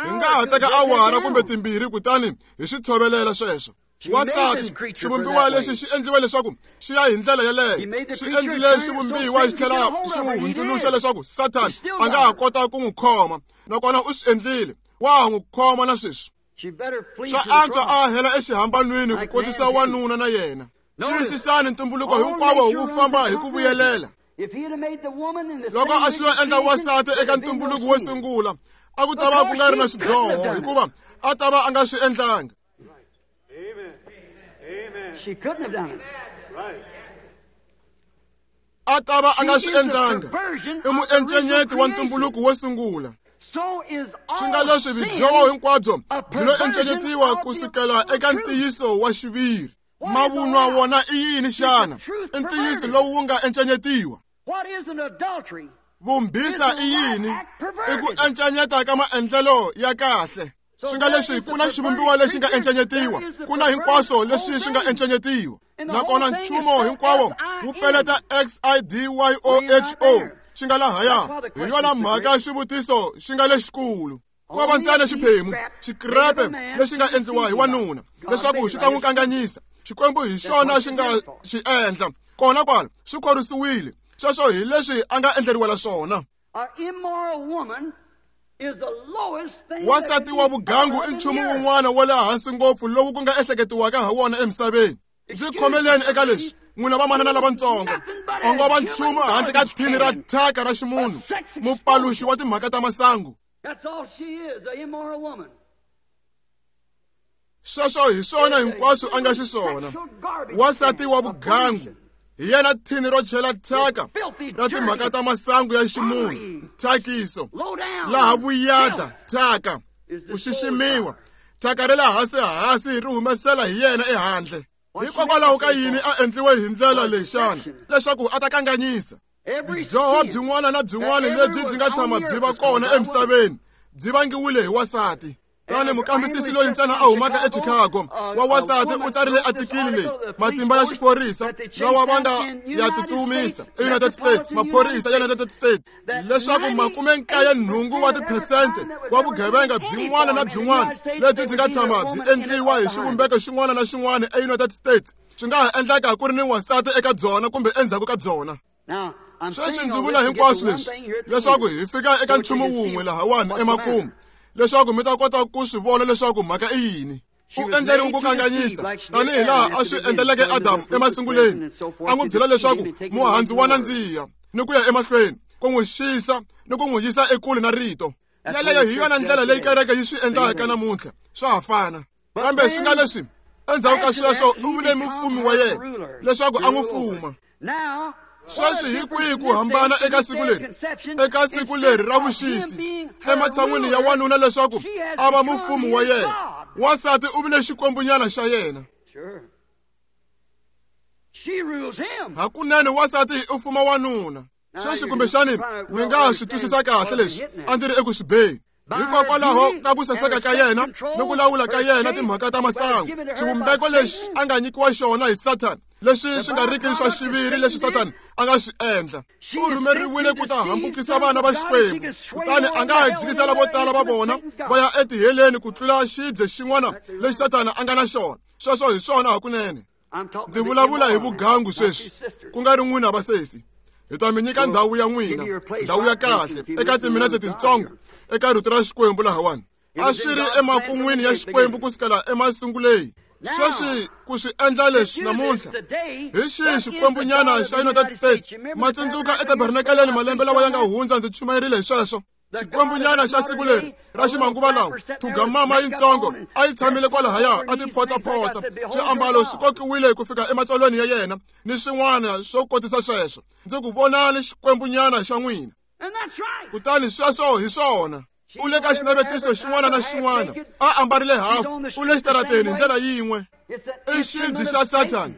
Hi nga ha teka awara kumbe timbirhi kutani hi swi tshovelela sweswo. Wansati, xivumbiwa lexi xi endliwe leswaku xi ya hi ndlela yeleyo. Xi endlile xivumbiwa xi tlhela xi n'wi hundzuluxa leswaku Sathana a nga ha kota ku n'wi khoma, nakona u swi endlile. Wa ha n'wi khoma na sweswi. Swa antswa a hela exihambanweni ku kotisa wanuna na yena. Xiyisisani ntumbuluko hinkwawo wu famba hi ku vuyelela. Loko a xi lo endla wansati eka ntumbuluko wo sungula, a ku ta va ku nga ri na xidyoho hikuva a ta va a nga swi endlanga. A ta va a nga swi endlanga. I muencenyeti wa ntumbuluko wo sungula. Swi nga leswi vidyoho hinkwabyo byi lo encenyetiwa kusukela eka ntiyiso wa xiviri. Mavunwa wona i yini xana? I ntiyiso lowu wu nga encenyetiwa. Vumbhisa i yini? I ku encenyeta ka maendlelo ya kahle. Swi nga leswi ku na xivumbiwa lexi nga encenyetiwa, ku na hinkwaswo leswi swi nga encenyetiwa. Nakona nchumu hinkwawo wu peleta XIDYOHO xi nga lahaya. Hi yona mhaka xivutiso xi nga lexikulu. Ko va ntsena xiphemu xikrepe lexi nga endliwa hi wanuna leswaku xi ta n'wi kanganyisa. Xikwembu hi xona xi nga xi endla. Kona kwala swi khorwisiwile. Sweswo hi leswi a nga endleriwela swona. Wansati wa vugangu i nchumu wun'wana wa le hansi ngopfu lowu ku nga ehleketiwaka ha wona emisaveni. Ndzi khomeleni eka leswi, n'wina vamanana lavatsongo, a ngo va nchumu handle ka thini ra thyaka ra ximunhu, mupaluxi wa timhaka ta masangu. Sweswo hi swona hinkwaswo a nga xiswona. Wansati wa vugangu hi yena thini ro chela thyaka ra timhaka ta masangu ya ximunhu, nthyakiso, laha vuyada, thyaka, ku xiximiwa, thyaka ra le hansi hansi ri humesela hi yena ehandle. Hikokwalaho ka yini a endliwe hi ndlela leyi xana? Leswaku a ta kanganyisa. Byidyoho byin'wana na byin'wana lebyi byi nga tshama byi va kona emisaveni byi vangiwile hi wansati. Tani mukambisisi loyi ntsena a humaka eChicago wa wansati u tsarile atikili leyi matimba ya xiphorisa lawa va nga ya tsutsumisa eUnited States, maphorisa ya United States, leswaku 98 wa tiphesente wa vugevenga byin'wana na byin'wana lebyi byi nga tshama byi endliwa hi xivumbeko xin'wana na xin'wana eUnited States swi nga ha endleka ku ri ni wansati eka byona kumbe endzhaku ka byona. Sweswi ndzi vula hinkwaswo leswi leswaku hi fika eka nchumu wun'we lahawani emakumu, leswaku mi ta kota ku swi vona leswaku mhaka i yini. U endleriwe ku kanganyisa tanihi laha a swi endleleke Adamu emasunguleni, a n'wi byela leswaku muhandzu wa nandziha ni ku ya emahlweni, ku n'wi xisa ni ku n'wi yisa ekule na rito. Yeleyo hi yona ndlela leyi kereke yi swi endlaka namuntlha, swa ha fana. Kambe swi nga leswi endzhaku ka sweswo u vule mufumi wa yena leswaku a n'wi fuma. Sweswi hi kwihi ku hambana eka siku leri? Eka siku leri ra vuxisi, ematshan'wini ya wanuna leswaku a va mufumi wa yena, wansati u vile xikwembunyana xa yena. Hakunene wansati u fuma wanuna. Sweswi kumbexani mi nga swi twisisa kahle leswi a ndzi ri eku swi beni. Hikokwalaho ka ku saseka ka yena ni ku lawula ka yena timhaka ta masangu, xivumbeko lexi a nga nyikiwa xona hi Sathana, leswi swi nga riki swa xiviri leswi Sathana a nga swi endla. U rhumeriwile ku ta hambukisa vana va Xikwembu, kutani a nga ha jikisela vo tala va vona va ya etiheleni ku tlula xibye xin'wana lexi Sathana a nga na xona. Sweswo hi swona hakunene. Ndzi vulavula hi vugangu sweswi, ku nga ri n'wina vasesi. Hi ta mi nyika ndhawu ya n'wina, ndhawu ya kahle, eka timinetse tintsongo, eka rito ra Xikwembu lahawani. A swi ri emakun'wini ya Xikwembu kusukela emasunguleni. Sweswi ku swi endla leswi namuntlha hi xihi xikwembunyana xa United States? Ma tsundzuka etabernakeleni malembe lawa ya nga hundza ndzi chumayerile hi sweswo. Xikwembunyana xa siku leri ra ximanguva lawa, thugamama yintsongo a yi tshamile kwalahaya a ti photsaphotsa, swiambalo swi kokiwile ku fika ematsolweni ya yena ni swin'wana swo kotisa sweswo. Ndzi ku vonani xikwembunyana xa n'wina. Kutani sweswo hi swona. U le ka xinavetiso xin'wana na xin'wana, a ambarile hafu, u le xitarateni hi ndlela yin'we. I xibye xa Sathana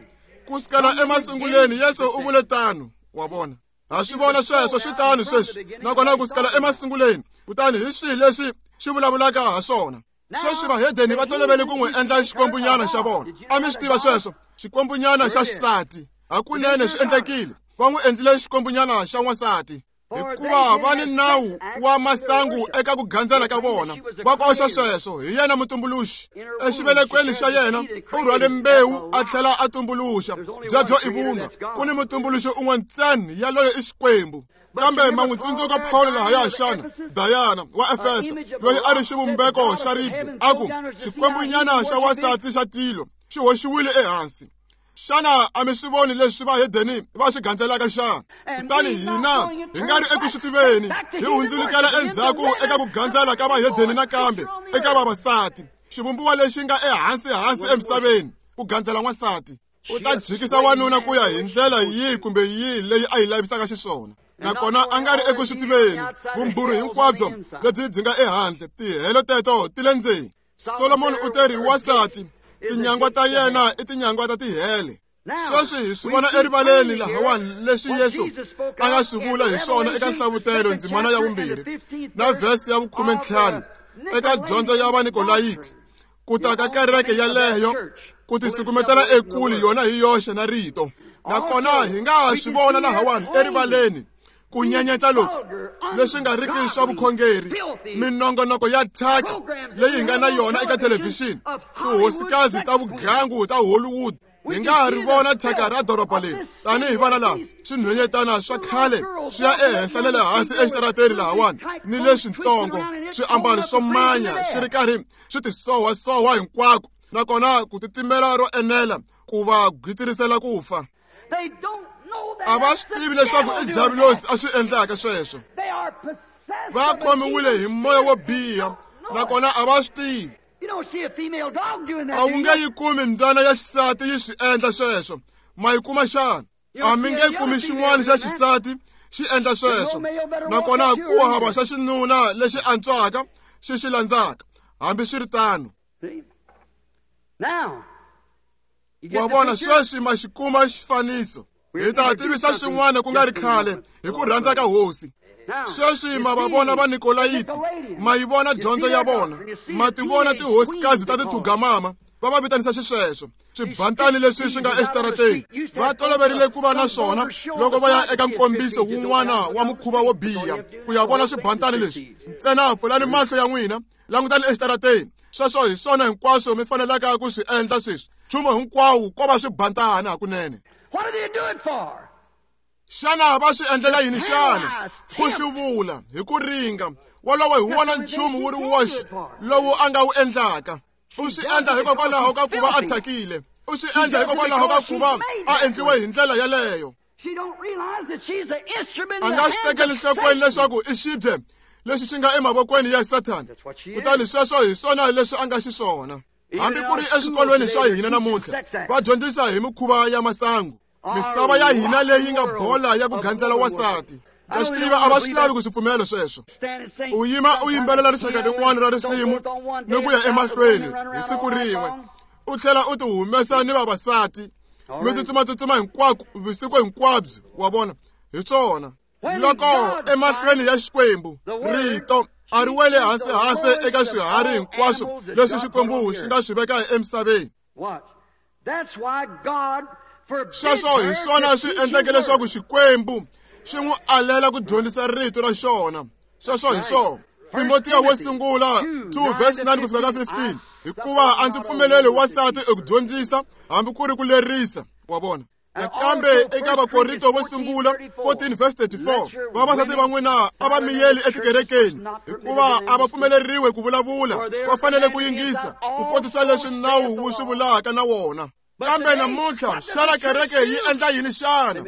kusukela emasunguleni. Yesu u vule tano, wa vona. Ha swi vona sweswo swi tano sweswi, nakona kusukela emasunguleni. Kutani hi swihi leswi xi vulavulaka ha swona? Sweswi vahedeni va tolovele ku n'wi endla xikwembunyana xa vona. A mi swi tiva sweswo? Xikwembunyana xa xisati. Hakunene swi endlekile, va n'wi endlile xikwembunyana xa n'wansati, hikuva va ni nawu wa masangu eka ku gandzela ka vona. Va koxa sweswo. Hi yena mutumbuluxi. Exivelekweni xa yena u rhwale mbewu a tlhela a tumbuluxa. Byebyo i vunwa. Ku ni mutumbuluxi un'we ntsena, yaloye i Xikwembu. Kambe ma n'wi tsundzuka Paulo lahaya xana? Diana wa Efesa, loyi a ri xivumbeko xa ribye, a ku xikwembunyana xa wansati xa tilo xi hoxiwile ehansi. Xana a mi swi voni leswi vahedeni va swi gandzelaka xana? Kutani hina hi nga ri eku swi tiveni, hi hundzulukela endzhaku eka ku gandzela ka vahedeni nakambe eka vavasati, xivumbiwa lexi nga ehansi-hansi emisaveni, ku gandzela n'wansati. U ta jikisa wanuna ku ya hi ndlela yihi kumbe yihi leyi a yi lavisaka xiswona. Nakona a nga ri eku swi tiveni, vumbhurhi hinkwabyo lebyi byi nga ehandle, tihelo teto ti le ndzeni. Solomoni u teri wansati, tinyangwa ta yena i tinyangwa ta tihele. Sweswi hi swi vona erivaleni lahawani leswi Yesu a nga swi vula hi swona eka Nhlavutelo ndzimana ya 2 na vhesi ya 15 eka dyondzo ya Vanikolayiti, ku ta ka kereke yaleyo ku tisukumetela ekule yona hi yoxe na rito. Nakona hi nga swi vona lahawani erivaleni ku nyenyetsa loku leswi nga riki swa vukhongeri, minongonoko ya thyaka leyi hi nga na yona eka thelevhixini, tihosikazi ta vugangu ta Hollywood. Hi nga ha ri vona thyaka ra doroba leri tanihi vana lava swinhwenyetana swa khale swi ya ehenhla na le hansi exitarateni lahawani ni leswintsongo, swiambalo swo manya swi ri karhi swi tisohwasohwa hinkwako, nakona ku titimela ro enela ku va gwitsirisela ku fa. A va swi tivi leswaku i Diabulosi a swi endlaka sweswo. Va khomiwile hi moya wo biha, nakona a va swi tivi. A wu nge yi kumi mbyana ya xisati yi swi endla sweswo. Ma yi kuma xana? A mi nge kumi xin'wana xa xisati xi endla sweswo. Nakona ku hava xa xinuna lexi antswaka xi xi landzaka, hambi swi ri tano. Wa vona, sweswi ma xi kuma xifaniso. Hi ta tivisa xin'wana ku nga ri khale hi ku rhandza ka Hosi. Sweswi ma va vona Vanikolayiti, ma yi vona dyondzo ya vona, ma ti vona tihosikazi ta tithugamama, va va vitanisa xisweswo, swibantani leswi swi nga exitarateni. Va toloverile ku va na swona loko va ya eka nkombiso wun'wana wa mukhuva wo biha ku ya vona swibantani leswi. Ntsena pfulani mahlo ya n'wina, langutani exitarateni. Sweswo hi swona hinkwaswo mi fanelaka ku swi endla sweswi. Nchumu hinkwawo ko va swibantana hakunene. Xana va swi endlela yini xana? Ku hluvula hi ku ringa. Wolowo hi wona nchumu wu ri woxe lowu a nga wu endlaka. U swi endla hikokwalaho ka ku va a thyakile. U swi endla hikokwalaho ka ku va a endliwe hi ndlela yaleyo. A nga swi tekeli nhlokweni leswaku i xibye lexi xi nga emavokweni ya Sathana. Kutani sweswo hi swona leswi a nga xiswona. Hambi ku ri eswikolweni swa hina namuntlha va dyondzisa hi mikhuva ya masangu. Misava ya hina leyi nga bola ya ku gandzela wansati. Ka swi tiva a va swi lavi ku swi pfumela sweswo. U yima u yimbelela rixaka rin'wana ra risimu ni ku ya emahlweni hi siku rin'we, u tlhela u ti humesa ni vavasati, mi tsutsumatsutsuma hinkwako vusiku hinkwabyo. Wa vona, hi swona. Loko emahlweni ya Xikwembu rito a ri wele hansi-hansi eka swiharhi hinkwaswo leswi Xikwembu xi nga swi veka emisaveni. Sweswo hi swona swi endleke leswaku Xikwembu xi n'wi alela ku dyondzisa rito ra xona. Sweswo hi swona. Timotiya wo sungula 2 verse 9 ku fika ka 15, hikuva a ndzi pfumeleli wansati eku dyondzisa hambi ku ri ku lerisa. Wa vona. Nakambe eka Vakorinto vo sungula 14 verse 34, vavasati va n'wina a va miyeli etikerekeni, hikuva a va pfumeleriwe ku vulavula, va fanele ku yingisa ku kotisa leswi nawu wu swi vulaka na wona. Kambe namuntlha xana kereke yi endla yini xana?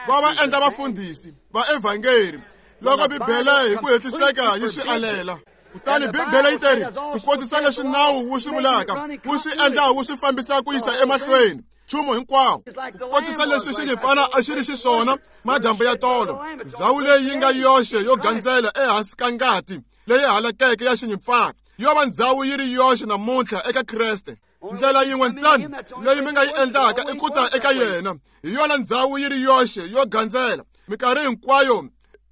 Va va endla vafundhisi va evhangeri loko Bibele hi ku hetiseka yi swi alela. Kutani Bibele yi teri ku kotisa leswi nawu wu swi vulaka, wu swi endla wu swi fambisa ku yisa emahlweni nchumu hinkwawo, ku kotisa leswi xinyimpfana a xi ri xiswona madyambu ya tolo. Ndzhawu leyi yi nga yoxe yo gandzela ehansi ka ngati leyi halakeke ya xinyimpfana yo va ndzhawu yi ri yoxe namuntlha eka Kreste. Ndlela yin'we ntsena leyi mi nga yi endlaka i ku ta eka yena. Hi yona ndzhawu yi ri yoxe yo gandzela minkarhi hinkwayo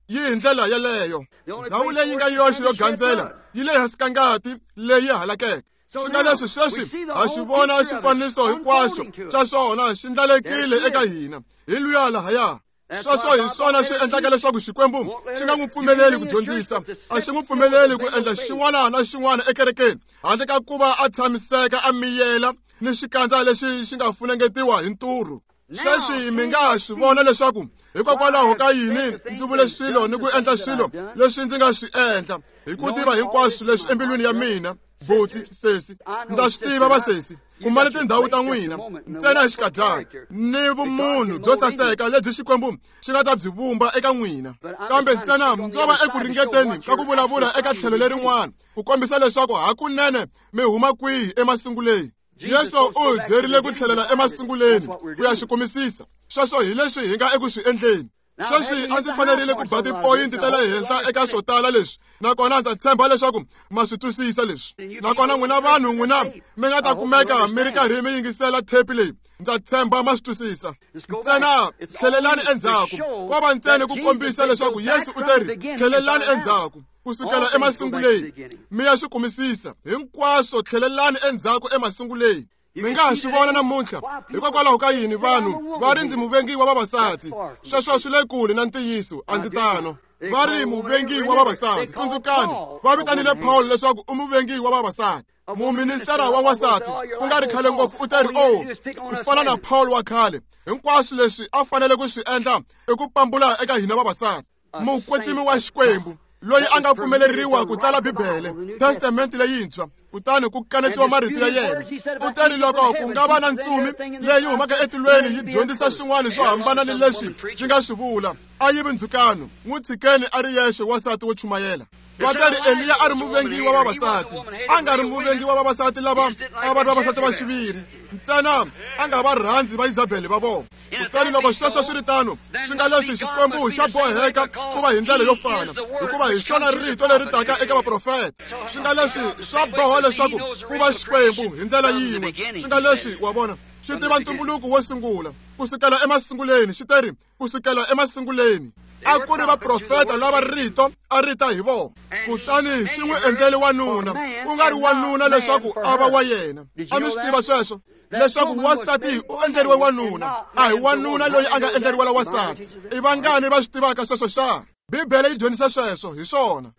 yi hi ndlela yeleyo. Ndzhawu leyi nga yoxe yo gandzela yi le hansi ka ngati leyi halakeke. Swi nga leswi sweswi ha xi vona xifaniso hinkwaxo xa xona xi ndlalekile eka hina. Hi luya lahaya. Sweswo hi swona swi endlaka leswaku Xikwembu xi nga n'wi pfumeleli ku dyondzisa. A xi n'wi pfumeleli ku endla xin'wana na xin'wana ekerekeni handle ka ku va a tshamiseka a miyela ni xikandza lexi xi nga funengetiwa hi nturhu. Sweswi mi nga swi vona leswaku hikokwalaho ka yini ndzi vule swilo ni ku endla swilo leswi ndzi nga swi endla, hi ku tiva hinkwaswo leswi embilwini ya mina. Buti, sesi, ndza swi tiva vasesi, kumani tindhawu ta n'wina ntsena hi xikadyana ni vumunhu byo saseka lebyi Xikwembu xi nga ta byi vumba eka n'wina. Kambe ntsena ndzo va eku ringeteni ka ku vulavula eka tlhelo lerin'wana ku kombisa leswaku hakunene mi huma kwihi emasunguleni. Yesu u hi byerile ku tlhelela emasunguleni ku ya xi kumisisa. Sweswo hi leswi hi nga eku swi endleni. Sweswi a ndzi fanerile ku ba tipoyinti ta le henhla eka swo tala leswi, nakona ndza tshemba leswaku ma swi twisisa leswi. Nakona n'wina vanhu n'wina mi nga ta kumeka mi ri karhi mi yingisela thepi leyi, ndza tshemba ma swi twisisa. Ntsena tlhelelani endzhaku, ko va ntsena ku kombisa leswaku Yesu u te ri tlhelelani endzhaku kusukela emasunguleni mi ya swi kumisisa hinkwaswo. Tlhelelani endzhaku emasunguleni. Mi nga ha swi vona namuntlha hikokwalaho ka yini vanhu va ri ndzi muvengi wa vavasati. Sweswo swi le kule na ntiyiso, a ndzi tano. Va ri muvengi wa vavasati. Tsundzukani, va vitanile Paul leswaku u muvengi wa vavasati. Muministara wa wansati ku nga ri khale ngopfu u te ri o ku fana na Paul wa khale, hinkwaswo leswi a fanele ku swi endla i ku pambula eka hina vavasati. Mukwetsimi wa Xikwembu loyi a nga pfumeleriwa ku tsala Bibele, Testamente leyintshwa, kutani ku kanetiwa marito ya yena. U te ri loko ku nga va na ntsumi leyi humaka etilweni yi dyondzisa swin'wana swo hambana ni leswi yi nga swi vula, a yi vi ndzhukano, n'wi tshikeni a ri yexe wansati wo chumayela. Va te ri Eliya a ri muvengi wa vavasati, a nga ri muvengi wa vavasati lava a va ri vavasati va xiviri ntsena, a nga va rhandzi va Isabele va vona. Kutani loko sweswo swi ri tano, swi nga leswi Xikwembu xa boheka ku va hi ndlela yo fana, hikuva hi xona rito leri taka eka vaprofeta. Swi nga leswi swa boha leswaku ku va Xikwembu hi ndlela yin'we. Swi nga leswi, wa vona, xi tiva ntumbuluko wo sungula kusukela emasunguleni. Xi te ri kusukela emasunguleni a ku ri vaprofeta lava rito a ri ta hi vona. Kutani xi n'wi endlele wanuna, ku nga ri wanuna leswaku a va wa yena. A mi swi tiva sweswo, leswaku wansati u endleriwe wanuna, a hi wanuna loyi a nga endleriwela wansati. I vangani va swi tivaka sweswo xa? Bibele yi dyondzisa sweswo hi swona.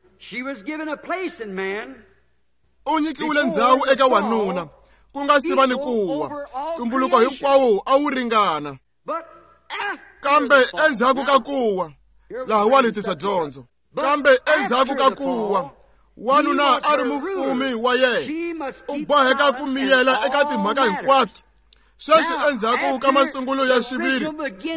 U nyikiwile ndzhawu eka wanuna ku nga si va ni kuwa. Ntumbuluko hinkwawo a wu ringana. Kambe endzhaku ka kuwa, laha wa tisa dyondzo. Kambe endzhaku ka kuwa, wanuna a ri mufumi wa yena, u boheka ku miyela eka timhaka hinkwato. Sweswi endzhaku ka masungulo ya xiviri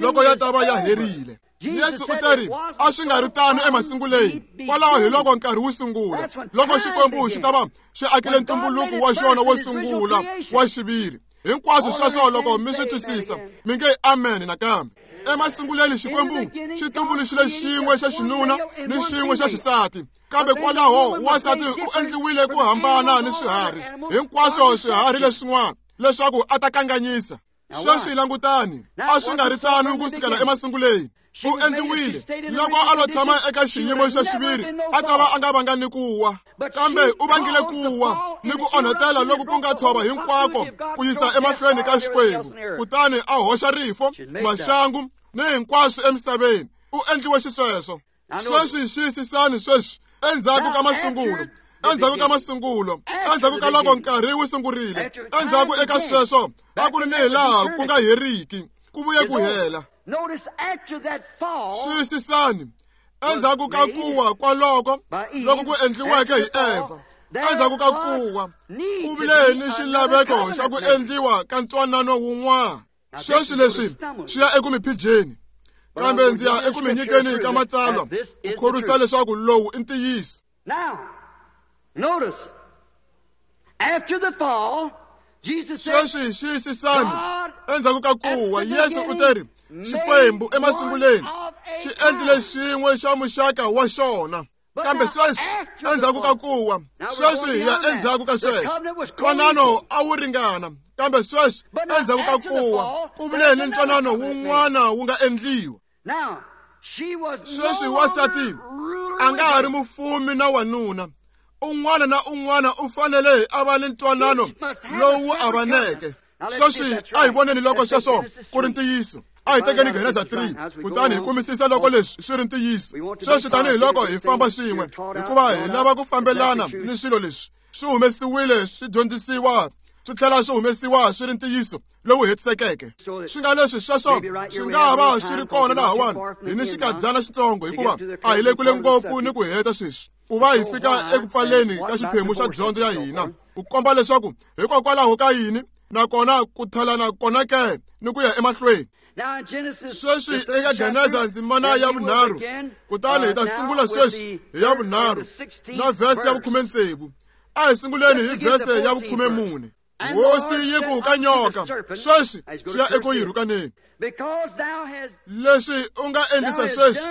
loko ya ta va ya herile, Yesu u te ri a swi nga ri tano emasunguleni. Kwalaho hi loko nkarhi wu sungula, loko Xikwembu xi ta va xi akile ntumbuluko wa xona wo sungula wa xiviri. Hinkwaswo sweswo loko mi swi twisisa, mi nge amen nakambe. Emasunguleni Xikwembu xi tumbuluxile xin'we xa xinuna ni xin'we xa xisati, kambe kwalaho wansati u endliwile ku hambana ni swiharhi hinkwaswo swiharhi leswin'wana leswaku a ta kanganyisa. Sweswi langutani, a swi nga ri tano ku sukela emasunguleni. U endliwile loko a lo tshama eka xiyimo xa xiviri, a ta va a nga vanga ni ku wa, kambe u vangile ku wa ni ku onhetela loku ku nga tshova hinkwako ku yisa emahlweni ka Xikwembu. Kutani a hoxa rifo, maxangu ni hinkwaswo emisaveni. U endliwe xisweswo. Sweswi xiyisisani sweswi, endzhaku ka masungulo, endzhaku ka masungulo, endzhaku ka loko nkarhi wu sungurile, endzhaku eka sweswo a ku ri ni hilaha ku nga heriki, ku vuye ku hela. Xiyisisani, endzhaku ka kuwa kwaloko loko ku endliweke hi Eva, endzhaku ka kuwa ku vile ni xilaveko xa ku endliwa ka ntwanano wun'wana. Sweswi leswi swi ya eku mi phijeni, kambe ndzi ya eku mi nyikeni ka matsalwa ku khorwisa leswaku lowu i ntiyiso. Sweswi xiyisisani, endzhaku ka kuwa, Yesu u te ri Xikwembu emasunguleni xi endlile xin'we xa muxaka wa xona. Kambe sweswi endzhaku ka kuwa, sweswi hi ya endzhaku ka sweswo, ntwanano a wu ringana. Kambe sweswi endzhaku ka kuwa ku vile ni ntwanano wun'wana wu nga endliwa. Sweswi wansati a nga ha ri mufumi na wanuna. Un'wana na un'wana u fanele a va ni ntwanano lowu avaneke. Sweswi a hi voneni loko sweswo ku ri ntiyiso. A hi tekeni Genesa 3 kutani hi kumisisa loko leswi swi ri ntiyiso. Sweswi tanihiloko hi famba swin'we, hikuva hi lava ku fambelana ni swilo leswi swi humesiwile, swi dyondzisiwa, swi tlhela swi humesiwa swi ri ntiyiso lowu hetisekeke. Swi nga leswi sweswo swi nga va swi ri kona lahawani hi ni xikadyana xitsongo, hikuva a hi le kule ngopfu ni ku heta sweswi. ku va hi fika eku pfaleni ka xiphemu xa dyondzo ya hina, ku komba leswaku hikokwalaho ka yini nakona ku thalana kona ke ni ku ya emahlweni. Sweswi eka Geneza ndzimana ya vunharhu, kutani hi ta sungula sweswi hi ya vunharhu na vhesi ya 16. A hi sunguleni hi vhese ya 14. Hosi yi ku ka nyoka, sweswi swi ya eku yi rhukaneni. Leswi u nga endlisa sweswi,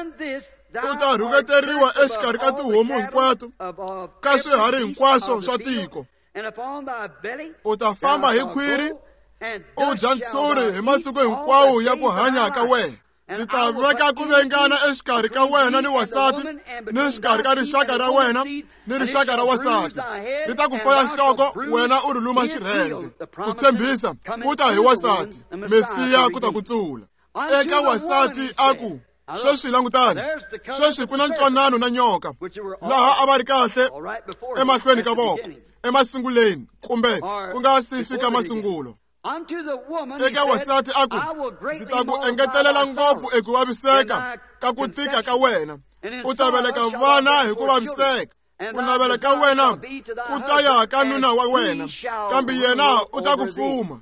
u ta rhuketeriwa exikarhi ka tihomu hinkwato, ka swiharhi hinkwaswo swa tiko. U ta famba hi khwiri, u dya ntshuri hi masiku hinkwawo ya ku hanya ka wena. Ndzi ta veka ku vengana exikarhi ka wena ni wasati, ni xikarhi ka rixaka ra wena ni rixaka ra wasati. Ri ta ku faya nhloko, wena u ri luma xirhendze. Ku tshembisa ku ta hi wasati, Mesiya ku ta kutsula. Eka wasati a ku, sweswi langutani, sweswi ku na ntwanano na nyoka, laha a va ri kahle emahlweni ka voko, emasunguleni, kumbe ku nga si fika masungulo. Eka wasati a ku, ndzi ta ku engetelela ngopfu eku vaviseka ka ku tika ka wena, u ta veleka vana hi ku vaviseka. Ku navela ka wena ku ta ya ka nuna wa wena, kambe yena u ta ku fuma.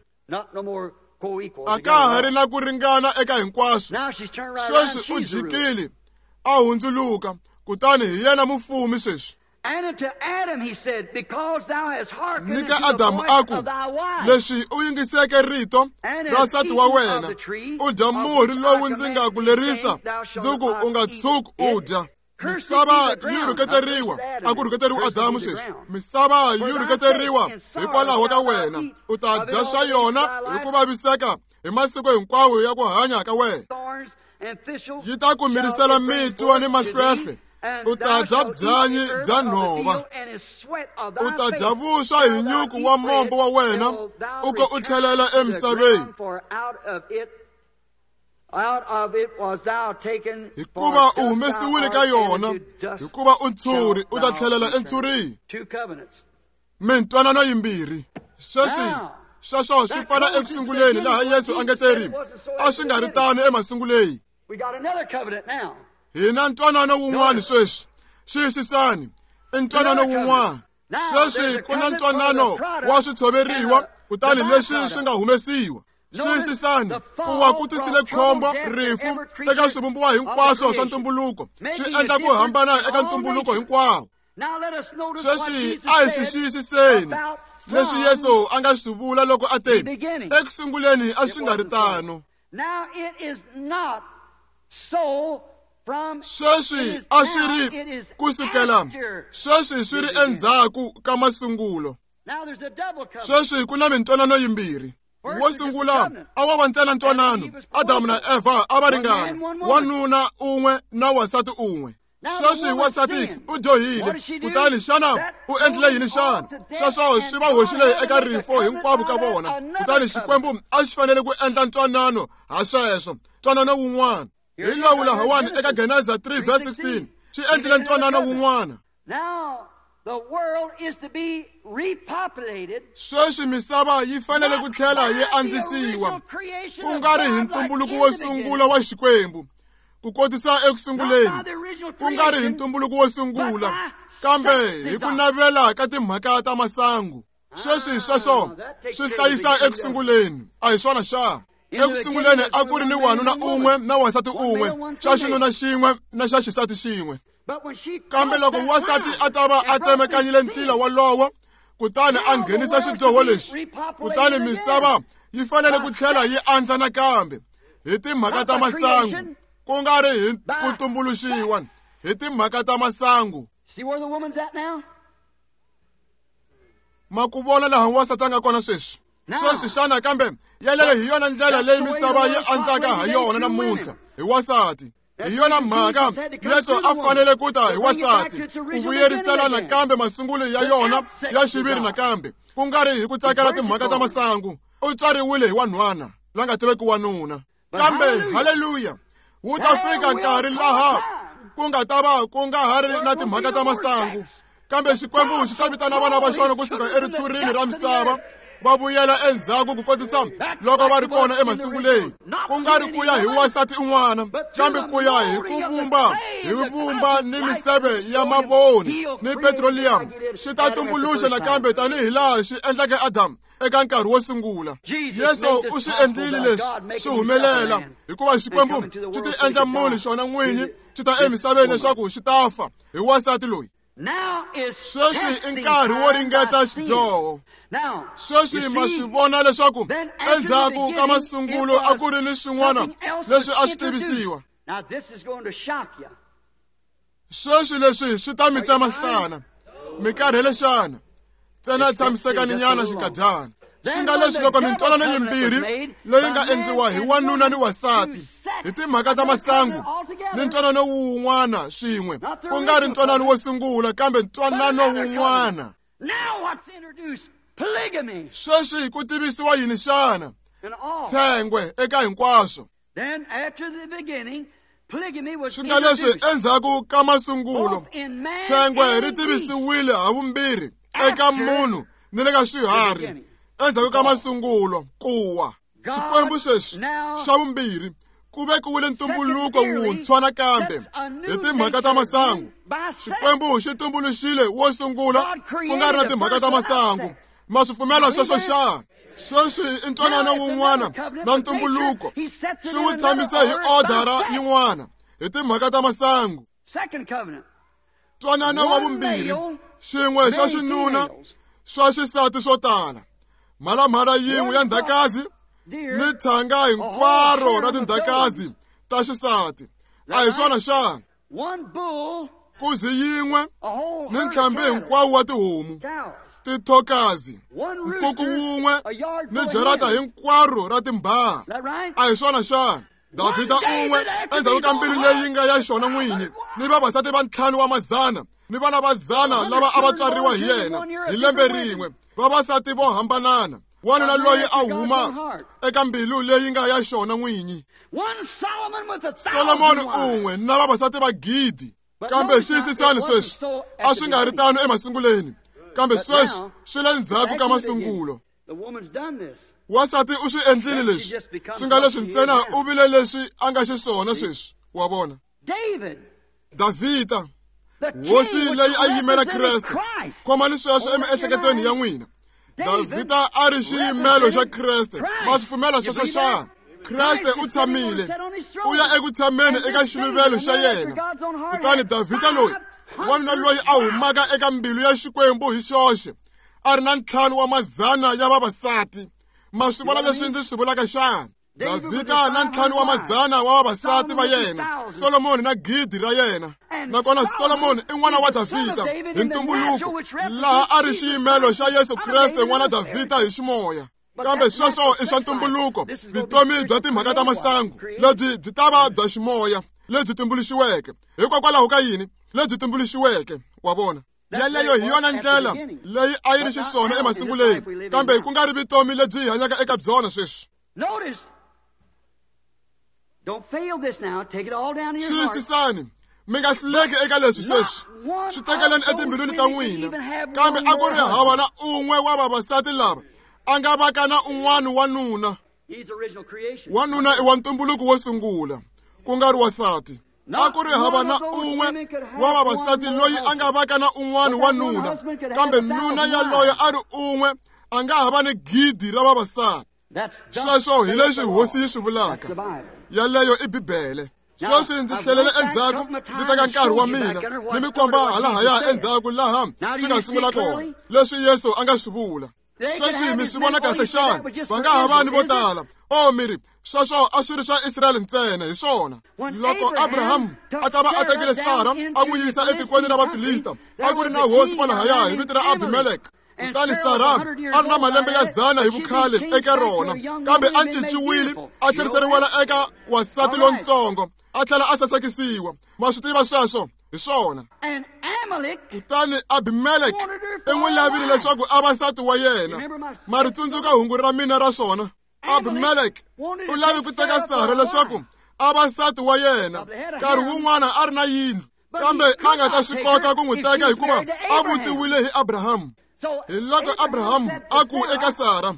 A ka ha ri na ku ringana eka hinkwaswo. Sweswi u jikile, a hundzuluka, kutani hi yena mufumi sweswi. Ni ka Adamu a ku, leswi u yingiseke rito ra nsati wa wena, u dya murhi lowu ndzi nga ku lerisa ndzi ku u nga tshuki u dya. Misava yi rhuketeriwa, a ku rhuketeriwa Adamu sweswi. Misava yi rhuketeriwa hikwalaho ka wena, u ta dya swa yona hi ku vaviseka hi masiku hinkwawo ya ku hanya ka wena. Yi ta ku mirisela mitwa ni mahlwehlwe, u ta dya byanyi bya nhova, u ta dya vuswa hi nyuku wa mombo wa wena, u ko u tlhelela emisaveni. Hikuva u humesiwile ka yona, hikuva u ntshuri, u ta tlhelela entshurini. Mintwanano yimbirhi. Sweswi sweswo swi pfala ekusunguleni laha Yesu a nge teri a swi nga ri tano emasunguleni. Hi na ntwanano wun'wana sweswi. Xiyisisani, i ntwanano wun'wana. Sweswi ku na ntwanano wa switshoveriwa, kutani leswi swi nga humesiwa. Xiyisisani, ku wa ku tisile khombo, rifu eka swivumbiwa hinkwaswo swa ntumbuluko, swi endla ku hambana eka ntumbuluko hinkwawo. Sweswi a hi swi xiyisiseni leswi Yesu a nga swi vula loko a te, ekusunguleni a swi nga ri tano. Sweswi a swi ri kusukela, sweswi swi ri endzhaku ka masungulo. Sweswi ku na mintwanano yimbirhi. Wo sungula a wa va ntsena ntwanano, Adamu na Eva a va ringana, wanuna un'we na wansati un'we. Sweswi wansati u dyohile, kutani xana u endlile yini xana? Sweswo swi va hoxile eka rifo hinkwavo ka vona, kutani Xikwembu a xi fanele ku endla ntwanano ha sweswo, ntwanano wun'wana. Hi lowu lahawani eka Geneza 3 verse 16, xi endlile ntwanano wun'wana. Sweswi misava yi fanele ku tlhela yi andzisiwa, ku nga ri hi ntumbuluko wo sungula wa Xikwembu, ku kotisa ekusunguleni, ku nga ri hi ntumbuluko wo sungula, kambe hi ku navela ka timhaka ta masangu. Sweswi sweswo swi hlayisa ekusunguleni, a hi swona xa? Ekusunguleni a ku ri ni wanuna un'we na wansati un'we, xa xinuna xin'we na xa xisati xin'we. Kambe loko wansati a ta va a tsemekanyile ntila wolowo, kutani a nghenisa xidyoho lexi, kutani misava yi fanele ku tlhela yi andza nakambe hi timhaka ta masangu, ku nga ri hi ku tumbuluxiwa, hi timhaka ta masangu. Ma ku vona laha wansati a nga kona sweswi? Sweswi xana kambe yeleyo hi yona ndlela leyi misava yi andzaka ha yona namuntlha, hi wansati. Hi yona mhaka Yesu a fanele ku ta hi wasati, ku vuyerisela nakambe masungulo ya yona ya xiviri nakambe, ku nga ri hi ku tsakela timhaka ta masangu. U tswariwile hi wanhwana la nga tiveki wanuna. Kambe haleluya, wu ta fika nkarhi laha ku nga ta va ku nga ha ri na timhaka ta masangu, kambe Xikwembu xi ta vitana vana va xona kusuka eritshurini ra misava, Va vuyela endzhaku ku kotisa loko va ri kona emasunguleni, ku nga ri ku ya hi wansati un'wana, kambe ku ya hi ku vumba hi vumba ni miseve ya mavoni ni petroleum. Xi ta tumbuluxa nakambe tanihi laha xi endleke Adamu eka nkarhi wo sungula. Yesu u swi endlile leswi swi humelela hikuva Xikwembu xi ti endla munhu xona n'winyi xi ta emisaveni leswaku xi ta fa hi wansati loyi. Sweswi i nkarhi wo ringeta xidyoho. Sweswi ma swi vona leswaku endzhaku ka masungulo a ku ri ni swin'wana leswi a swi tivisiwa. Sweswi leswi swi ta mi tsema nhlana. Mi karhele xana? Ntsena tshamisekani nyana xinkadyana. Swi nga leswi loko mintwanano yimbirhi leyi nga endliwa hi wanuna ni wansati hi timhaka ta masangu ni ntwanano wun'wana swin'we, ku nga ri ntwanano wo sungula kambe ntwanano wun'wana. Sweswi ku tivisiwa yini xana? Tshengwe eka hinkwaswo. Swi nga leswi endzhaku ka masungulo tshengwe ri tivisiwile havumbirhi eka munhu ni le ka swiharhi. Endzhaku ka masungulo kuwa Xikwembu sweswi xa vumbirhi ku vekiwile ntumbuluko wuntshwa nakambe hi timhaka ta masangu. Xikwembu xi tumbuluxile wo sungula ku nga ri na timhaka ta masangu. Ma swi pfumela sweswo xana? Sweswi i ntwanano wun'wana na ntumbuluko, xi wu tshamise hi odara yin'wana hi timhaka ta masangu. Ntwanano wa vumbirhi, xin'we xa xinuna swa xisati swo tala, mhalamhala yin'we ya ndzhakazi ni tshanga hinkwaro ra tindzhakazi ta xisati. A hi swona xana? Nkuzi yin'we ni ntlhambi hinkwawo wa tihomu, tithokazi, nkuku wun'we ni jarata hinkwaro ra timbhaha. A hi swona xana? Davhida un'we endzhaku ka mbilu leyi nga ya xona n'winyi ni vavasati va 5 wa mazana ni vana va 100 lava a va tswariwa hi yena hi lembe rin'we, vavasati vo hambanana, wanuna loyi a huma eka mbilu leyi nga ya xona n'winyi. Solomoni un'we na vavasati va 1,000. Kambe xiyisisani sweswi, a swi nga ri tano emasunguleni, kambe sweswi swi le ndzhaku ka masungulo. Wansati u swi endlile leswi, swi nga leswi ntsena u vile leswi a nga xiswona sweswi, wa vona. Davhida, hosi leyi a yimela Kreste, khomani sweswo emiehleketweni ya n'wina. Davhida a ri xiyimelo xa Kreste. Ma swi pfumela sweswo xana? Kreste u tshamile, u ya eku tshameni eka xiluvelo xa yena. Kutani Davhida loyi, wanuna loyi a humaka eka mbilu ya Xikwembu hi xoxe, a ri na 5 wa mazana ya vavasati. Ma swi vona leswi ndzi swi vulaka xana? Davhida na 5 wa mazana wa vavasati va yena, Solomoni na 1,000 ra yena. Nakona Solomoni i n'wana wa Davhida hi ntumbuluko, laha a ri xiyimelo xa Yesu Kreste n'wana Davhida hi ximoya. Kambe sweswo i swa ntumbuluko, vutomi bya timhaka ta masangu lebyi byi ta va bya ximoya lebyi tumbuluxiweke. Hikokwalaho ka yini lebyi tumbuluxiweke? Wa vona? Yaleyo hi yona ndlela leyi a yi ri xiswona emasunguleni, kambe ku nga ri vutomi lebyi hi hanyaka eka byona sweswi. Xiyisisani, mi nga hluleki eka leswi sweswi, swi tekeleni etimbilwini ta n'wina. Kambe a ku ri hava na un'we wa vavasati lava a nga vaka na un'wana wanuna. Wanuna i wa ntumbuluko wo sungula, ku nga ri wansati. A ku ri hava na un'we wa vavasati loyi a nga vaka na un'wana wanuna, kambe nuna yaloye a ri un'we a nga ha va ni 1,000 ra vavasati. Sweswo hi leswi hosi yi swi vulaka. Yaleyo i Bibele. Sweswi ndzi tlhelele endzhaku ndzi teka nkarhi wa mina ni mi komba halahaya endzhaku laha swi nga sungula kona leswi Yesu a nga swi vula. Sweswi mi swi vona kahle xana? Va nga ha va ni vo tala. O miri, sweswo a swi ri swa Israyele ntsena, hi swona. Loko Abraham a ta va a tekile Sara a n'wi yisa etikweni ra Vafilista, a ku ri na hosi kwalahaya hi vito ra Abimelek. Kutani Sara a ri na malembe ya 100 hi vukhale eka rona, kambe a cinciwile a tlheriseriwela eka wansati lontsongo, a tlhela a sasekisiwa. Ma swi tiva sweswo? Hi swona. Kutani Abimelek i n'wi lavile leswaku a va nsati wa yena. Ma ri tsundzuka hungu ra mina ra swona? Abimelek u lave ku teka Sara leswaku a va nsati wa yena. Nkarhi wun'wana a ri na yindlu, kambe a nga ta swi kota ku n'wi teka hikuva a vutiwile hi Abrahamu. Hi loko Abrahamu a ku eka Sara,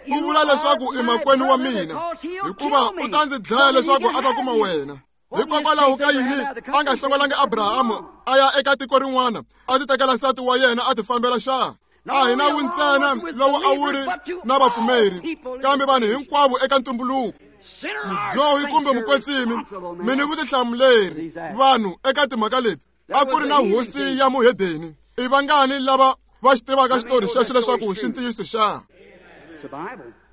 u vula leswaku i makwenu wa mina, hikuva u ta ndzi dlaya leswaku a ta kuma wena. Hikokwalaho ka yini a nga hlongolangi Abrahamu a ya eka tiko rin'wana a ti tekela nsati wa yena a ti fambela xa? A hi nawu ntsena lowu a wu ri na vapfumeri, kambe vanhu hinkwavo eka ntumbuluko. Mudyohi kumbe mukwetsimi, mi ni vutihlamuleri vanhu eka timhaka leti. A ku ri na hosi ya muhedeni. I vangani lava va xi tivaka xitori xexo leswaku xi ntiyiso xa?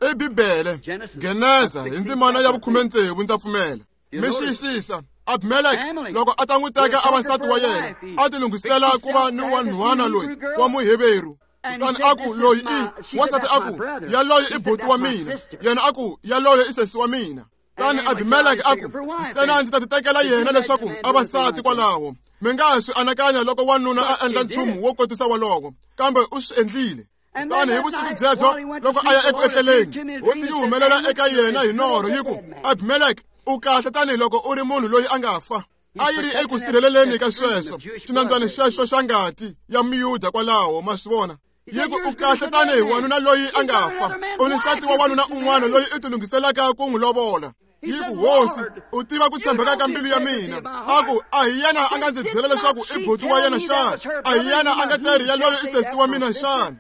I Bibele, Geneza hi ndzimana ya 16 ndza pfumela. Mi xiyisisa, Abimelek loko a ta n'wi teka a va nsati wa yena, a ti lunghisela ku va ni wanhwana loyi wa Muheveru. Kutani a ku, loyi i wansati, a ku, yaloye i buti wa mina. Yena a ku, yaloye i sesi wa mina. Kutani Abimelek a ku, ntsena ndzi ta ti tekela yena leswaku a va nsati kwalaho. Mi nga swi anakanya loko wanuna a endla nchumu wo kotisa wolowo, kambe u swi endlile. Kutani hi vusiku byebyo loko a ya eku etleleni, hosi yi humelela eka yena hi norho yi ku, Abimelek, u kahle tanihiloko u ri munhu loyi a nga fa. A yi ri eku sirheleleni ka sweswo xinandzwana xexo xa ngati ya Muyuda kwalaho, ma swi vona. Yi ku, u kahle tanihi wanuna loyi a nga fa, u ni nsati wa wanuna un'wana loyi u tilunghiselaka ku n'wi lovola. Yi ku, hosi, u tiva ku tshembeka ka mbilu ya mina. A ku, a hi yena a nga ndzi byela leswaku i buti wa yena xana? A hi yena a nga teri yaloye i sesi wa mina xana?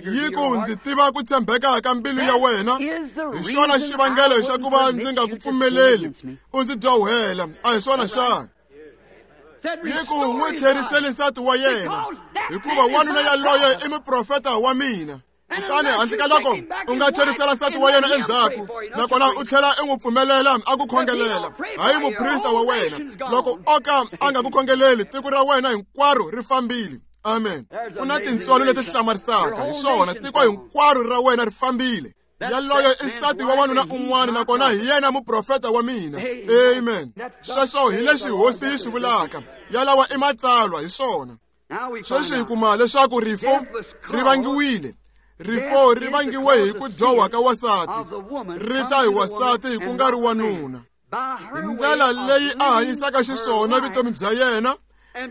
Yi ku, ndzi tiva ku tshembeka ka mbilu ya wena. Hi xona xivangelo xa ku va ndzi nga ku pfumeleli u ndzi dyohela. A hi swona xana? Yi ku, n'wi tlheriseli nsati wa yena, hikuva wanuna yaloye i muprofeta wa mina. Kutani handle ka loko u nga tlherisela nsati wa yena endzhaku, nakona u tlhela u n'wi pfumelela a ku khongelela, hayi muprista wa wena. Loko o ka a nga ku khongeleli, tiko ra wena hinkwaro ri fambile. Amen. Ku na tintswalo leti hlamarisaka. Hi swona, tiko hinkwaro ra wena ri fambile. Yaloye i nsati wa wanuna un'wana, nakona hi yena muprofeta wa mina. Amen. Sweswo hi leswi hosi yi swi vulaka. Yalawa i matsalwa, hi swona. Sweswi hi kuma leswaku rifo ri vangiwile. Rifo ri vangiwe hi ku dyoha ka wasati. Ri ta hi wasati ku nga ri wanuna. Hi ndlela leyi a hanyisaka xiswona vutomi bya yena,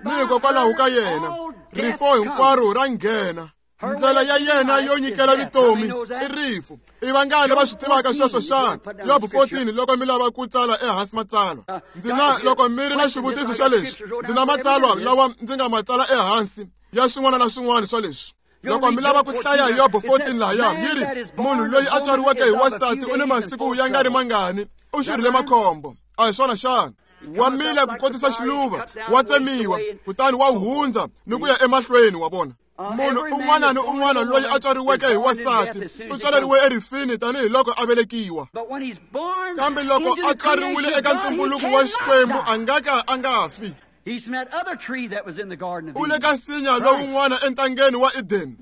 ni hikokwalaho ka yena, rifo hinkwaro ra nghena. Ndlela ya yena yo nyikela vutomi i rifu. I vangani va swi tivaka sweswo xana? Yobo 14, loko mi lava ku tsala ehansi matsalwa. Ndzi na, loko mi ri na xivutiso xa leswi, ndzi na matsalwa lawa ndzi nga ma tsala ehansi ya swin'wana na swin'wana swa leswi. Loko mi lava ku hlaya Yobo 14 lahaya, yi ri, munhu loyi a tswariweke hi wasati u ni masiku ya nga ri mangani, u xurhile makhombo. A hi swona xana? Wa mila ku kotisa xiluva, wa tsemiwa, kutani wa hundza ni ku ya emahlweni, wa vona. Munhu un'wana ni un'wana loyi a tswariweke hi wasati u tswaleriwe erifini tanihiloko a velekiwa. Kambe loko a tswariwile eka ntumbuluko wa Xikwembu, a nga ka a nga fi. U le ka nsinya lowun'wana entangeni wa Eden,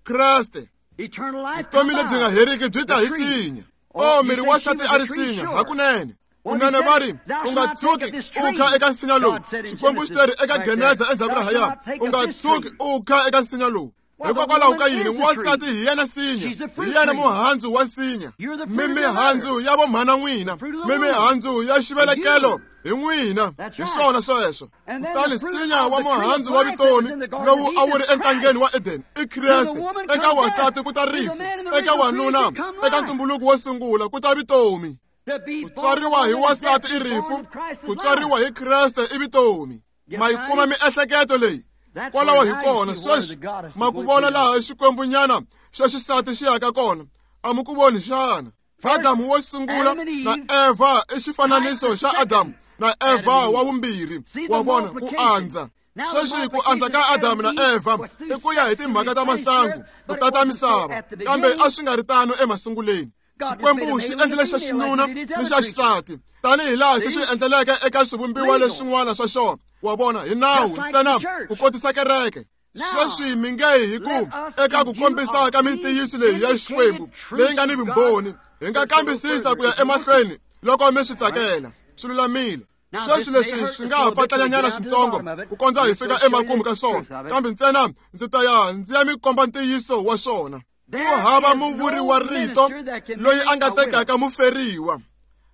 Kreste. Vutomi lebyi nga heriki byi ta hi sinya. O, miri wa nsati a ri sinya hakunene. Kunene va ri, u nga tshuki u kha eka nsinya lowu. Xikwembu xi teri eka Geneza endzhaku lahaya, u nga tshuki u kha eka nsinya lowu. Hikokwalaho ka yini? Wansati hi yena sinya, hi yena muhandzu wa nsinya. Mi mihandzu ya vomhana n'wina, mi mihandzu ya xivelekelo hi n'wina. Hi swona sweswo. Kutani nsinya wa muhandzu wa vutomi lowu a wu ri entangeni wa Eden i Kreste. Eka wasati ku ta rifu, eka wanuna eka ntumbuluko wo sungula ku ta vutomi. Ku tswariwa hi wasati i rifu, ku tswariwa hi Kreste i vutomi. Ma yi kuma miehleketo leyi? Kwalaho hi kona sweswi ma ku vona laha xikwembunyana xa xisati xi yaka kona. A mi ku voni xana? Adamu wo sungula na Eva i xifananiso xa Adamu na Eva wa vumbirhi. Wa vona ku andza. Sweswi ku andza ka Adamu na Eva i ku ya hi timhaka ta masangu ku tata misava, kambe a swi nga ri tano emasunguleni. Xikwembu xi endlile xa xinuna ni xa xisati tanihi laha xi swi endleleke eka swivumbiwa leswin'wana swa xona. Wa vona, hi nawu ntsena ku kotisa kereke. Sweswi mi nge hi ku eka ku kombisa ka mintiyiso leyi ya Xikwembu leyi nga ni vumbhoni, hi nga kambisisa ku ya emahlweni loko mi swi tsakela. Swi lulamile. Sweswi leswi swi nga ha fatlanyanyana switsongo ku kondza hi fika emakumu ka swona, kambe ntsena ndzi ta ya ndzi ya mi komba ntiyiso wa swona. Ku hava muvuri wa rito loyi a nga tekaka muferiwa.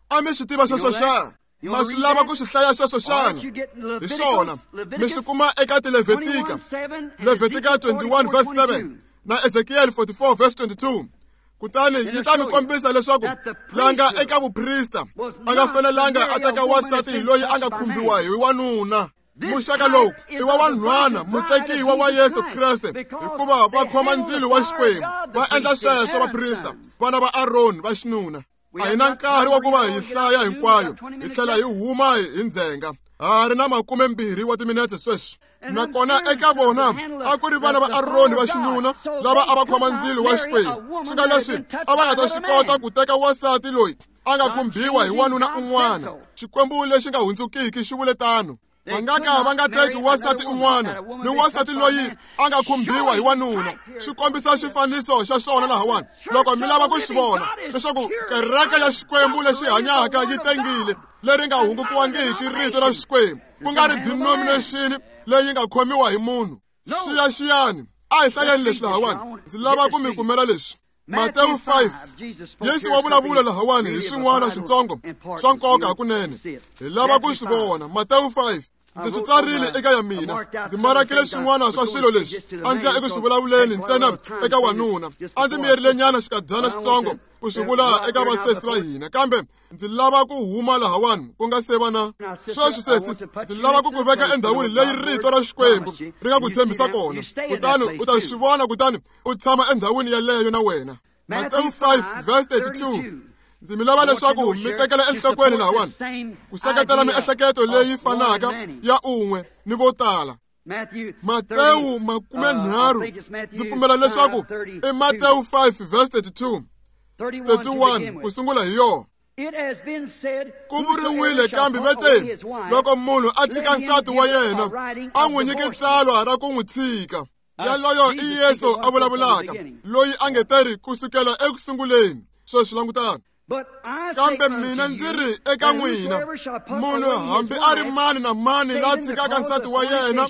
A mi swi tiva sweswo xana? Ma swi lava ku swi hlaya sweswo xana? Hi swona, mi swi kuma eka Tilevitika, Levitika 21 verse 7 na Ezekiel 44 verse 22. Kutani yi ta mi kombisa leswaku la nga eka vuprista a nga fanelanga a teka wansati loyi a nga khumbiwa hi wanuna. Muxaka lowu i wa vanhwana mutekiwa wa Yesu Kreste, hikuva va khoma ndzilo wa Xikwembu, va endla sweswo vaprista, vana va Aroni va xinuna. A hi na nkarhi wa ku va hi hlaya hinkwayo, hi tlhela hi huma hi ndzhenga. Ha ri na 20 wa timinetse sweswi. Nakona eka vona a ku ri vana va Aroni va xinuna lava a va khoma ndzilo wa Xikwembu, swi nga leswi a va nga ta swi kota ku teka wansati loyi a nga khumbiwa hi wanuna un'wana. Xikwembu lexi nga hundzukiki xi vule tano. Va nga ka va nga teki wansati un'wana ni wansati loyi a nga khumbiwa hi wanuna. Swi kombisa xifaniso xa xona lahawani loko mi lava ku swi vona leswaku kereke ya Xikwembu lexi hanyaka yi tengile, leri nga hungukiwangiki rito ra Xikwembu, ku nga ri denomination leyi nga khomiwa hi munhu. Xiyaxiyani, a hi hlayeni leswi lahawani. Ndzi lava ku mi kumela leswi. Matewu 5, Yesu wa vulavula lahawani hi swin'wana switsongo swa nkoka hakunene. Hi lava ku swi vona. Matewu 5, ndzi swi tsarile eka ya mina. Ndzi marakile swin'wana swa swilo leswi a ndzi ya eku swi vulavuleni ntsena eka wanuna. A ndzi miyerile nyana xikadyana xitsongo ku swi vula eka vasesi va hina, kambe ndzi lava ku huma lahawani ku nga se va na sweswi. Sesi, ndzi lava ku ku veka endhawini leyi rito ra Xikwembu ri nga ku tshembisa kona, kutani u ta swi vona, kutani u tshama endhawini yaleyo na wena. Matewu 5 verse 32. Ndzi mi lava leswaku mi tekela enhlokweni lahawani ku seketela miehleketo leyi fanaka ya un'we ni vo tala. Matewu 30, ndzi pfumela leswaku i Matewu 5 verse 32, 31 ku sungula hi yona. Ku vuriwile kambe va te, loko munhu a tshika nsati wa yena, a n'wi nyike tsalwa ra ku n'wi tshika. Yaloyo i Yesu a vulavulaka, loyi a nge teri ku sukela eku sunguleni. Sweswi langutani. Kambe mina ndzi ri eka n'wina, munhu hambi a ri mani na mani la tshikaka nsati wa yena,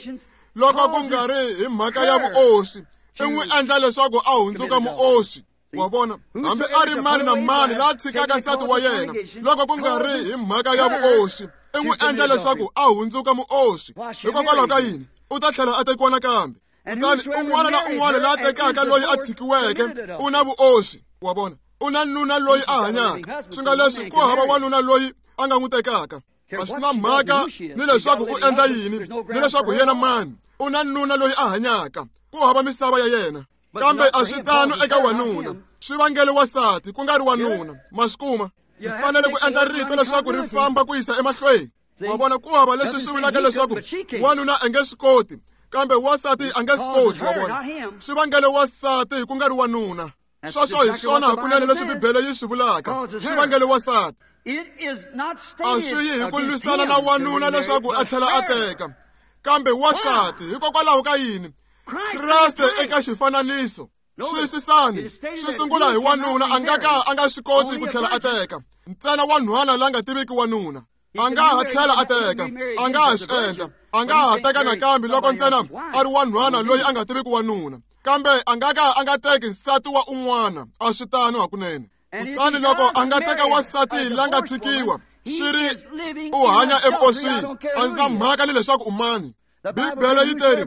loko ku nga ri hi mhaka ya vuoswi, i n'wi endla leswaku a hundzuka muoswi. Wa vona, hambi a ri mani na mani la tshikaka nsati wa yena, loko ku nga ri hi mhaka ya vuoswi, i n'wi endla leswaku a hundzuka muoswi. Hikokwalaho ka yini? U ta tlhela a tekiwa nakambe. Kutani un'wana na un'wana la tekaka loyi a tshikiweke u na vuoswi. Wa vona, u na nuna loyi a hanyaka, swi nga leswi ku hava wanuna loyi a nga n'wi tekaka. A swi na mhaka ni leswaku u endla yini, ni leswaku yena mani, u na nuna loyi a hanyaka, ku hava misava ya yena. Kambe a swi tano eka wanuna, swi vangele wansati ku nga ri wanuna. Ma swi kuma? Mi fanele ku endla rito leswaku ri famba ku yisa emahlweni. Wa vona, ku hava leswi swi vulaka leswaku wanuna a nge swi koti, kambe wansati a nge swi koti. Wa vona, swi vangele wansati ku nga ri wanuna. Sweswo hi swona hakunene leswi Bibele yi swi vulaka, swi vangele wansati. A swi yi hi ku lwisana na wanuna leswaku a tlhela a teka, kambe wansati. Hikokwalaho ka yini? Kreste eka xifananiso. Xiyisisani, swi sungula hi wanuna a nga ka a nga swi koti ku tlhela a teka, ntsena wanhwana la nga tiviki wanuna. A nga ha tlhela a teka, a nga ha swi endla, a nga ha teka nakambe loko ntsena a ri wanhwana loyi a nga tiviki wanuna, kambe a nga ka a nga teki nsati wa un'wana. A swi tano hakunene. Kutani loko a nga teka wansati la nga tshikiwa, swi ri u hanya evuoswini, a ndzi na mhaka ni leswaku u mani. Bibele yi teri,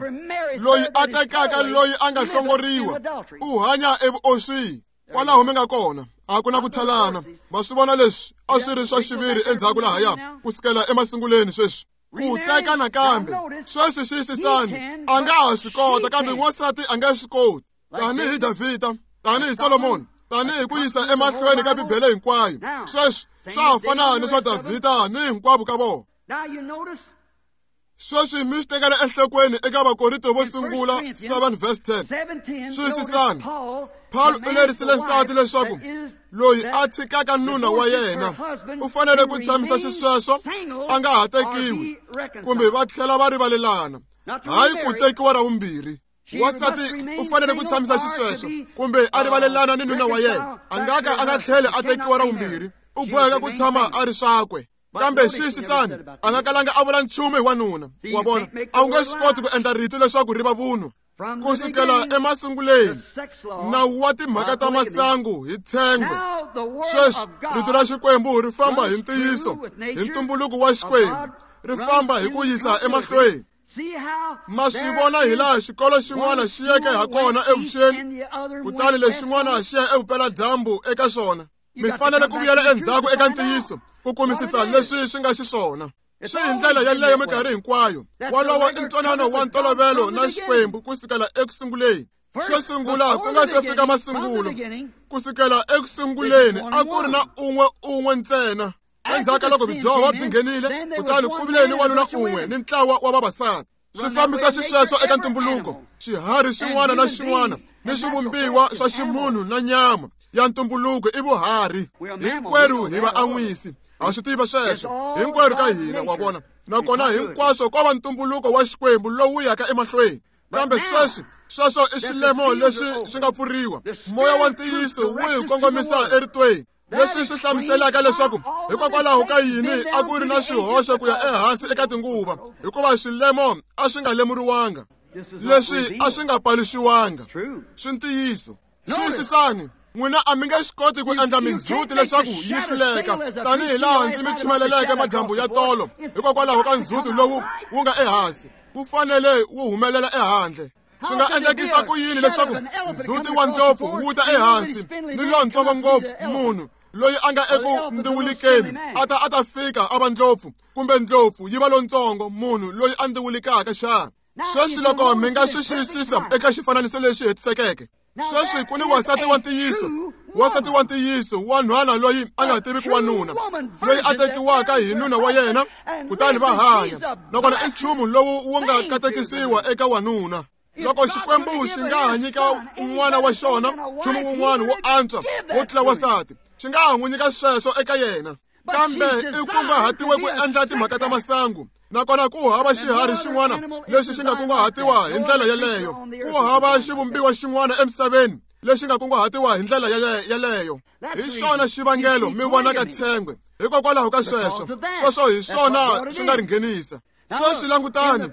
loyi a tekaka loyi a nga hlongoriwa u hanya evuoswini. Kwalaho mi nga kona, a ku na ku thalana. Ma swi vona leswi a swi ri swa xiviri endzhaku lahaya ku sukela emasunguleni. Sweswi ku teka nakambe, sweswi xiyisisani, a nga ha swi kota, kambe n'wansati a nga swi koti. Tanihi Davhida, tanihi Solomoni, tanihi ku yisa emahlweni ka Bibele hinkwayo, sweswi swa ha fana ni swa Davhida ni hinkwavo ka vona. Sweswi mi swi tekela enhlokweni eka Vakorinto vo sungula 7 verse 10. Xiyisisani, Paulo u lerisile nsati leswaku loyi a tshikaka nuna wa yena u fanele ku tshamisa xisweswo a nga ha tekiwi, kumbe va tlhela va rivalelana, hayi ku tekiwa ra vumbirhi. Wansati u fanele ku tshamisa xisweswo kumbe a rivalelana ni nuna wa yena, a nga ka a nga tlheli a tekiwa ra vumbirhi, u boheka ku tshama a ri swakwe. Kambe xiyisisani, a nga kalanga a vula nchumu hi wanuna. Wa vona, a wu nge swi koti ku endla rito leswaku ri va vunwa. Ku sukela emasunguleni, nawu wa timhaka ta masangu hi tshengwe. Sweswi rito ra Xikwembu ri famba hi ntiyiso, hi ntumbuluko wa Xikwembu, ri famba hi ku yisa emahlweni. Ma swi vona hi laha xikolo xin'wana xi yeke ha kona evuxeni, kutani lexin'wana xi ya evupeladyambu eka xona. Mi fanele ku vuyela endzhaku eka ntiyiso ku kumisisa leswi swi nga xiswona. Swi hi ndlela yeleyo minkarhi hinkwayo. Wolowo i ntwanano wa ntolovelo na Xikwembu ku sukela ekusunguleni. Xo sungula ku nga se fika masungulo, ku sukela ekusunguleni a ku ri na un'we un'we ntsena. Endzhaku ka loko vudyoho byi nghenile, kutani ku vile ni wanuna un'we ni ntlawa wa vavasati. Swi fambisa xisweswo eka ntumbuluko, xiharhi xin'wana na xin'wana ni swivumbiwa swa ximunhu na nyama ya ntumbuluko i vuharhi. Hinkwerhu hi vaan'wisi, ha swi tiva sweswo, hinkwerhu ka hina, wa vona. Nakona hinkwaswo ko va ntumbuluko wa Xikwembu lowu yaka emahlweni. Kambe sweswi, sweswo i swilemo leswi swi nga pfuriwa. Moya wa ntiyiso wu hi kongomisa eritweni. Leswi swi hlamuselaka leswaku hikokwalaho ka yini a ku ri na swihoxo ku ya ehansi eka tinguva, hikuva swilemo a swi nga lemuriwanga, leswi a swi nga paluxiwanga. Swi ntiyiso. Xiyisisani, n'wina a mi nge swi koti ku endla mindzhuti leswaku yi hluleka, tanihi laha ndzi mi chumeleleke madyambu ya tolo, hikokwalaho ka ndzhuti lowu wu nga ehansi, wu fanele wu humelela ehandle. Swi nga endlekisa ku yini leswaku ndzhuti wa ndlopfu wu ta ehansi ni lontsongo ngopfu munhu loyi a nga eku ndziwulikeni a ta a ta fika a va ndlopfu, kumbe ndlopfu yi va lontsongo munhu loyi a ndziwulikaka xana? Sweswi loko mi nga swi xiyisisa eka xifananiso lexi hetisekeke, sweswi ku ni wansati wa ntiyiso, wansati wa ntiyiso wa nhwana loyi a nga tiviki wanuna, loyi a tekiwaka hi nuna wa yena, kutani va hanya. Nakona i nchumu lowu wu nga katekisiwa eka wanuna. Loko Xikwembu xi nga ha nyika un'wana wa xona nchumu wun'wana wo antswa wo tlula wansati, xi nga ha n'wi nyika sweswo eka yena. Kambe i kunguhatiwe ku endla timhaka ta masangu, nakona ku hava xiharhi xin'wana lexi xi nga kunguhatiwa hi ndlela yeleyo. Ku hava xivumbiwa xin'wana emisaveni lexi nga kunguhatiwa hi ndlela yeleyo. Hi xona xivangelo mi vonaka tshengwe, hikokwalaho ka sweswo. Sweswo hi swona swi nga ri nghenisa. Sweswi langutani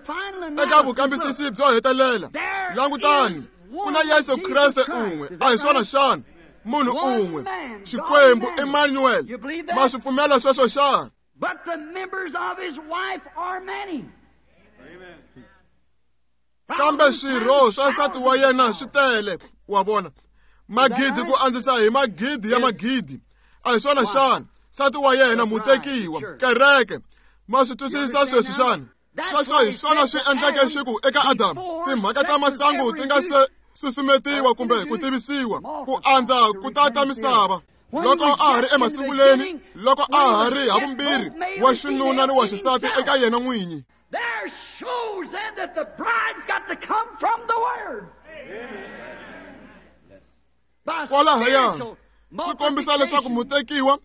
eka vukambisisi byo hetelela. Langutani, ku na Yesu Kreste un'we, a hi swona xana? Munhu un'we, Xikwembu, Emmanuel. Ma swi pfumela sweswo xana? But the members of his wife are many. Kambe swirho swa nsati wa yena swi tele, wa vona, magidi ku andzisa hi magidi ya magidi. A hi swona xana? Nsati wa yena mutekiwa, kereke. Ma swi twisisa sweswi xana? Sweswo hi swona swi endleke xi ku eka Adamu, timhaka ta masangu ti nga se susumetiwa kumbe ku tivisiwa, ku andza ku tata misava. Loko a ha ri emasunguleni, loko a ha ri havumbirhi wa xinuna ni wa xisati eka yena n'winyi. There shows then that the bride's got to come from the Word. By Kwalahaya, spiritual swi kombisa leswaku multiplication. mutekiwa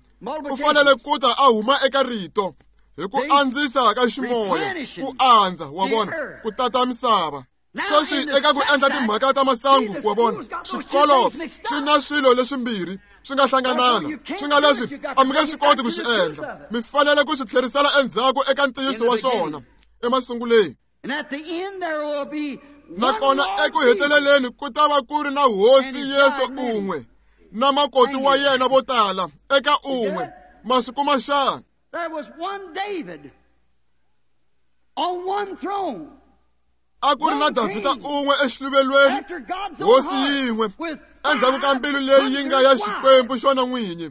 u fanele ku ta a huma eka rito hi ku andzisa ka ximoya, ku andza, wa vona, ku tata misava. Sweswi eka ku endla timhaka ta masangu, wa vona, swikolo swi na swilo leswimbirhi swi nga hlanganana, swi nga leswi a mi nge swi koti ku swi endla. Mi fanele ku swi tlherisela endzhaku eka ntiyiso wa swona emasunguleni. And at the end there will be one Nakona Lord eku heteleleni ku ta va ku ri na Hosi Yesu un'we na makoti wa yena vo tala eka un'we. Ma swi kuma xana? There was one David on one throne. A ku ri na Davhida un'we exiluvelweni, After God's own hosi heart, yin'we, with endzhaku ka mbilu leyi yi nga ya Xikwembu xona n'winyi,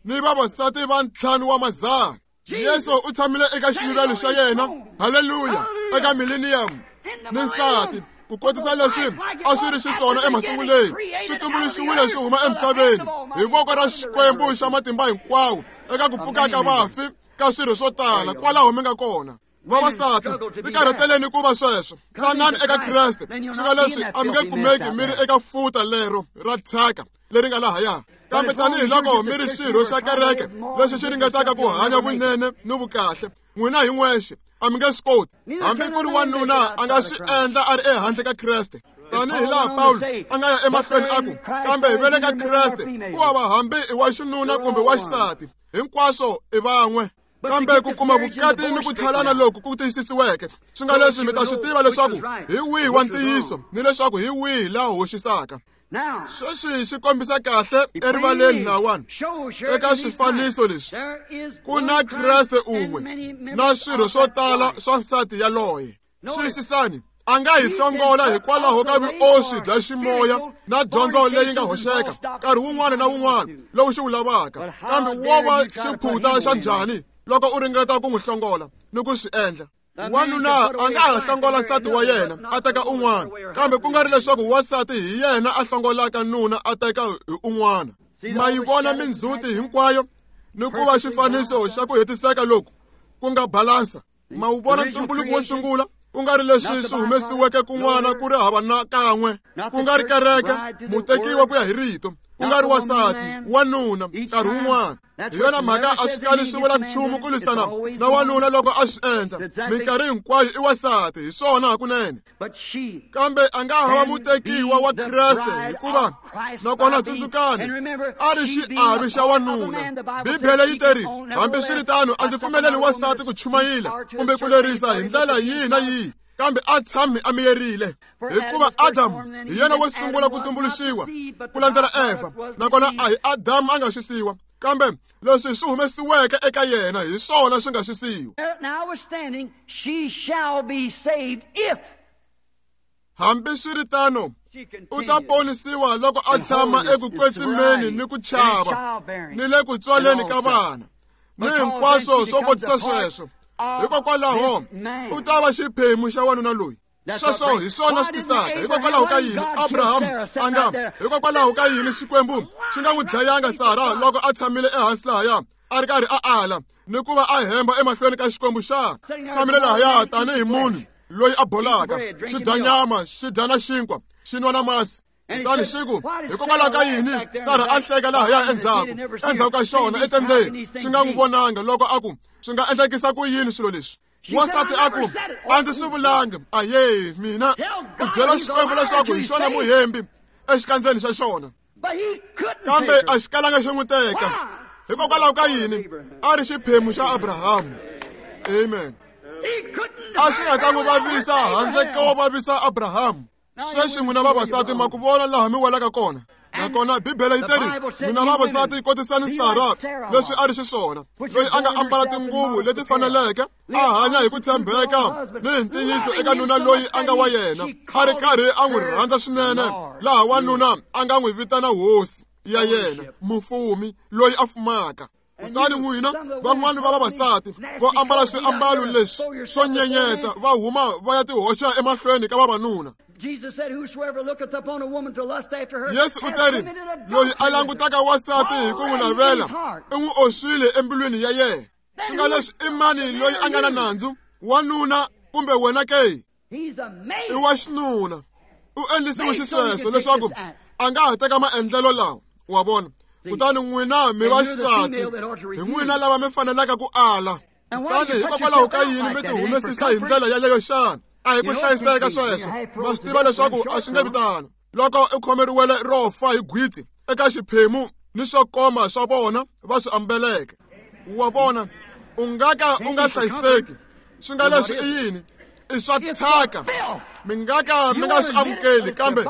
ni vavasati va ntlhanu wa madzana. Yesu u tshamile eka xiluvelo xa yena, haleluya, eka millennium ni nsati, ku kotisa leswi a swi ri xiswona emasunguleni, swi tumbuluxiwile swi huma emisaveni hi voko ra Xikwembu xa matimba hinkwawo, eka ku pfuka ka vafi ka swirho swo tala, kwalaho mi nga kona. Vavasati, tikarhateleni ku va sweswo, tanani eka Kreste, swi nga leswi a mi nge kumeki mi ri eka futa lero ra thyaka leri nga lahaya. Kambe tanihiloko mi ri xirho xa kereke lexi xi ringetaka ku hanya vunene ni vukahle, n'wina hi n'wexe a mi nge swi koti. Hambi ku ri wanuna a nga swi endla a ri ehandle ka Kreste, tanihi laha Pawulo a nga ya emahlweni a ku, kambe hi vele ka Kreste, ku hava hambi i wa xinuna kumbe wa xisati, hinkwaswo i van'we. Kambe ku kuma vukati ni ku tlhalana loku ku tiyisisiweke, swi nga leswi mi ta swi tiva leswaku hi wihi wa ntiyiso ni leswaku hi wihi laha hoxisaka. Sweswi swi kombisa kahle erivaleni lawani eka swifaniso leswi ku na Kreste un'we na swirho swo tala swa nsati yaloye. Xiyisisani, a nga hi hlongola hikwalaho ka vuoswi bya ximoya na dyondzo leyi nga hoxeka nkarhi wun'wana na wun'wana lowu xi wu lavaka, kambe wo va xiphuta xa njhani loko u ringeta ku n'wi hlongola ni ku swi endla? Wanuna a nga ha hlongola nsati wa yena a teka un'wana, kambe ku nga ri leswaku wansati hi yena a hlongolaka nuna a teka hi un'wana. Ma yi vona mindzhuti hinkwayo ni ku va xifaniso xa ku hetiseka loku ku nga balansa. Ma wu vona ntumbuluko wo sungula, ku nga ri leswi swi humesiweke kun'wana ku ri hava na kan'we, ku nga ri kereke mutekiwa ku ya hi rito, ku nga ri wansati wanuna nkarhi wun'wana. Hi yona mhaka a swi kali swi vula nchumu ku lwisana na wanuna loko a swi endla, minkarhi hinkwayo i wansati, hi swona hakunene. Kambe a nga hava mutekiwa wa Kreste hikuva nakona tsundzukani a ri xiavi xa wanuna. Bibele yi teri, hambiswiritano a ndzi pfumeleli wansati ku chumayila kumbe ku lerisa hi ndlela yihi na yihi, kambe a tshami a miyerile, hikuva Adamu hi yena wo sungula ku tumbuluxiwa ku landzela Eva, nakona a hi Adamu a nga xisiwa, kambe leswi swi humesiweke eka yena hi swona swi nga xisiwa. Hambiswiritano, u ta ponisiwa loko a tshama eku kwetsimeni ni ku chava ni le ku tswaleni ka vana ni hinkwaswo swo kotisa sweswo. Hikokwalaho u ta va xiphemu xa wanuna loyi. Sweswo hi swona swi tisaka. Hikokwalaho ka yini Abrahamu a nga, hikokwalaho ka yini Xikwembu xi nga n'wi dlayanga Sara loko a tshamile ehansi lahaya a ri karhi a ala ni ku va a hemba emahlweni ka Xikwembu xa? Tshamile lahaya tanihi munhu loyi a bolaka, xi dya nyama, xi dya na xinkwa, xi nwa na masi. Kutani xi ku, hikokwalaho ka yini Sara a hleka lahaya endzhaku ka xona etendeni, xi nga n'wi vonanga loko a ku, swi nga endlekisa ku yini swilo leswi? Wansati a ku, a ndzi swi vulanga. Aye, mina u byela Xikwembu leswaku hi xona muhembi exikandzeni xa xona, kambe a xi kalanga xi n'wi teka. Hikokwalaho ka yini? A ri xiphemu xa Abrahamu. Amen. A xi nga ta n'wi vavisa handle ko vavisa Abrahamu. Sweswi n'wina vavasati ma ku vona laha mi welaka kona. Nakona Bibele yi teri, n'wina vavasati kotisani Sara leswi a ri xiswona, loyi a nga ambala tinguvu leti faneleke, a hanya hi ku tshembeka ni hi ntiyiso eka nuna loyi a nga wa yena, a ri karhi a n'wi rhandza swinene, laha wanuna a nga n'wi vitana hosi ya yena, mufumi loyi a fumaka. Kutani n'wina van'wana va vavasati vo ambala swiambalo leswi swo nyenyetsa va huma va ya tihoxa emahlweni ka vavanuna. Yesu u teri, loyi a langutaka wansati hi ku n'wi navela i n'wi oswile embilwini ya yena. Swi nga leswi i mani loyi a nga na nandzu, wanuna kumbe wena ke? I wa xinuna. U endlisiwe xisweswo leswaku a nga ha teka maendlelo lawa, wa vona. Kutani n'wina mi vaxisati, hi n'wina lava mi fanelaka ku ala. Kutani hikokwalaho ka yini mi tihumesisa hi ndlela yaleyo xana? A hi ku hlayiseka sweswo. Ma swi tiva leswaku a swi nge vi tano. Loko u khomeriwele ro fa hi gwitsi eka xiphemu ni swo koma swa vona va swi ambeleke, wa vona, u nga ka u nga hlayiseki. Swi nga leswi i yini? I swa thyaka. Mi nga ka mi nga swi amukeli, kambe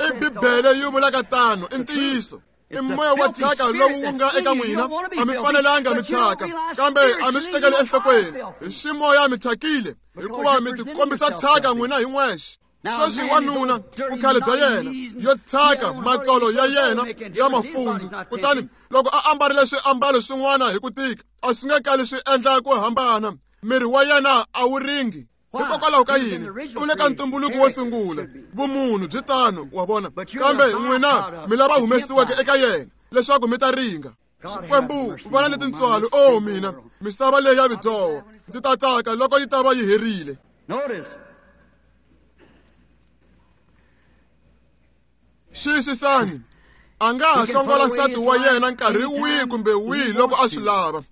i Bibele yi vulaka tano, i ntiyiso. I moya wa thyaka lowu wu nga eka n'wina, a mi fanelanga mi thyaka, kambe a mi swi tekeli enhlokweni. Hi ximoya mi thyakile, hikuva mi tikombisa thyaka n'wina hi n'wexe. Sweswi wanuna vukhale bya yena yo thyaka, matsolo ya yena ya mafundzu, kutani loko a ambarile swiambalo swin'wana hi ku tika, a swi nga kali swi endla ku hambana, miri wa yena a wu ringi. Hikokwalaho ka yini? U le ka ntumbuluko wo sungula, vumunhu byi tano, wa vona. Kambe n'wina mi lava humesiweke eka yena leswaku mi ta ringa. Xikwembu vana ni tintswalo, o mina, misava leyi ya vudyoho, ndzi ta tsaka loko yi ta va yi herile. Xiyisisani, a nga ha hlongola nsati wa yena nkarhi wihi kumbe wihi loko a swi lava,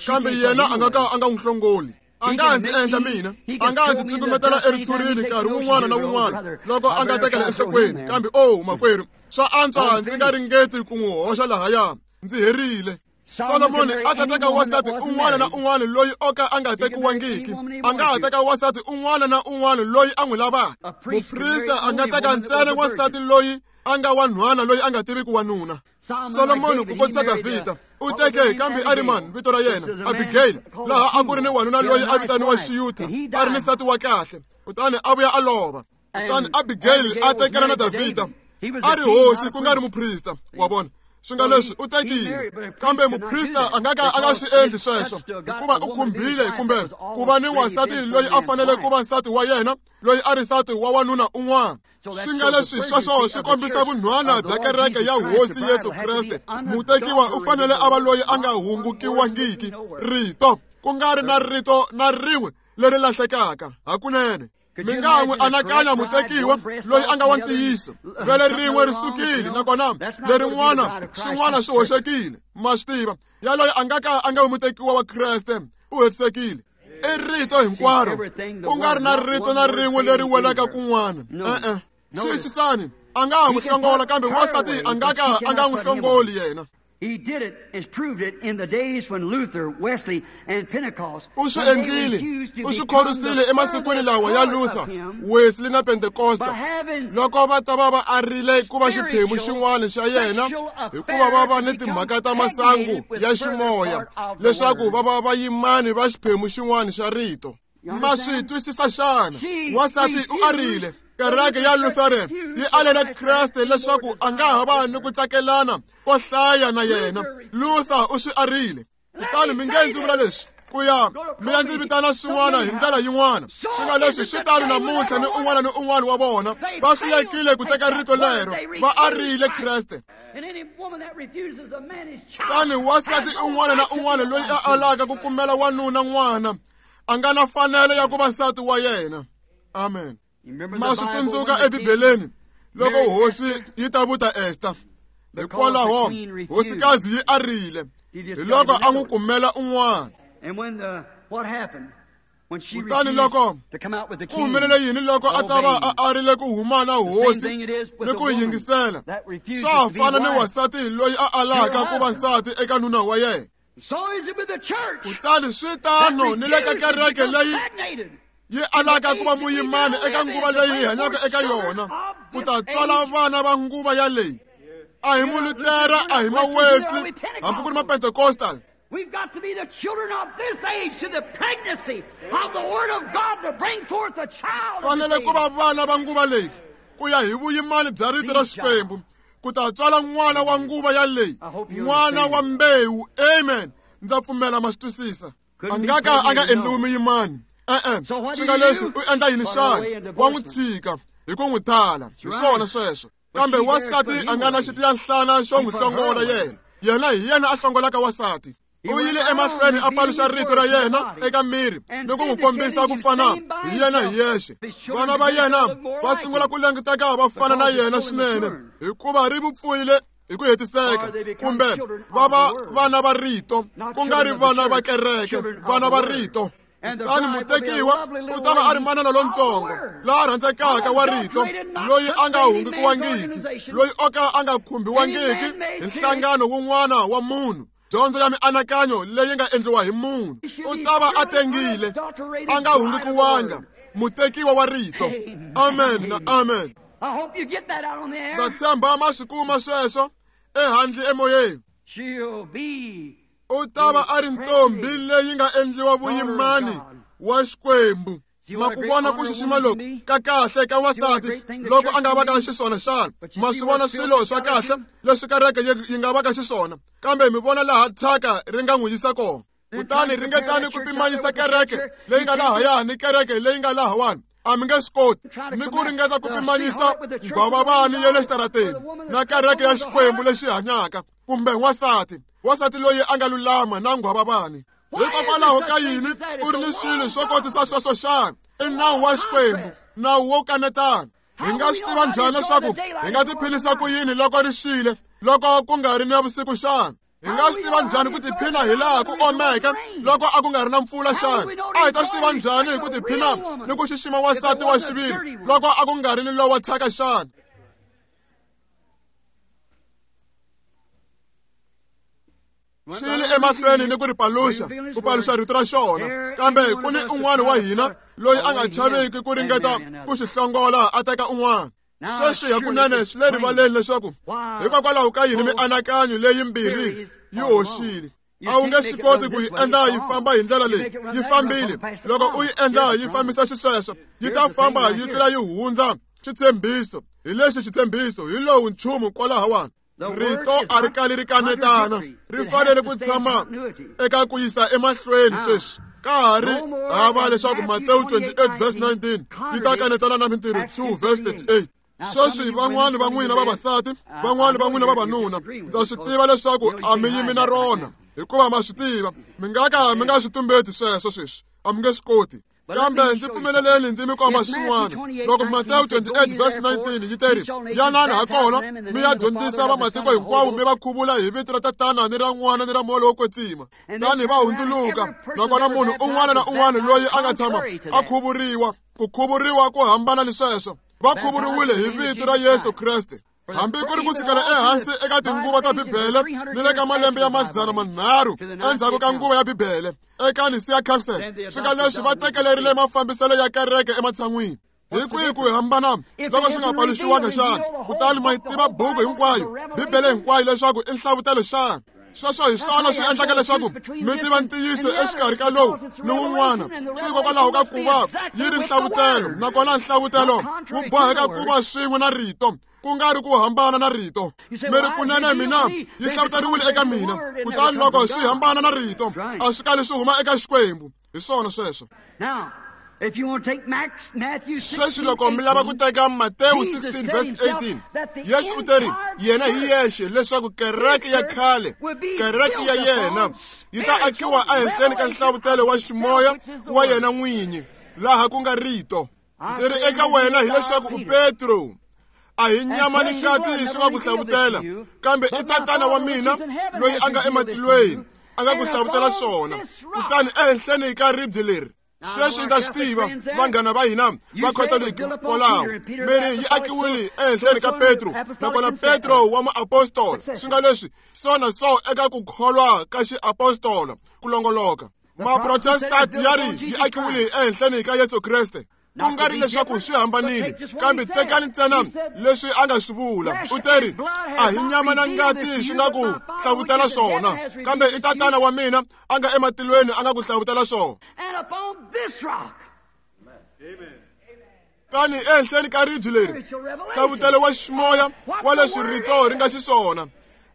kambe yena a nga ka a nga n'wi hlongoli. A nga ndzi endla mina, a nga ndzi cukumetela eritshurini nkarhi wun'wana na wun'wana loko a nga tekela enhlokweni, kambe o makwerhu, swa antswa ndzi nga ringeti ku n'wi hoxa lahaya, ndzi herile. Solomoni a ta teka wansati un'wana na un'wana loyi o ka a nga tekiwangiki. A nga ha teka wansati un'wana na un'wana loyi a n'wi lavaka. Muprista a nga teka ntsena wansati loyi a nga wanhwana loyi a nga tiviki wanuna. Solomoni ku kotisa Davhida u teke kambe a ri mani vito ra yena Abigail, laha a ku ri ni wanuna loyi a vitaniwa Xiyutha, a ri ni nsati wa kahle, kutani a vuya a lova. Kutani Abigail a tekela na Davhida, a ri hosi ku nga ri muprista, wa vona. Swi nga leswi u tekile, kambe muprista a nga ka a nga swi endli sweswo, hikuva u khumbile kumbe ku va ni wansati loyi a fanele ku va nsati wa yena, loyi a ri nsati wa wanuna un'wana. Swi nga leswi sweswo swi kombisa vunhwana bya kereke ya Hosi Yesu Kreste. Mutekiwa u fanele a va loyi a nga hungukiwangiki rito, ku nga ri na rito na rin'we leri lahlekaka hakunene. Mi nga n'wi anakanya mutekiwa loyi a nga wa ntiyiso, vele rin'we ri sukile nakona lerin'wana swin'wana swi hoxekile, ma swi tiva. Yaloye a nga ka a nga vi mutekiwa wa Kreste, u hetisekile. I rito hinkwaro, ku nga ri na rito na rin'we leri welaka kun'wana. E-e, twisisani, a nga ha n'wi hlongola, kambe wansati a nga ka a nga n'wi hlongoli yena. He did it and proved it in the days when Luther, Wesley, and Pentecost. U swi endlile, u swi khorwisile emasikwini lawa ya Luther, Wesley na Pentecosta, loko va ta va va arile ku va xiphemu xin'wana xa yena, hikuva va va ni timhaka ta masangu ya ximoya, leswaku va va vayimani va xiphemu xin'wana xa rito. Ma swi twisisa xana? Wansati u arile. Kereke ya Lutheran yi alela Kreste leswaku a nga ha va ni ku tsakelana ko hlaya na yena. Luther u swi arile. Kutani mi nge ndzi vula leswi, ku ya mi ya ndzi vitana swin'wana hi ndlela yin'wana. Swi nga leswi swi tano namuntlha ni un'wana ni un'wana wa vona va hlulekile ku teka rito lero, va arile Kreste. Kutani wansati un'wana na un'wana loyi a alaka ku kumela wanuna n'wana a nga na fanelo ya ku va nsati wa yena. Amen. Ma swi tsundzuka eBibeleni loko hosi yi ta vuta Esta, hikwalaho hosikazi yi arile, hi loko a n'wi kumela un'wana. Kutani loko ku humelele yini loko a ta va a arile ku huma na hosi ni ku yingisela? Swa ha fana ni wansati loyi a alaka ku va nsati eka nuna wa yena. Kutani swi tano ni le ka kereke leyi yi alaka ku va muyimani eka nguva leyi hi hanyaka eka yona, ku ta tswala vana va nguva yaleyi. A hi Mulutera, a hi ma-Wesley, hambi ku ri ma-Pentecostal. We've got to be the children of this age to the pregnancy of the Word of God to bring forth a child. Fanele ku va vana va nguva leyi ku ya hi vuyimani bya rito ra Xikwembu, ku ta tswala n'wana wa nguva yaleyi, n'wana wa mbewu. Amen. Ndza pfumela ma swi twisisa. A nga ka a nga endliwi muyimani. E-e, swi nga leswi u endla yini xana? Wa n'wi tshika hi ku n'wi tala. Hi swona sweswo. Kambe wansati a nga na xitiyanhlana xo n'wi hlongola yena. Yena hi yena a hlongolaka wansati. U yile emahlweni a paluxa rito ra yena eka miri ni ku n'wi kombisa ku fana hi yena hi yexe. Vana va yena va sungula ku languteka va fana na yena swinene, hikuva ri vupfuyile hi ku hetiseka, kumbe va va vana va rito, ku nga ri vana va kereke, vana va rito. Kutani mutekiwa u ta va a ri manana lontsongo laha rhandzekaka wa rito, loyi a nga hungukiwangiki, loyi o ka a nga khumbiwangiki hi nhlangano wun'wana wa munhu, dyondzo ya mianakanyo leyi nga endliwa hi munhu. U ta va a tengile, a nga hungukiwanga, mutekiwa wa rito. Amen na amen. Ndza tshemba ma swi kuma sweswo ehandle emoyeni. U ta va a ri ntombi leyi nga endliwa vuyimani wa Xikwembu. Ma ku vona ku xixima loku ka kahle ka wansati loko a nga va ka xiswona xana? Ma swi vona swilo swa kahle leswi kereke yi nga va ka xiswona, kambe mi vona laha thyaka ri nga n'wi yisa kona. Kutani ringetani ku pimanyisa kereke leyi nga lahaya ni kereke leyi nga lahawani, a mi nge swi koti. Ni ku ringeta ku pimanyisa nghwavavani ya le xitarateni na kereke ya Xikwembu lexi hanyaka, kumbe wansati, wansati loyi a nga lulama na nghwavavani. Hikokwalaho ka yini u ri ni swilo swo kotisa sweswo xana? I nawu wa Xikwembu, nawu wo kanetana. Hi nga swi tiva njhani leswaku hi nga tiphilisa ku yini loko ri xile, loko ku nga ri na vusiku xana? Hi nga swi tiva njhani ku tiphina hi laha ku omeke loko a ku nga ri na mpfula xana? A hi ta swi tiva njhani hi ku tiphina ni ku xixima wansati wa xiviri loko a ku nga ri ni lowa thyaka xana? Xi le emahlweni ni ku ri paluxa, ku paluxa rito ra xona. Kambe ku ni un'wana wa hina loyi a nga chaviki ku ringeta ku xi hlongola a teka un'wana. Sweswi hakunene swi le rivaleni leswaku hikokwalaho ka yini mianakanyo leyimbirhi yi hoxile. A wu nge swi koti ku yi endla yi famba hi ndlela leyi yi fambile. Loko u yi endla yi fambisa xisweswo, yi ta famba yi tlula yi hundza xitshembiso. Hi lexi xitshembiso, hi lowu nchumu kwalahawani. Rito a ri kali ri kanetana, ri fanele ku tshama eka ku yisa emahlweni sweswi. Ka ha ri hava leswaku Matewu 28 verse 19 yi ta kanetana na Mintirho 2 verse 38. Sweswi van'wani va n'wina vavasati, van'wani va n'wina vavanuna, ndza swi tiva leswaku a mi yimi na rona, hikuva ma swi tiva mi nga ka mi nga swi tumbeti sweswo sweswi, a mi nge swi koti. Kambe ndzi pfumeleleni ndzi mi komba swin'wana. Loko Matewu 28 verse 19 yi teri, yanani hakona mi ya dyondzisa vamatiko hinkwawo, mi va khuvula hi vito ra Tatana ni ra N'wana ni ra Moya lowo Kwetsima. Tani va hundzuluka, nakona munhu un'wana na un'wana loyi a nga tshama a khuvuriwa, ku khuvuriwa ku hambana ni sweswo, va khuvuriwile hi vito ra Yesu Kreste. Hambi ku ri ku sukela ehansi eka tinguva ta Bibele ni le ka malembe ya 300 endzhaku ka nguva ya Bibele eka Nicaea Council, swi nga leswi va tekelerile mafambiselo ya kereke ematshan'wini. Hi kwihi ku hambana loko swi nga paluxiwanga xana? Kutani ma yi tiva buku hinkwayo, Bibele hinkwayo, leswaku i nhlavutelo xana? Sweswo hi swona swi endlaka leswaku mi tiva ntiyiso exikarhi ka lowu ni wun'wana. Swi hikokwalaho ka ku va yi ri nhlavutelo, nakona nhlavutelo wu boheka ku va swin'we na rito, ku nga ri ku hambana na rito. Mi ri kunene mina yi hlavuteriwile eka mina, kutani loko swi hambana na rito a swi kali swi huma eka Xikwembu. Hi swona sweswo. Sweswi loko mi lava ku teka Matewu 16 verse 18, Yesu u teri yena hi yexe leswaku kereke ya khale, kereke ya yena yi ta akiwa ehenhleni ka nhlavutelo wa ximoya wa yena n'winyi, laha ku nga rito. Ndzi ri eka wena hileswaku u Petro, a hi nyama ni ngati swi nga ku hlavutela, kambe i Tatana wa mina loyi a nga ematilweni a nga ku hlavutela swona. Kutani ehenhleni ka ribye leri, sweswi ndza swi tiva vanghana va hina va Khatoliki kwalaho, mi ri yi akiwile ehenhleni ka Petro, nakona Petro wa muapostola, swi nga leswi sona so eka ku kholwa ka xiapostola ku longoloka. Maprotestant ya ri yi akiwile ehenhleni ka Yesu Kreste. Ku nga ri leswaku swi hambanile, kambe tekani ntsena leswi a nga swi vula. U teri a hi nyama na ngati swi nga ku hlavutela swona, kambe i Tatana wa mina a nga ematilweni a nga ku hlavutela swona. Tani ehenhleni ka ribye leri, hlavutelo wa ximoya wa leswi rito ri nga xiswona,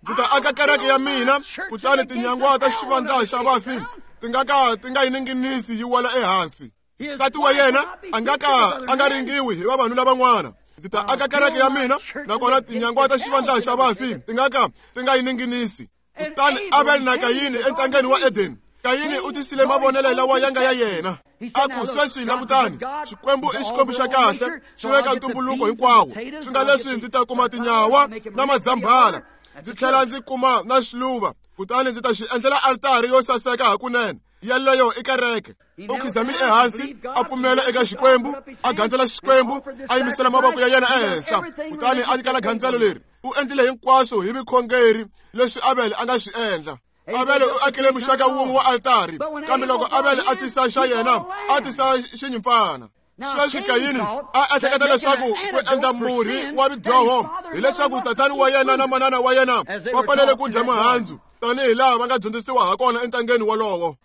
ndzi ta aka kereke ya mina, kutani tinyangwa ta xivandla xa vafi ti nga ka ti nga yi ninginisi yi wela ehansi. Nsati wa yena a nga ka a nga ringiwi hi vavanuna van'wana. Ndzi ta aka kereke ya mina, nakona tinyangwa ta xivandla xa vafi ti nga ka ti nga yi ninginisi. Kutani Abel na Kayini entangeni wa Eden, Kayini u tisile mavonelo lawa ya nga ya yena. A ku, sweswi langutani, Xikwembu i Xikwembu xa kahle, xi veka ntumbuluko hinkwawo. Swi nga leswi ndzi ta kuma tinyawa na mazambhala, ndzi tlhela ndzi kuma na xiluva, kutani ndzi ta xi endlela altari yo saseka hakunene. Yeleyo i kereke. U khizamile ehansi, a pfumela eka Xikwembu, a gandzela Xikwembu, a yimisela mavoko ya yena ehenhla, kutani a nyikela gandzelo leri. U endlile hinkwaswo hi vukhongeri leswi Abel a nga swi endla. Abel u akile muxaka wun'we wa altari, kambe loko Abel a tisa xa yena, a tisa xinyimpfana. Sweswi Kayini a ehleketa leswaku ku endla murhi wa vidyoho hileswaku tatani wa yena na manana wa yena va fanele ku dya mihandzu tanihi laha va nga dyondzisiwa hakona entangeni wolowo.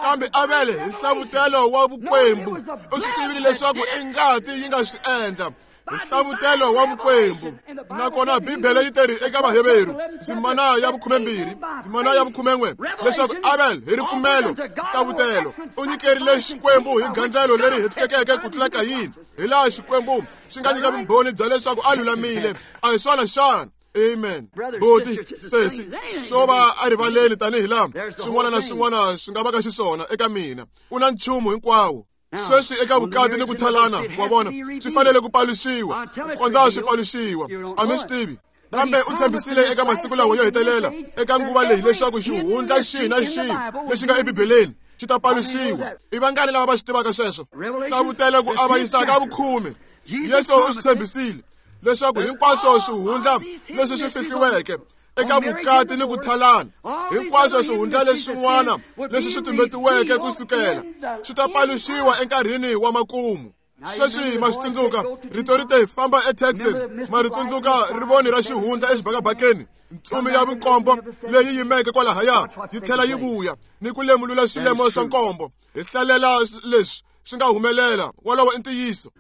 Kambe Abel hi nhlavutelo wa vukwembu u swi tivile leswaku i ngati yi nga swi endla. Nhlavutelo wa vukwembu. Nakona Bibele yi teri eka Vaheveru, ndzimana ya 12, ndzimana ya 11, leswaku Abel hi ripfumelo, nhlavutelo, u nyikerile Xikwembu hi gandzelo leri hetisekeke ku tlula Kayini, hi laha Xikwembu xi nga nyika vumbhoni bya leswaku a lulamile. A hi swona xana? Amen. Boti, sesi, swo va a rivaleni tanihi laha swin'wana na swin'wana swi nga va ka xiswona eka mina. U na nchumu hinkwawo. Sweswi eka vukati ni ku thalana, wa vona, swi fanele ku paluxiwa, ku kondza swi paluxiwa. A mi swi tivi. Kambe u tshembisile eka masiku lawa yo hetelela, eka nguva leyi, leswaku xihundla xihi na xihi lexi nga eBibeleni xi ta paluxiwa. I vangani lava va swi tivaka sweswo? Hlavutelo ku avanyisa ka vukhume. Yesu u swi tshembisile leswaku hinkwaswo swihundla leswi swi fihliweke eka vukati ni ku thalana. Hinkwaswo swihundla leswin'wana leswi swi tumbetiweke ku sukela swi ta paluxiwa enkarhini wa makumu. Sweswi ma swi tsundzuka rito ri te famba eTexas, ma ri tsundzuka rivoni ra xihundla exibakabakeni, ntsumi ya vunkombo leyi yimeke kwalahaya yi tlhela yi vuya ni ku lemulula swilemo swa nkombo. Hi hlalela leswi swi nga humelela, wolowo i ntiyiso.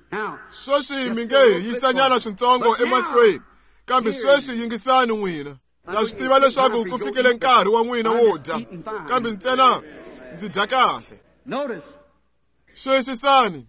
Sweswi mi nge hi yisanyana swintsongo emahlweni, kambe sweswi yingisani n'wina. Ndza swi tiva leswaku ku fikile nkarhi wa n'wina wo dya, kambe ntsena ndzi dya kahle. Xiyisisani,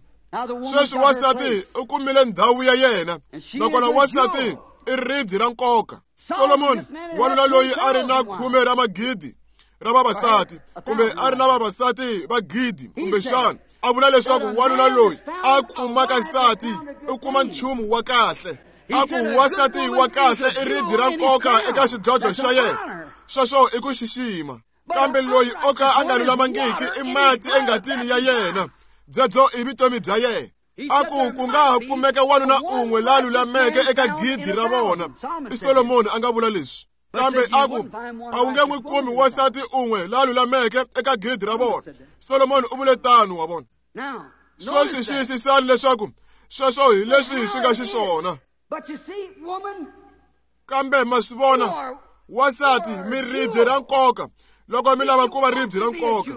sweswi wansati u kumile ndhawu ya yena, nakona wansati i ribye ra nkoka. Solomoni, wanuna loyi a ri na 10 ra magidi ra vavasati, kumbe a ri na vavasati va 1,000 kumbexana, a vula leswaku wanuna loyi a kumaka nsati u kuma nchumu wa kahle. A ku wansati wa kahle i ribye ra nkoka eka xidlodlo xa yena, sweswo i ku xixima. Kambe loyi o ka a nga lulamangiki i mati engatini ya yena, byebyo i vutomi bya yena. A ku ku nga ha kumeka wanuna un'we la lulameke eka 1,000 ra vona. I Solomoni a nga vula leswi. Kambe a ku a wu nge n'wi kumi wansati un'we la lulameke eka 1,000 ra vona. Solomoni u vule tano, wa vona. Sweswi xiyisisani leswaku sweswo hi leswi swi nga xiswona. Kambe ma swi vona, wansati mi ribye ra nkoka loko mi lava ku va ribye ra nkoka,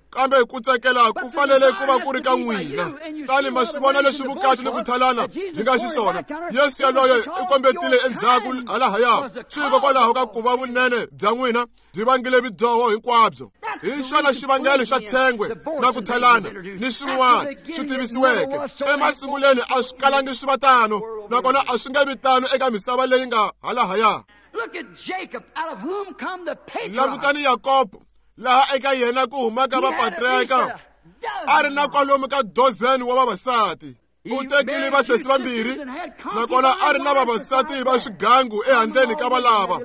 kambe ku tsakela ku fanele ku va ku ri ka n'wina. Tani ma swi vona leswi vukati ni ku thalana byi nga xiswona. Yesu yaloye u kombetile endzhaku halahaya, swi hikokwalaho ka ku va vunene bya n'wina byi vangile vudyoho hinkwabyo. Hi xona xivangelo xa tshengwe na ku thalana ni swin'wana swi tivisiweke emasunguleni, a swi kalangi swi va tano, nakona a swi nge vi tano eka misava leyi nga halahaya. Langutani Yakobo, laha eka yena ku humaka vapatriarka, a ri na kwalomu ka 12 wa vavasati. U tekile vasesi vambirhi, nakona a ri na vavasati va swigangu ehandleni ka valava.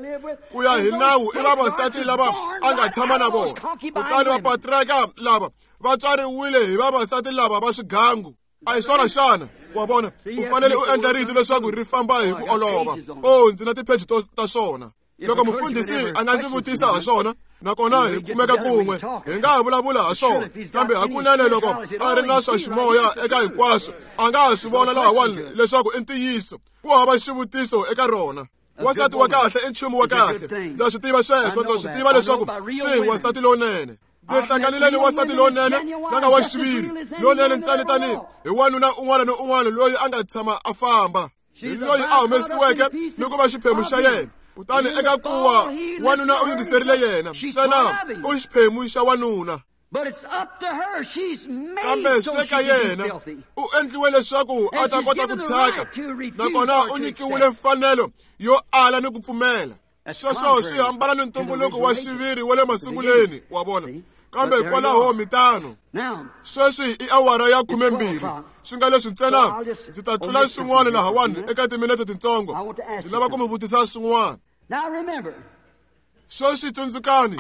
Ku ya hi nawu i vavasati lava a nga tshama na vona. Kutani vapatriarka lava va tswariwile hi vavasati lava va swigangu. A hi swona xana? Wa vona, u fanele u endla rito leswaku ri famba hi ku olova. Oh, ndzi na tipheji ta swona. Loko mufundhisi a nga ndzi vutisa ha swona, nakona hi kumeka kun'we, hi nga ha vulavula ha swona. Kambe hakunene loko a ri na swa ximoya eka hinkwaswo, a nga ha swi vona lahawani leswaku i ntiyiso. Ku hava xivutiso eka rona. Wansati wa kahle i nchumu wa kahle. Ndza swi tiva sweswo, ndza swi tiva leswaku swi wansati lowunene. Ndzi hlanganile ni wansati lowunene la nga wa xiviri, lowunene ntsena tanihi hi wanuna un'wana ni un'wana loyi a nga tshama a famba. Hi loyi a humesiweke ni ku va xiphemu xa yena. Kutani eka kuwa wanuna u yingiserile yena, ntsena u xiphemu xa wanuna. Kambe swi le ka yena, u endliwe leswaku a ta kota ku thyaka, nakona u nyikiwile mfanelo yo ala ni ku pfumela. Sweswo swi hambana ni ntumbuluko wa xiviri wa le masunguleni, wa vona. Kambe kwalaho mitano. Sweswi i awara ya 12, swi nga leswi ntsena ndzi ta tlula swin'wana lahawani eka timinetse tintsongo. Ndzi lava ku mi vutisa swin'wana. Sweswi tsundzukani,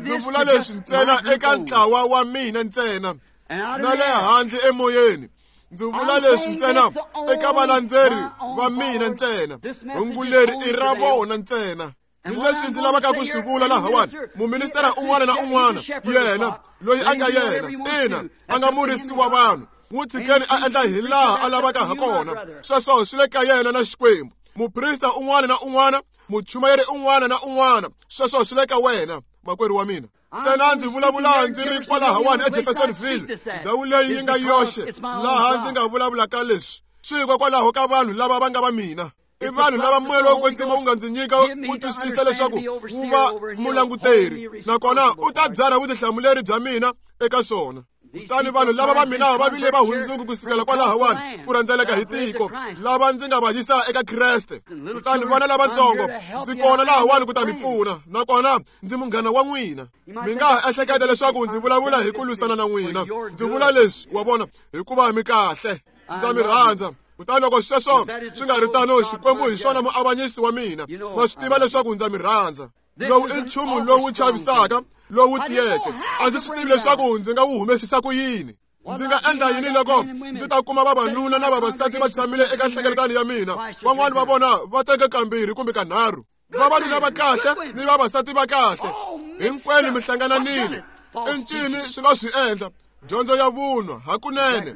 ndzi vula leswi ntsena eka ntlawa wa mina ntsena, na le handle emoyeni. Ndzi vula leswi ntsena eka valandzeri va mina ntsena. Hungu leri i ra vona ntsena. Ni leswi ndzi lavaka ku swi vula lahawani, muministera un'wana na un'wana, yena loyi a nga yena, ina, a nga murisi wa vanhu, n'wi tshikeni a endla hi laha a lavaka ha kona. Sweswo swi le ka yena na Xikwembu. Muprista un'wana na un'wana, muchumayeri un'wana na un'wana, sweswo swi le ka wena, makwerhu wa mina. Ntsena ndzi vulavula ndzi ri kwalahawani eJeffersonville, ndhawu leyi yi nga yoxe laha ndzi nga vulavulaka leswi, swi hikokwalaho ka vanhu lava va nga va mina. I vanhu lava moya lowo kwetsima wu nga ndzi nyika ku twisisa leswaku wu va mulanguteri, nakona u ta byarha vutihlamuleri bya mina eka swona. Kutani vanhu lava va mina va vile va hundzuki ku sukela kwalahawani ku rhendzeleka hi tiko, lava ndzi nga va yisa eka Kreste. Kutani vana lavatsongo, ndzi kona lahawani ku ta mi pfuna, nakona ndzi munghana wa n'wina. Mi nga ha ehleketa leswaku ndzi vulavula hi ku lwisana na n'wina. Ndzi vula leswi, wa vona, hikuva mi kahle. Ndza mi rhandza. Kutani loko sweswo swi nga ri tano, Xikwembu hi xona muavanyisi wa mina. Ma swi tiva leswaku ndza mi rhandza. Lowu i nchumu lowu chavisaka, lowu tiyeke. A ndzi swi tivi leswaku ndzi nga wu humesisa ku yini. Ndzi nga endla yini loko ndzi ta kuma vavanuna na vavasati va tshamile eka nhlengeletano ya mina, van'wani va vona va teke kambirhi kumbe kanharhu. Vavanuna va kahle ni vavasati va kahle hinkwenu mi hlangananile. I ncini swi nga swi endla? Dyondzo ya vunwa hakunene,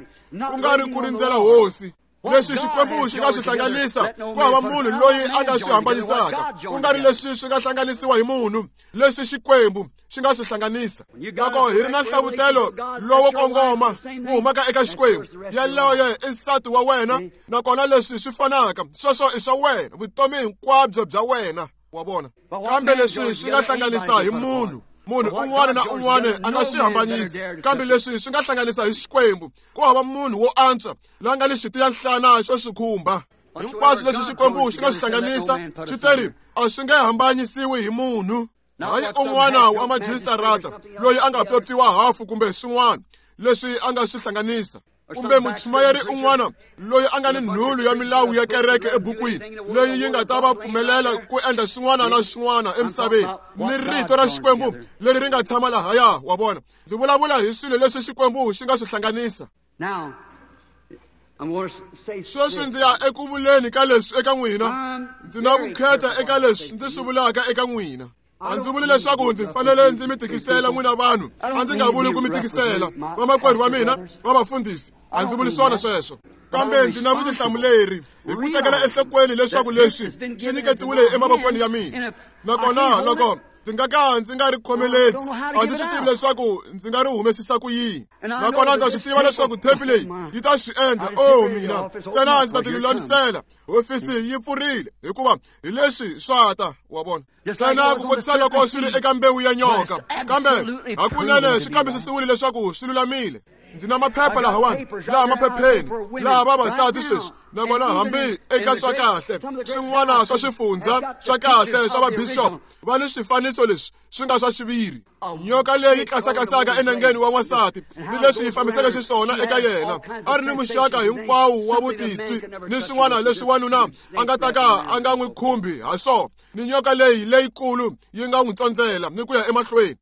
ku nga ri ku rindzela hosi. Leswi Xikwembu xi nga swi hlanganisa, ku hava munhu loyi a nga swi hambanisaka. Ku nga ri leswi swi nga hlanganisiwa hi munhu, leswi Xikwembu xi nga swi hlanganisa. Loko hi ri na nhlavutelo lowo kongoma wu humaka eka Xikwembu, yaloye i nsati wa wena, nakona leswi swi fanaka, sweswo i swa wena, vutomi hinkwabyo bya wena, wa vona. Kambe leswi swi nga hlanganisa hi munhu, munhu un'wana na un'wana a nga swi hambanisi. Kambe leswi swi nga hlanganisa hi Xikwembu, ku hava munhu wo antswa la nga ni xitiyanhlana xo swi khumba. Hinkwaswo leswi Xikwembu xi nga swi hlanganisa, swi teri a swi nge hambanyisiwi hi munhu. Hayi un'wana wa majisitarata loyi a nga pyopyiwa hafu kumbe swin'wana leswi a nga swi hlanganisa, kumbe muchumayeri un'wana loyi a nga ni nhulu ya milawu ya kereke ebukwini leyi yi nga ta va pfumelela ku endla swin'wana na swin'wana emisaveni, ni rito ra Xikwembu leri ri nga tshama lahaya, wa vona. Ndzi vulavula hi swilo leswi Xikwembu xi nga swi hlanganisa. Sweswi ndzi ya eku vuleni ka leswi eka n'wina. Ndzi na vukheta eka leswi ndzi swi vulaka eka n'wina. A ndzi vuli leswaku ndzi fanele ndzi mi tikisela n'wina vanhu, a ndzi nga vuli ku mi tikisela vamakwerhu va mina va vafundhisi, a ndzi vuli swona sweswo. Kambe ndzi na vutihlamuleri hi ku tekela enhlokweni leswaku leswi swi nyiketiwile emavokweni ya mina, nakona loko ndzi nga ka ndzi nga ri khomeleti, a ndzi swi tivi leswaku ndzi nga ri humesisa ku yini. Nakona ndza swi tiva leswaku thepi leyi yi ta swi endla. O mina ntsena ndzi ta ti lulamisela. Hofisi yi pfurile, hikuva hi leswi swa ta, wa vona. Ntsena ku kotisa loko swi ri eka mbewu ya nyoka, kambe hakunene swi kambisisiwile leswaku swi lulamile. Ndzi na maphepha lahawani, laha maphepheni, laha vavasati sweswi, nakona hambi eka swa kahle swin'wana swa swifundza swa kahle swa vabishop va ni swifaniso leswi swi nga swa xiviri. Nyoka leyi kasakasaka enengeni wa n'wansati ni leswi yi fambiseke xiswona eka yena, a ri ni muxaka hinkwawo wa vutitwi ni swin'wana leswi wanuna a nga ta ka a nga n'wi khumbi ha swona, ni nyoka leyi leyikulu yi nga n'wi tsondzela ni ku ya emahlweni.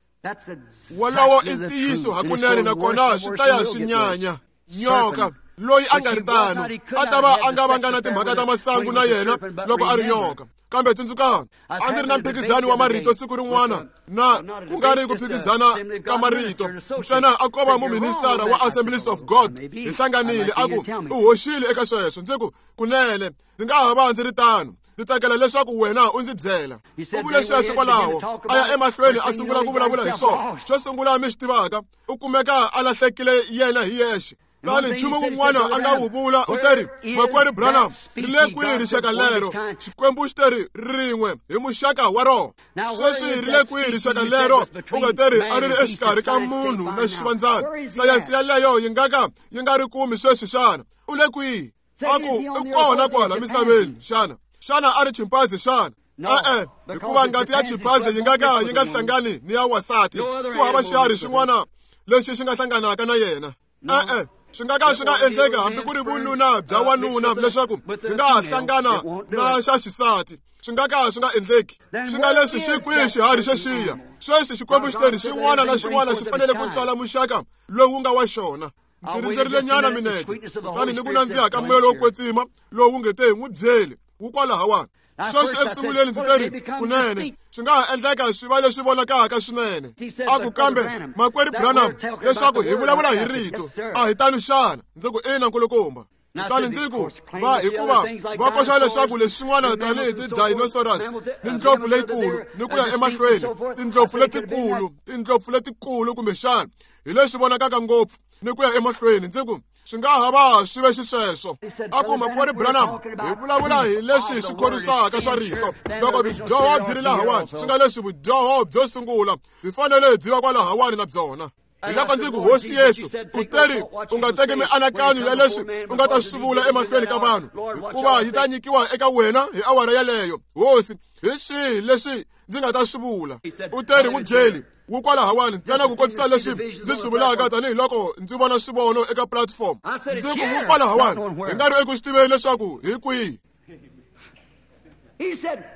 Wolowo i ntiyiso hakunene, nakona swi ta ya swi nyanya. Nyoka loyi a nga ri tano a ta va a nga vanga na timhaka ta masangu na yena loko a ri nyoka. Kambe tsundzukani, a ndzi ri na mphikizano wa marito siku rin'wana, na ku nga ri ku phikizana ka marito ntsena, a ko va muministara wa Assemblies of God. Hi hlanganile, a ku u hoxile eka sweswo. Ndzi ku kunene ndzi nga ha va ndzi ri tano, ndzi tsakela leswaku wena u ndzi byela. U vule sweswo kwalaho, a ya emahlweni a sungula ku vulavula hi swona. Xo sungula mi swi tivaka, u kumeka a lahlekile yena hi yexe. Kutani nchumu wun'wana a nga wu vula, u teri, Makwerhu Branham, ri le kwihi rixaka lero? Xikwembu xi teri rin'we hi muxaka wa rona. Sweswi ri le kwihi rixaka lero? U nga teri a ri ri exikarhi ka munhu na xivandzana. Sayense yaleyo yi nga ka yi nga ri kumi sweswi xana? U le kwihi? A ku i kona kwala misaveni xana? Xana a ri chimpanzi xana? E-e, hikuva ngati ya chimpanzi yi nga ka yi nga hlangani ni ya wansati. Ku hava xiharhi xin'wana lexi xi nga hlanganaka na yena. E-e, swi nga ka swi nga endleki hambi ku ri vununa bya wanuna leswaku byi nga ha hlangana na xa xisati. Swi nga ka swi nga endleki. Swi nga leswi xi kwihi xiharhi xexiya? Sweswi Xikwembu xi teri xin'wana na xin'wana xi fanele ku tswala muxaka lowu nga wa xona. Ndzi rindzerile nyana minete, kutani ni ku nandziha ka moya lowo kwetsima lowu nge te n'wi byeli wu kwalahawani. Sweswi eku sunguleni ndzi teri kunene swi nga ha endleka swi va leswi vonakaka swinene. A ku kambe Makwerhu Branham, leswaku hi vulavula hi rito, a hi tano xana? Ndzi ku ina, nkulukumba. Kutani ndzi ku va hikuva va koxa leswaku leswin'wana tanihi ti-dinosaurus ni ndlopfu leyikulu ni ku ya emahlweni, tindlopfu letikulu, tindlopfu letikulu kumbexana hi leswi vonakaka ngopfu ni ku ya emahlweni. Ndzi ku swi nga ha va swi ve xisweswo. A ku Makwerhu Branham, hi vulavula hi leswi swi khorwisaka swa rito. Loko vudyoho byi ri lahawani, swi nga leswi vudyoho byo sungula byi fanele byi va kwalahawani na byona. Hi loko ndzi ku Hosi Yesu, u teri u nga teki mianakanyo ya leswi u nga ta swi vula emahlweni ka vanhu, hikuva yi ta nyikiwa eka wena hi awara yaleyo. Hosi, hi swihi leswi ndzi nga ta swi vula? U teri n'wi byeli wu kwalahawani ntsena ku kotisa leswi ndzi swi vulaka tanihiloko ndzi vona swivono eka platform. Ndzi ku wu kwalahawani, hi nga ri eku swi tiveni leswaku hi kwihi.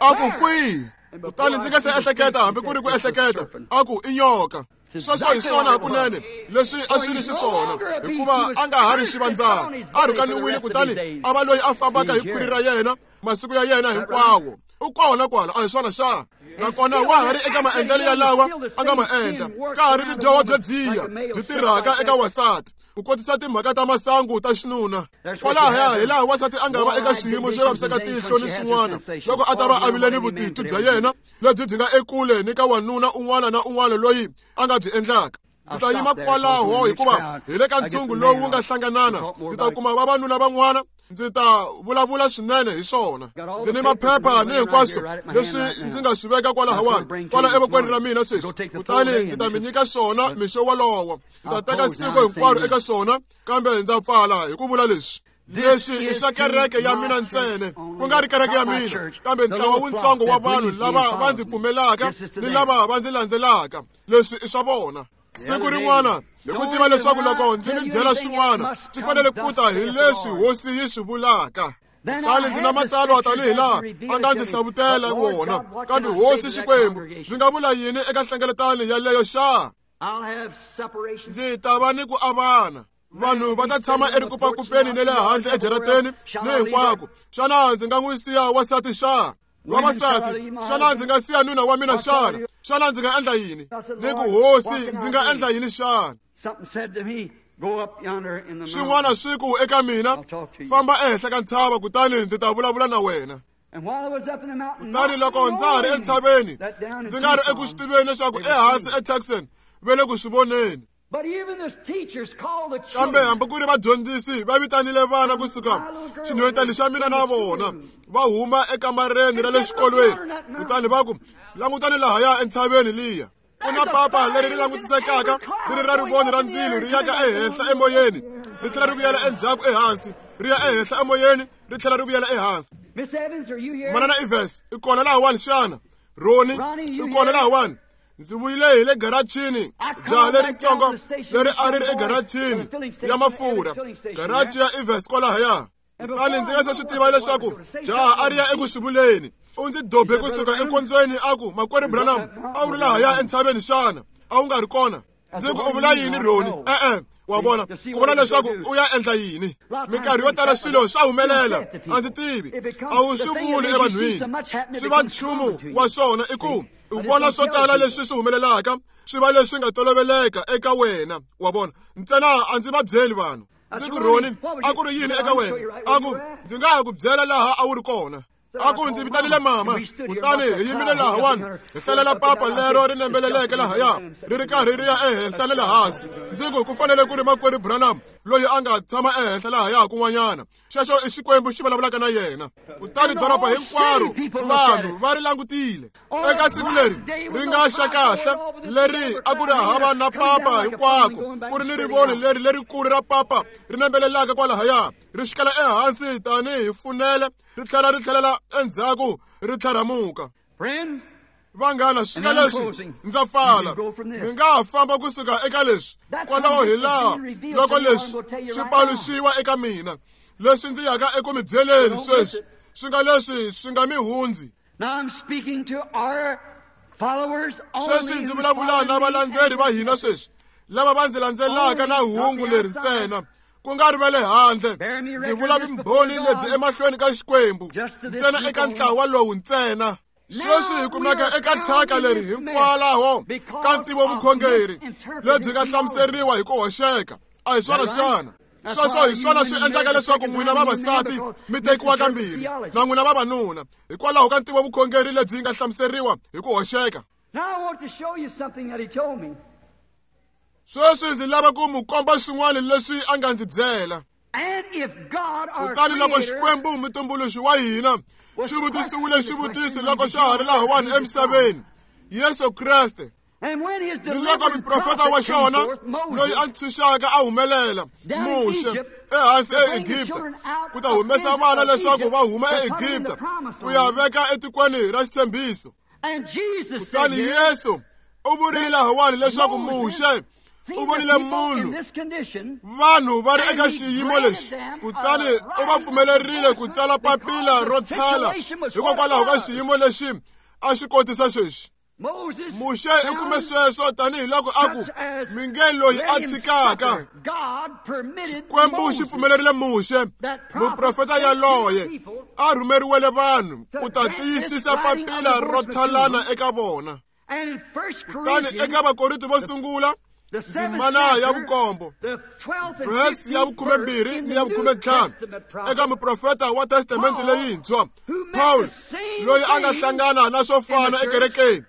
A ku kwihi? Kutani ndzi nga se ehleketa hambi ku ri ku ehleketa, a ku i nyoka. Sweswo hi swona hakunene leswi a swi ri xiswona, hikuva a nga ha ri xivandzana, a rhukaniwile, kutani a va loyi a fambaka hi khwiri ra yena masiku ya yena hinkwawo. U kona kwala, a hi swona xana? Nakona wa ha ri eka maendlelo yalawa a nga ma endla. Ka ha ri vudyoho byo byiya byi tirhaka eka wasati ku kotisa timhaka ta masangu ta xinuna. Kwalahaya hi laha wasati a nga va eka xiyimo xo vaviseka tihlo ni swin'wana loko a ta va a vile ni vutitwi bya yena lebyi byi nga ekule ni ka wanuna un'wana na un'wana loyi a nga byi endlaka. Ndzi ta yima kwalaho hikuva hi le ka ntshungu lowu wu nga hlanganana. Ndzi ta kuma vavanuna van'wana, ndzi ta vulavula swinene hi swona. Ndzi ni maphepha ni hinkwaswo leswi ndzi nga swi veka kwalahawani, kwala evokweni ra mina sweswi. Kutani ndzi ta mi nyika swona mixo wolowo. Ndzi ta teka siku hinkwaro eka swona, kambe ndza pfala hi ku vula leswi. Leswi i swa kereke ya mina ntsena, ku nga ri kereke ya mina, kambe ntlawa wutsongo wa vanhu lava va ndzi pfumelaka ni lava va ndzi landzelaka. Leswi i swa vona. Siku rin'wana, hi ku tiva leswaku loko ndzi mi byela swin'wana, swi fanele ku ta hi leswi hosi yi swi vulaka. Kutani ndzi na matsalwa tanihi laha a nga ndzi hlavutela wona. Kambe hosi Xikwembu, ndzi nga vula yini eka nhlengeletano yaleyo xa? Ndzi ta va ni ku avana. Vanhu va ta tshama erikupakupeni ni le handle ejarateni ni hinkwako. Xana ndzi nga n'wi siya wasati xa? Vavasati, xana ndzi nga siya nuna wa mina xana? Xana ndzi nga endla yini? Ni ku hosi, ndzi nga endla yini xana? Swin'wana swi ku eka mina, famba ehenhla ka ntshava kutani ndzi ta vulavula na wena. Kutani loko ndza ha ri entshaveni, ndzi nga ri eku swi tiveni leswaku ehansi eTucson va le ku swi voneni. Kambe hambi ku ri vadyondzisi va vitanile vana kusuka xinhwetani xa mina na vona va huma ekamareni ra le xikolweni, kutani va ku, langutani lahaya entshaveni liya. Ku na papa leri ri langutisekaka ri ri ra rivoni ra ndzilo ri yaka ehenhla emoyeni, ri tlhela ri vuyela endzhaku ehansi, ri ya ehenhla emoyeni, ri tlhela ri vuyela ehansi. Manana Evans, i kona lahawani xana? Roni, i kona lahawani? Ndzi vuyile hi le garachini, jaha leritsongo leri a ri ri egarachini ya mafurha, garachi ya Evans kwalahaya. Kutani ndzi nga se swi tiva leswaku jaha a ri ya eku swi vuleni. U ndzi dobe kusuka enkondzweni a ku, Makwerhu Branham, a wu ri lahaya entshaveni xana? A wu nga ri kona? Ndzi ku, u vula yini Roni? E-e, wa vona, ku vona leswaku u ya endla yini. Minkarhi yo tala swilo swa humelela, a ndzi tivi. A wu swi vuli evanhwini. Swi va nchumu wa swona i ku u vona swo tala leswi swi humelelaka, swi va leswi nga toloveleka eka wena, wa vona. Ntsena a ndzi va byeli vanhu. Ndzi ku, Roni, a ku ri yini eka wena? A ku, ndzi nga ha ku byela laha a wu ri kona. A ku, ndzi vitanile mama, kutani hi yimile lahawani, hi hlalela papa lero ri nembeleleke lahaya, ri ri karhi ri ya ehenhla ni le hansi. Ndzi ku, ku fanele ku ri Makwerhu Branham loyi a nga tshama ehenhla lahaya kun'wanyana. Xexo i Xikwembu xi vulavulaka na yena. Kutani doroba hinkwaro vanhu va ri langutile. Eka siku leri ri nga xa kahle leri a ku ri hava na papa hinkwako, ku ri ni rivoni leri lerikulu ra papa ri nembelelaka kwalahaya, ri xikela ehansi tanihi funele, ri tlhela ri tlhelela endzhaku ri tlharhamuka. Vanghana, swi nga leswi ndza pfala. Mi nga ha famba kusuka eka leswi. Kwalaho hi laha loko leswi swi paluxiwa eka mina, leswi ndzi yaka eku mi byeleni sweswi, swi nga leswi swi nga mi hundzi. Sweswi ndzi vulavula na valandzeri va hina sweswi, lava va ndzi landzelaka na hungu leri ntsena, ku nga ri va le handle. Ndzi vula vumbhoni lebyi emahlweni ka Xikwembu ntsena, eka ntlawa lowu ntsena. Sweswi hi kumeka eka thyaka leri hinkwalaho ka ntivovukhongeri lebyi nga hlamuseriwa hi ku hoxeka. A hi swona xana? Sweswo hi swona swi endlaka leswaku n'wina vavasati mi tekiwa kambirhi na n'wina vavanuna, hikwalaho ka ntivovukhongeri lebyi nga hlamuseriwa hi ku hoxeka. Sweswi ndzi lava ku mu komba swin'wana leswi a nga ndzi byela. Kutani loko Xikwembu mutumbuluxi wa hina xi vutisiwile xivutiso loko xa ha ri lahawani emisaveni, Yesu Kreste, ni loko muprofeta wa xona loyi a ntshunxaka a humelela, Muxe, ehansi eEgipta, ku ta humesa vana leswaku va huma eEgipta ku ya veka etikweni ra xitshembiso. Kutani Yesu u vurile lahawani leswaku Muxe u vonile munhu, vanhu va ri eka xiyimo lexi, kutani u va pfumelerile ku tsala papila ro thala hikokwalaho ka xiyimo lexi a xi kotisa xexi. Muxe u kume sweswo tanihiloko a ku mi nge loyi a tshikaka. Xikwembu xi pfumelerile Muxe, muprofeta yaloye, a rhumeriwele vanhu ku ta tiyisisa papila ro thalana eka vona. Kutani eka Vakorinto vo sungula, ndzimana ya vukombo, vhesi ya 12 ni ya 15, eka muprofeta wa Testamente leyintshwa, Paul, loyi a nga hlangana na swo fana ekerekeni.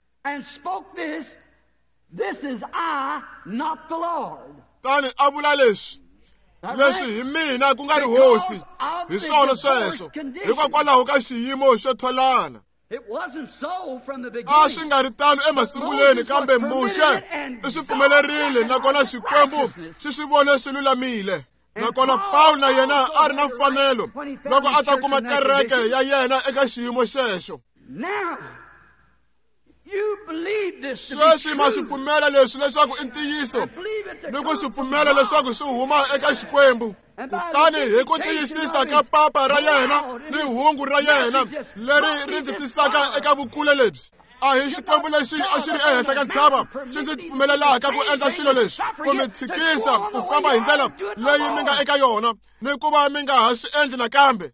Tani a vula leswi, leswi hi mina ku nga ri hosi, hi swona sweswo, hikokwalaho ka xiyimo xo tholana. A swi nga ri tano emasungulweni, kambe Muxe i swi pfumelerile, nakona Xikwembu xi swi vone swi lulamile. Nakona Paul na yena a ri na mfanelo loko a ta kuma kereke ya yena eka xiyimo xexo. Sweswi ma swi pfumela leswi leswaku i ntiyiso, ni ku swi pfumela leswaku swi huma eka Xikwembu. Kutani hi ku tiyisisa ka papa ra yena ni hungu ra yena leri ri ndzi tisaka eka vukule lebyi, a hi Xikwembu lexi a xi ri ehenhla ka ntshava xi ndzi pfumelelaka ku endla swilo leswi, ku mi tshikisa ku famba hi ndlela leyi mi nga eka yona, ni ku va mi nga ha swi endli nakambe.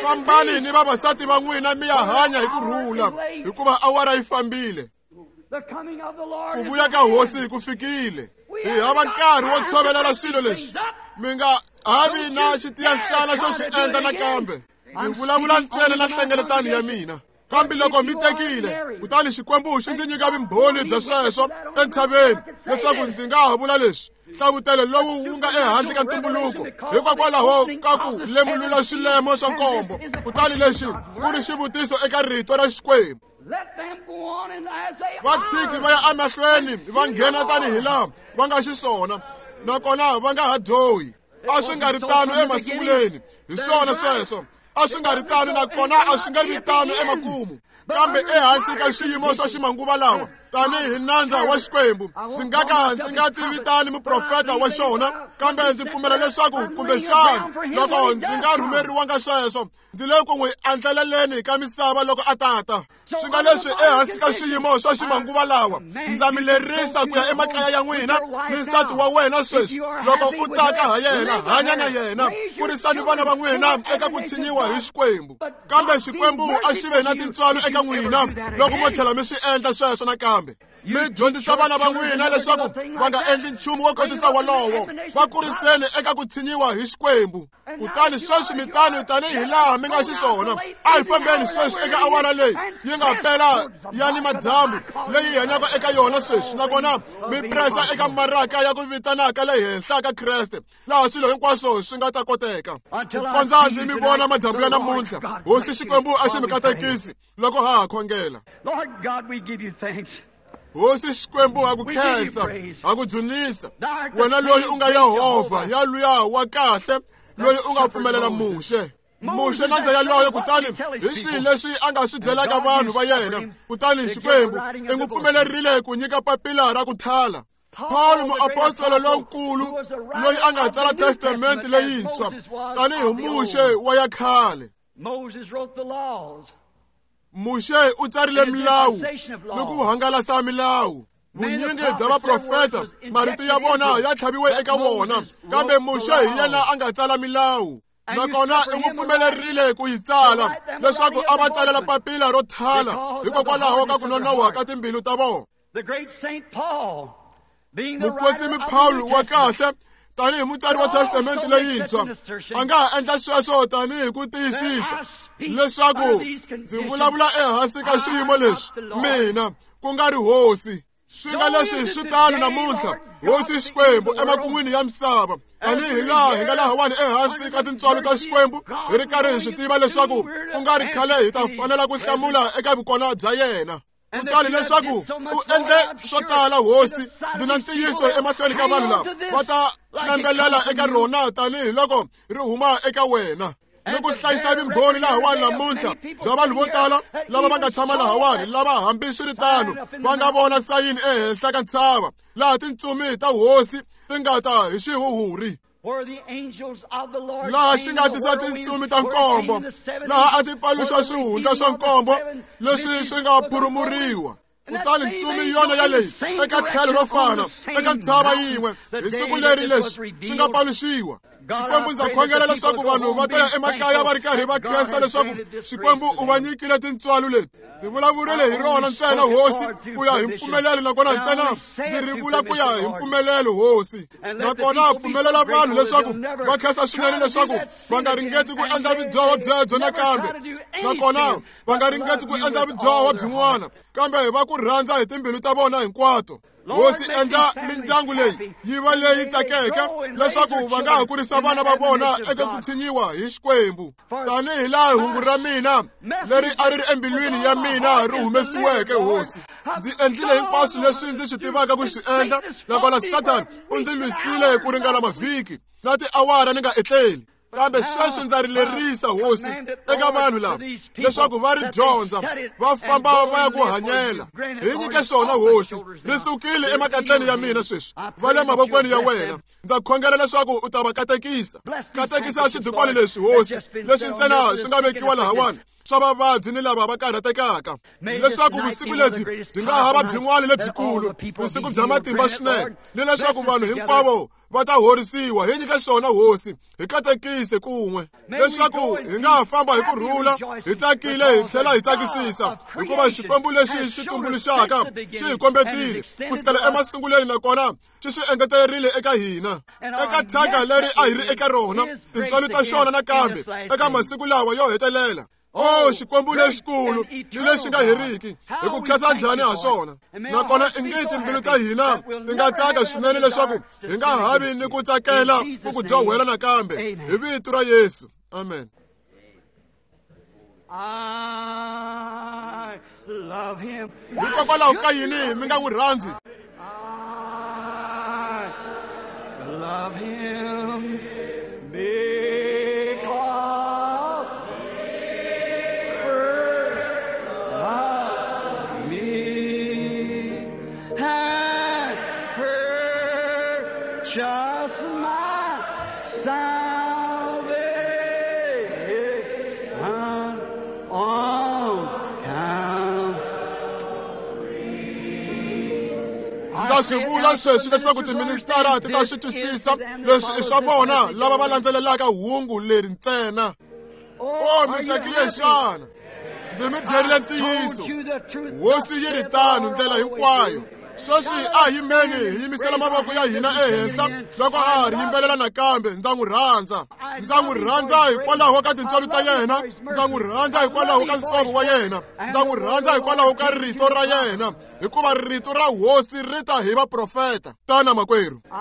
Fambani ni vavasati va n'wina mi ya hanya hi ku rhula, hikuva awara yi fambile. Ku vuya ka hosi ku fikile. Hi hava nkarhi wo tshovelela swilo leswi, mi nga ha vi na xitiyanhlana xo swi endla nakambe. Ndzi vulavula ntsena na nhlengeletano ya mina. Kambe loko mi tekile, kutani Xikwembu xi ndzi nyika vumbhoni bya sweswo entshaveni, leswaku ndzi nga ha vula leswi, hlavutelo lowu wu nga ehandle ka ntumbuluko, hikokwalaho ka ku lemulula swilemo swa nkombo, kutani lexi ku ri xivutiso eka rito ra Xikwembu. Va tshiki va ya emahlweni va nghena tanihi laha va nga xiswona, nakona va nga ha dyohi. A swi nga ri tano emasunguleni, hi swona sweswo. A swi nga ri tano, nakona a swi nge vi tano emakumu. Kambe ehansi ka xiyimo swa ximanguva lawa, tanihi nandza wa Xikwembu, ndzi nga ka ndzi nga tivitani muprofeta wa xona, kambe ndzi pfumela leswaku kumbexana loko ndzi nga rhumeriwanga sweswo, ndzi le ku n'wi andlaleleni ka misava loko a tata. Swi nga leswi ehansi ka xiyimo swa ximanguva lawa, ndza mi lerisa ku ya emakaya ya n'wina ni nsati wa wena sweswi. Loko u tsaka ha yena, hanya na yena, kurisani vana va n'wina eka ku tshinyiwa hi Xikwembu. Kambe Xikwembu a xi ve na tintswalo eka n'wina loko mo tlhela mi swi endla sweswo nakambe. Mi dyondzisa vana va n'wina leswaku va nga endli nchumu wo kotisa wolowo, va kuriseni eka ku tshinyiwa hi Xikwembu. Kutani sweswi mi tano tanihi laha mi nga xiswona. A hi fambeni sweswi eka awara leyi yi nga pela ya ni madyambu leyi hi hanyaka eka yona sweswi, nakona mi presa eka maraka ya ku vitanaka le henhla ka Kreste, laha swilo hinkwaswo swi nga ta koteka. Ku kondza ndzi mi vona madyambu ya namuntlha, Hosi Xikwembu a xi mi katekisi loko ha ha khongela. Hosi Xikwembu ha ku khensa, ha ku dzunisa, wena loyi u nga Yehovha ya luya wa kahle, loyi u nga pfumelela Muxe. Muxe nandza yaloye, kutani hi swihi leswi a nga swi byelaka vanhu va yena, kutani Xikwembu i n'wi pfumelerile ku nyika papila ra ku thala. Paul muapostolo lonkulu loyi a nga tsala Testamente leyintshwa tanihi Muxe wa ya khale. Muxe u tsarile milawu ni ku hangalasa milawu. Vunyingi bya vaprofeta marito ya vona ya tlhaviwe eka wona, kambe Muxe hi yena a nga tsala milawu. Nakona i n'wi pfumelerile ku yi tsala leswaku a va tsalela papila ro thala hikokwalaho ka ku nonoha ka timbilu ta vona. Mukwetsimi Paul wa kahle tanihi mutsari wa Testamente leyintshwa a nga ha endla sweswo tanihi ku tiyisisa leswaku ndzi vulavula ehansi ka xiyimo lexi, mina ku nga ri hosi. Swi nga leswi swi tano namuntlha, Hosi Xikwembu emakun'wini ya misava, tanihi laha hi nga lahawani ehansi ka tintswalo ta Xikwembu, hi ri karhi hi swi tiva leswaku ku nga ri khale hi ta fanela ku hlamula eka vukona bya yena. Kutani leswaku u endle swo tala, Hosi, ndzi na ntiyiso emahlweni ka vanhu lava va ta nambelela eka rona tanihi loko ri huma eka wena. Ni ku hlayisa vumbhoni lahawani namuntlha bya vanhu vo tala lava va nga tshama lahawani, lava hambiswiritano va nga vona sayini ehenhla ka ntshava laha tintsumi ta hosi ti nga ta hi xihuhuri. Laha xi nga tisa tintsumi ta nkombo, laha a ti paluxa swihundla swa nkombo leswi swi nga phurumuriwa. Kutani ntsumi yona yaleyi eka tlhelo ro fana eka ntshava yin'we hi siku leri leswi swi nga paluxiwa. Xikwembu ndza khongela leswaku vanhu va ta ya emakaya va ri karhi va khensa leswaku Xikwembu u va nyikile tintswalo leti. Ndzi vulavurile hi rona ntsena hosi ku ya hi mpfumelelo, nakona ntsena ndzi ri vula ku ya hi mpfumelelo hosi. Nakona pfumelela vanhu leswaku va khensa swinene leswaku va nga ringeti ku endla vudyoho byebyo nakambe, nakona va nga ringeti ku endla vudyoho byin'wana, kambe va ku rhandza hi timbilu ta vona hinkwato. Hosi endla mindyangu leyi yi va leyi tsakeke leswaku va nga ha kurisa vana va vona eka ku tshinyiwa hi Xikwembu, tanihi laha hungu ra mina leri a ri ri embilwini ya mina ri humesiweke. Hosi, ndzi endlile hinkwaswo leswi ndzi swi tivaka ku swi endla, nakona Sathana u ndzi lwisile ku ringana mavhiki na tiawara ni nga etleli. Kambe sweswi ndza ri lerisa hosi eka vanhu lava leswaku va ri dyondza, va famba va ya ku hanyela. Hi nyike swona hosi, ri sukile emakatleni ya mina sweswi, va le mavokweni ya wena. Ndza khongela leswaku u ta va katekisa. Katekisa xidukwana leswi hosi, leswi ntsena swi nga vekiwa lahawani swa vavabyi ni lava va karhatekaka, leswaku vusiku lebyi byi nga hava byin'wana lebyikulu, vusiku bya matimba swinene, ni leswaku vanhu hinkwavo va ta horisiwa. Hi nyike swona hosi, hi katekise kun'we, leswaku hi nga ha famba hi ku rhula, hi tsakile, hi tlhela hi tsakisisa, hikuva Xikwembu lexi xi tumbuluxaka xi hi kombetile ku sukela emasungulweni, nakona xi swi engetelerile eka hina eka thyaka leri a hi ri eka rona, tintswalo ta xona nakambe eka masiku lawa yo hetelela. O Xikwembu lexikulu ni lexi nga heriki, hi ku khensa njhani ha swona. Nakona i nge timbilu ta hina ti nga tsaka swinene leswaku hi nga havi ni ku tsakela ku ku dyohela nakambe, hi vito ra Yesu. Amen. Hikokwalaho ka yini mi nga n'wi rhandzi? Just my salvation on Calvary. Ndza swi vula sweswi leswaku tiministara ti ta swi twisisa leswi i swa vona lava va landzelelaka hungu leri ntsena. O mi tsakile xana? Ndzi mi byerile ntiyiso. Hosi yi ri tano ndlela hinkwayo. Sweswi a hi yimeni hi yimisela mavoko ya hina ehenhla loko a ha ri yimbelela nakambe. Ndza n'wi rhandza. Ndza n'wi rhandza hikwalaho ka tintswalo ta yena. Ndza n'wi rhandza hikwalaho ka nsovo wa yena. Ndza n'wi rhandza hikwalaho ka rito ra yena, hikuva rito ra hosi ri ta hi vaprofeta. Tana makwerhu. I